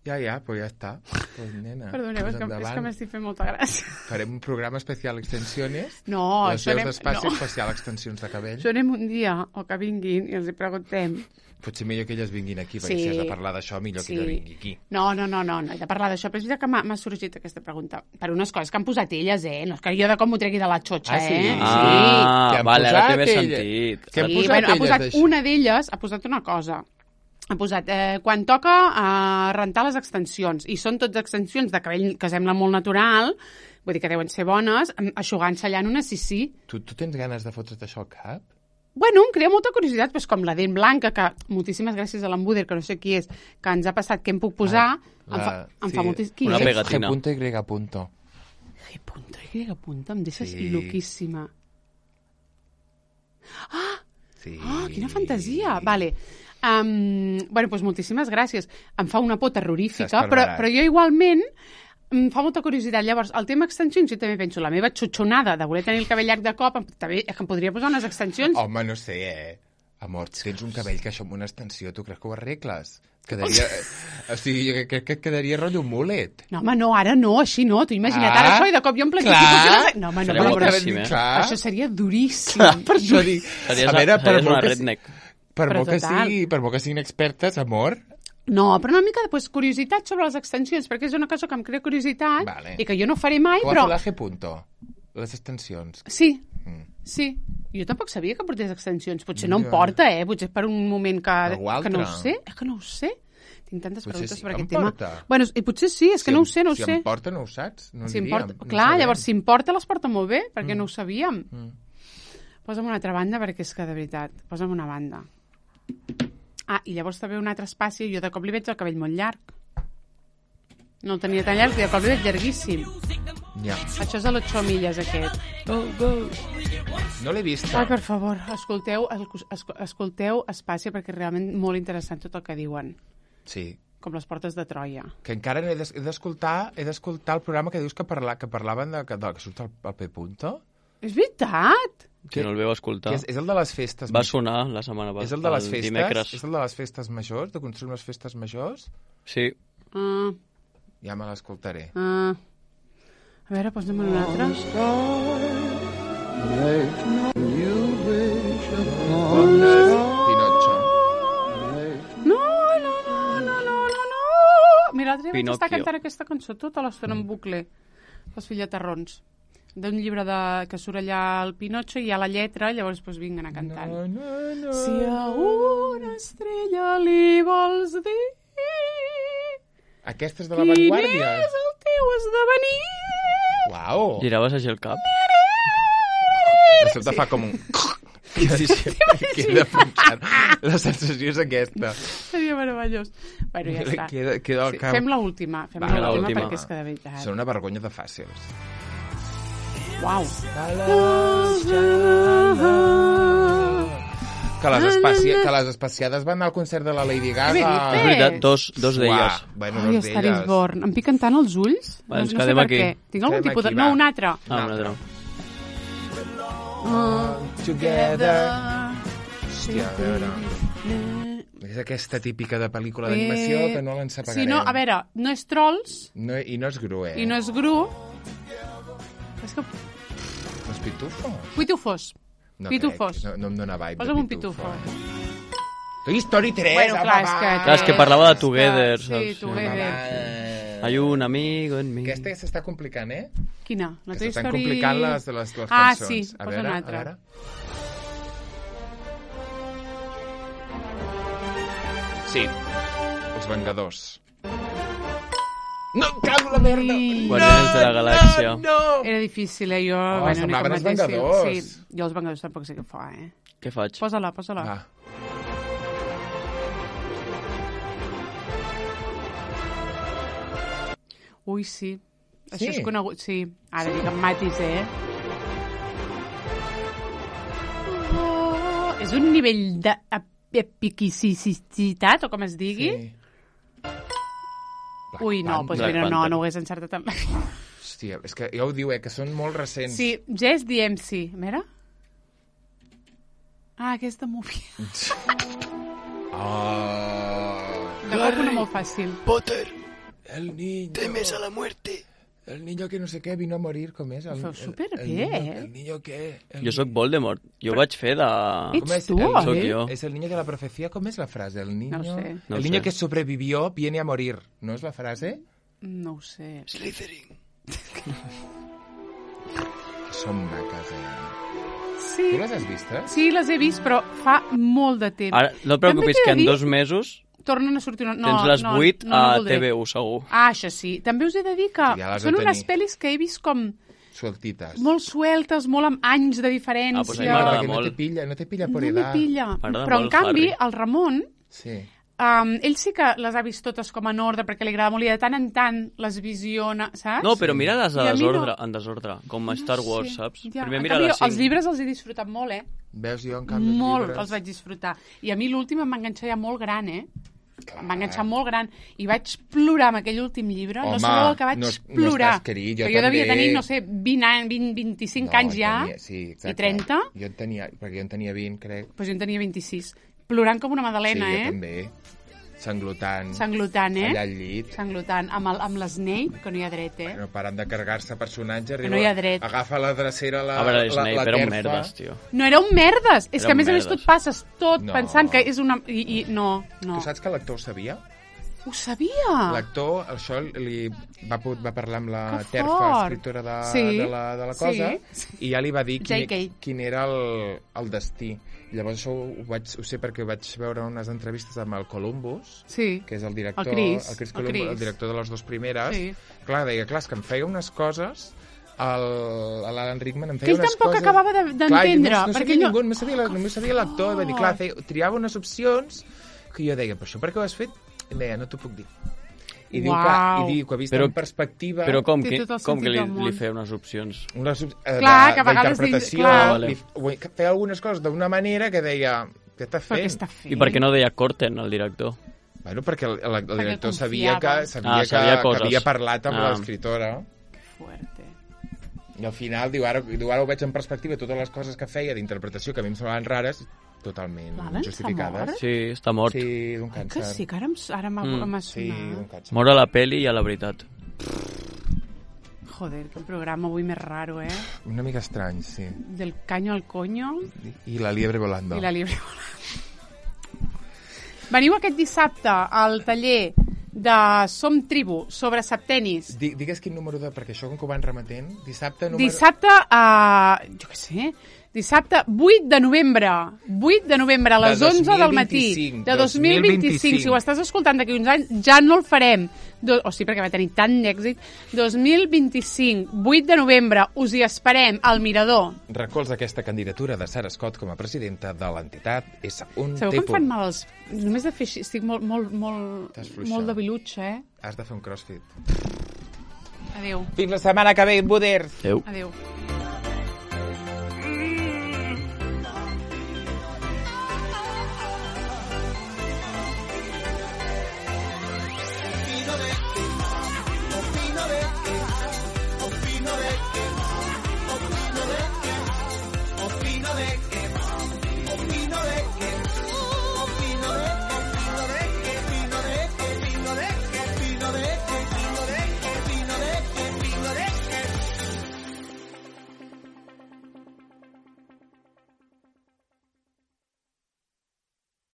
Ja, ja, però ja està. Pues, nena, Perdoneu, pues és que, és endavant. que m'estic fent molta gràcia. Farem un programa especial extensiones. No, les això veus anem... d'espai No. especial extensions de cabell. Això anem un dia, o que vinguin, i els hi preguntem. Potser millor que elles vinguin aquí, perquè Sí. si has de parlar d'això, millor Sí. que ella vingui aquí. No, no, no, no, no he de parlar d'això, però és veritat que m'ha m'ha sorgit aquesta pregunta. Per unes coses que han posat elles, eh? No és que jo de com ho tregui de la xotxa, Ah, sí? eh? Ah, Què han vale, ara té posat més elles? sentit. Què han Sí, posat bueno, ha elles posat d'això? una d'elles, ha posat una cosa. Ha posat, eh, quan toca eh, rentar les extensions, i són totes extensions de cabell que sembla molt natural, vull dir que deuen ser bones, em- eixugant-se allà en una sisí. Tu, tu tens ganes de fotre't això al cap? Bueno, em crea molta curiositat, doncs com la dent blanca, que moltíssimes gràcies a l'Embuder, que no sé qui és, que ens ha passat què em puc posar, Ah, em fa, la- em sí. fa moltíssim... Qui Una és? pegatina. G punto Y punto. G punto Y punto, em deixes Sí. loquíssima. Sí. Ah, quina fantasia! Vale. Um, bueno, doncs moltíssimes gràcies. Em fa una por terrorífica, però, S'esparverà. però jo igualment em fa molta curiositat. Llavors, el tema extensions, jo també penso, la meva xutxonada de voler tenir el cabell llarg de cop, em- també és que em podria posar unes extensions. Home, no sé, eh? Amor, si tens un cabell que això amb una extensió, tu creus que ho arregles? Quedaria... o sigui, jo crec que quedaria rotllo mullet. No, home, no, ara no, així no. Tu imagina't Ah, ara això i de cop jo em planifico... clar. que no sé- No, home, no, Seria però- guapíssim, eh? Clar. Això seria duríssim. Clar, per això dic... Series, a veure, per series molt una que, redneck. per, Però molt que total. sigui, per molt que siguin expertes, amor, No, però una mica de pues, curiositat sobre les extensions, perquè és una cosa que em crea curiositat Vale. i que jo no faré mai, ho però... ha fet la G punto, les extensions. Sí, Mm. sí. Jo tampoc sabia que portés extensions. Potser no em Ja. porta, eh? Potser és per un moment que, Algú que no ho altre. sé. És que no ho sé. Tinc tantes Potser preguntes sí per que aquest em tema. porta. Bueno, i potser sí, és que Si no em- ho sé, no ho si sé. em porta, no ho saps? No Si em diríem, porta... no Clar, sabem. llavors, si em porta, les porta molt bé, perquè no ho sabíem. Mm. Posa'm una altra banda, perquè és que, de veritat, posa'm una banda. Ah, i llavors també un altre espaci, jo de cop li veig el cabell molt llarg. No el tenia tan llarg, i de cop li veig llarguíssim. Ja. Això és a l'ocho milles, aquest. Go, go. No l'he vist. Ai, per favor, escolteu, esco- escolteu Espàcia, perquè és realment molt interessant tot el que diuen. Sí. Com les portes de Troia. Que encara he d'es- he d'escoltar he d'escoltar el programa que dius que, parla, que parlaven de, que, de, que surt al, al P punto. És veritat! Si no el veu escoltar. Que és, és el de les festes. Va sonar la setmana passada. és el de les festes? Dimecres. És el de les festes majors, de construir les festes majors? Sí. Uh, Ja me l'escoltaré. uh. A veure, posa'm un altre. Pinocho. No, no, no, no, no, no, no. Mira, l'altre dia vaig estar Pinocchio. cantant aquesta cançó tota l'estona en bucle. Els fillaterrons. D'un llibre de, que surt allà el Pinocho i hi ha la lletra, llavors pues, vinc anar cantant. No, no, no. Si a una estrella li vols dir Aquesta és de la quin Vanguardia. és el teu esdevenir. Uau! Giraves així el cap. De sobte fa com un... Sí, sí, sí. Queda punxant. La sensació és aquesta. Seria meravellós. Bueno, ja està. Queda, queda el Sí, cap... fem l'última, fem Va, l'última l'última. perquè és que de veritat. Són una vergonya de fàcils. Uau. Que les, espaci... que les espaciades van anar al concert de la Lady Gaga. Bé, És veritat, dos, dos d'elles. Uah, bueno, Ai, dos Star is d'elles. Born. Em piquen tant els ulls. Va, ens no, no sé quedem per aquí. què. Tinc algun Quedem tipus de... aquí, No, va. un altre. Ah, un altre. Together. Hòstia, a veure... És aquesta típica de pel·lícula d'animació que no l'ens apagarem. Sí, no, a veure, no és Trolls No, I no és Gru, eh? i no és Gru. És que... No és Pitufo? Pitufos. No Pitufos. crec, no, no em dona vibe Posa'm de un pitufo. Toy Story tres, Bueno, apa, clar, és va. que... Clar, és que parlava de Together, Sí, saps? Together. Va. Hay un amigo en mi. Aquesta s'està complicant, eh? Quina? La Que Toy s'estan Story... complicant les, les, les Ah, cançons. sí, a posa veure, una a altra. veure. Sí, Els Vengadors. No, em cago la merda! Ai. Guardians de la Galàxia. No, no! Era difícil, eh? Jo... Oh, bueno, ni semblaven com els mateixiu. Vengadors. Sí, jo els Vengadors tampoc sé què fa, eh? Què faig? Posa-la, posa-la. Va. Ui, sí. Sí? Això és conegut, sí. Ara dic amb matis, eh? Oh, és un nivell d'epicicitat, o com es digui? Sí. Black Ui, no, Panther. doncs Black mira, no, Panther. no ho hagués encertat amb... Hòstia, és que ja ho diu, eh, que són molt recents. Sí, Jess D M C. Mira. Ah, aquesta movie. Oh. De cop una molt fàcil. Potter, El niño. temes a la muerte. El niño que no sé què vino a morir, com és? El, Ho feu superbé, el, el niño, eh? El niño què? El Jo sóc Voldemort. Jo vaig fer de... Ets ¿Cómo es? tu, El- Soc eh? jo. Es el niño de la profecía. ¿Cómo es la frase? El niño, No ho sé. No el ho niño sé. que sobrevivió viene a morir. ¿No es la frase? No ho sé. Slytherin. Són maques, eh? Sí, Tu les has vistes? sí, les he vist, però fa molt de temps. Ara, no et preocupis, També t'he que de en dir- dos mesos Tornen a sortir una... No, tens les no, vuit no, no a voldré. T V U, segur. Ah, això sí. També us he de dir que Sí, ja les són de unes tenir. pel·lis que he vist com Sueltites. molt sueltes, molt amb anys de diferència. Ah, doncs a mi m'agrada Perquè no molt. te pilla, no te pilla No por me edad. pilla. M'agrada Però, en molt canvi, Harry. el Ramon, Sí. um, ell sí que les ha vist totes com en ordre, perquè li agrada molt i de tant en tant les visiona, saps? No, però mira-les I a a mi no. desordre, en desordre, com a Star Wars, Sí, saps? ja. Primer En mira canvi, les cinc. els llibres els he disfrutat molt, eh? Veus, jo en canvi Molt, els llibres... els vaig disfrutar. I a mi l'últim em va enganxar ja molt gran, eh? Clar. Em va enganxar molt gran. I vaig plorar amb aquell últim llibre. Home, no sabeu el que vaig no es- no plorar. estàs querit, jo que jo devia també. tenir, no sé, vint anys, vint, vint-i-cinc anys ja. Tenia, sí, exacte. I trenta. Jo en tenia, perquè jo en tenia vint, crec. Doncs jo en tenia vint-i-sis. Plorant com una madalena, sí, eh? jo també. Sanglotant. Sanglotant, eh? Allà al llit. Sanglotant. Amb, el, amb l'Snape, que no hi ha dret, eh? No paren de carregar-se personatges. no hi ha dret. Agafa la drecera, la, A veure, la, Snape la era un terfa. merdes, tio. No era un merdes! És Era que, a un més a més, tu merdes. et passes tot No. pensant que és una... I, i no, no. Tu saps que l'actor ho sabia? Ho sabia! L'actor, això li va, po- va parlar amb la Que terfa fort! escriptora de, Sí. de, la, de la cosa Sí. i ja li va dir J K. quin, quin era el, el destí. Llavors això ho, vaig, ho sé perquè vaig veure unes entrevistes amb el Columbus, Sí. que és el director, El Chris, el, Chris el Columbus, el, Chris. director de les dues primeres. Sí. Clar, deia, clar, és que em feia unes coses el- l'Alan Rickman em feia Que ell unes tampoc coses... acabava de- d'entendre, Clar, no, no perquè sabia ell no- ningú, només sabia, la- només sabia l'actor, i va dir, clar, feia, triava unes opcions que jo deia, però això per què ho has fet? I em deia, no t'ho puc dir. I diu, que, Uau. i diu que vist Però- en perspectiva... Però com Té que, tot el com que sentit li, del món. li feia unes opcions? una sub, eh, Clar, de- que a vegades d'interpretació, dius- clar. Vale. li- feia algunes coses d'una manera que deia, què està Però què fent? està fent? I per què no deia Corten, el director? Bueno, perquè el, el, el Perquè director sabia confiava. que, sabia Ah, que, sabia que coses. havia parlat amb Ah. l'escriptora. Fuerte. I al final, diu ara, diu, ara ho veig en perspectiva, totes les coses que feia d'interpretació que a mi em semblaven rares, totalment L'Alan s'ha justificades. mort? Sí, està mort. Sí, d'un Que càncer. sí, que ara, em- ara m'ha Mm. m'ha Sí, d'un sonat. càncer. Mor a la peli i a la veritat. Joder, que programa avui més raro, eh? Una mica estrany, sí. Del caño al coño I la liebre volando. i la libre volant. Veniu aquest dissabte al taller de Som Tribu sobre septenis. Di, digues quin número de... Perquè això com que ho van remetent, dissabte número... Dissabte, a... jo què sé, dissabte vuit de novembre. vuit de novembre a les De onze del matí. dos mil vint-i-cinc, De dos mil vint-i-cinc. Si ho estàs escoltant d'aquí uns anys, ja no el farem. Do... O sí, perquè va tenir tant d'èxit. dos mil vint-i-cinc, vuit de novembre, us hi esperem al Mirador. Recolza aquesta candidatura de Sarah Scott com a presidenta de l'entitat és un Sabeu que em tipus. fan mal els... Només de fer així, estic molt, molt, molt, T'has fluixat. molt de bilutxa, eh? Has de fer un crossfit. Adéu. Fins la setmana que ve, Buders! Adéu. Adéu.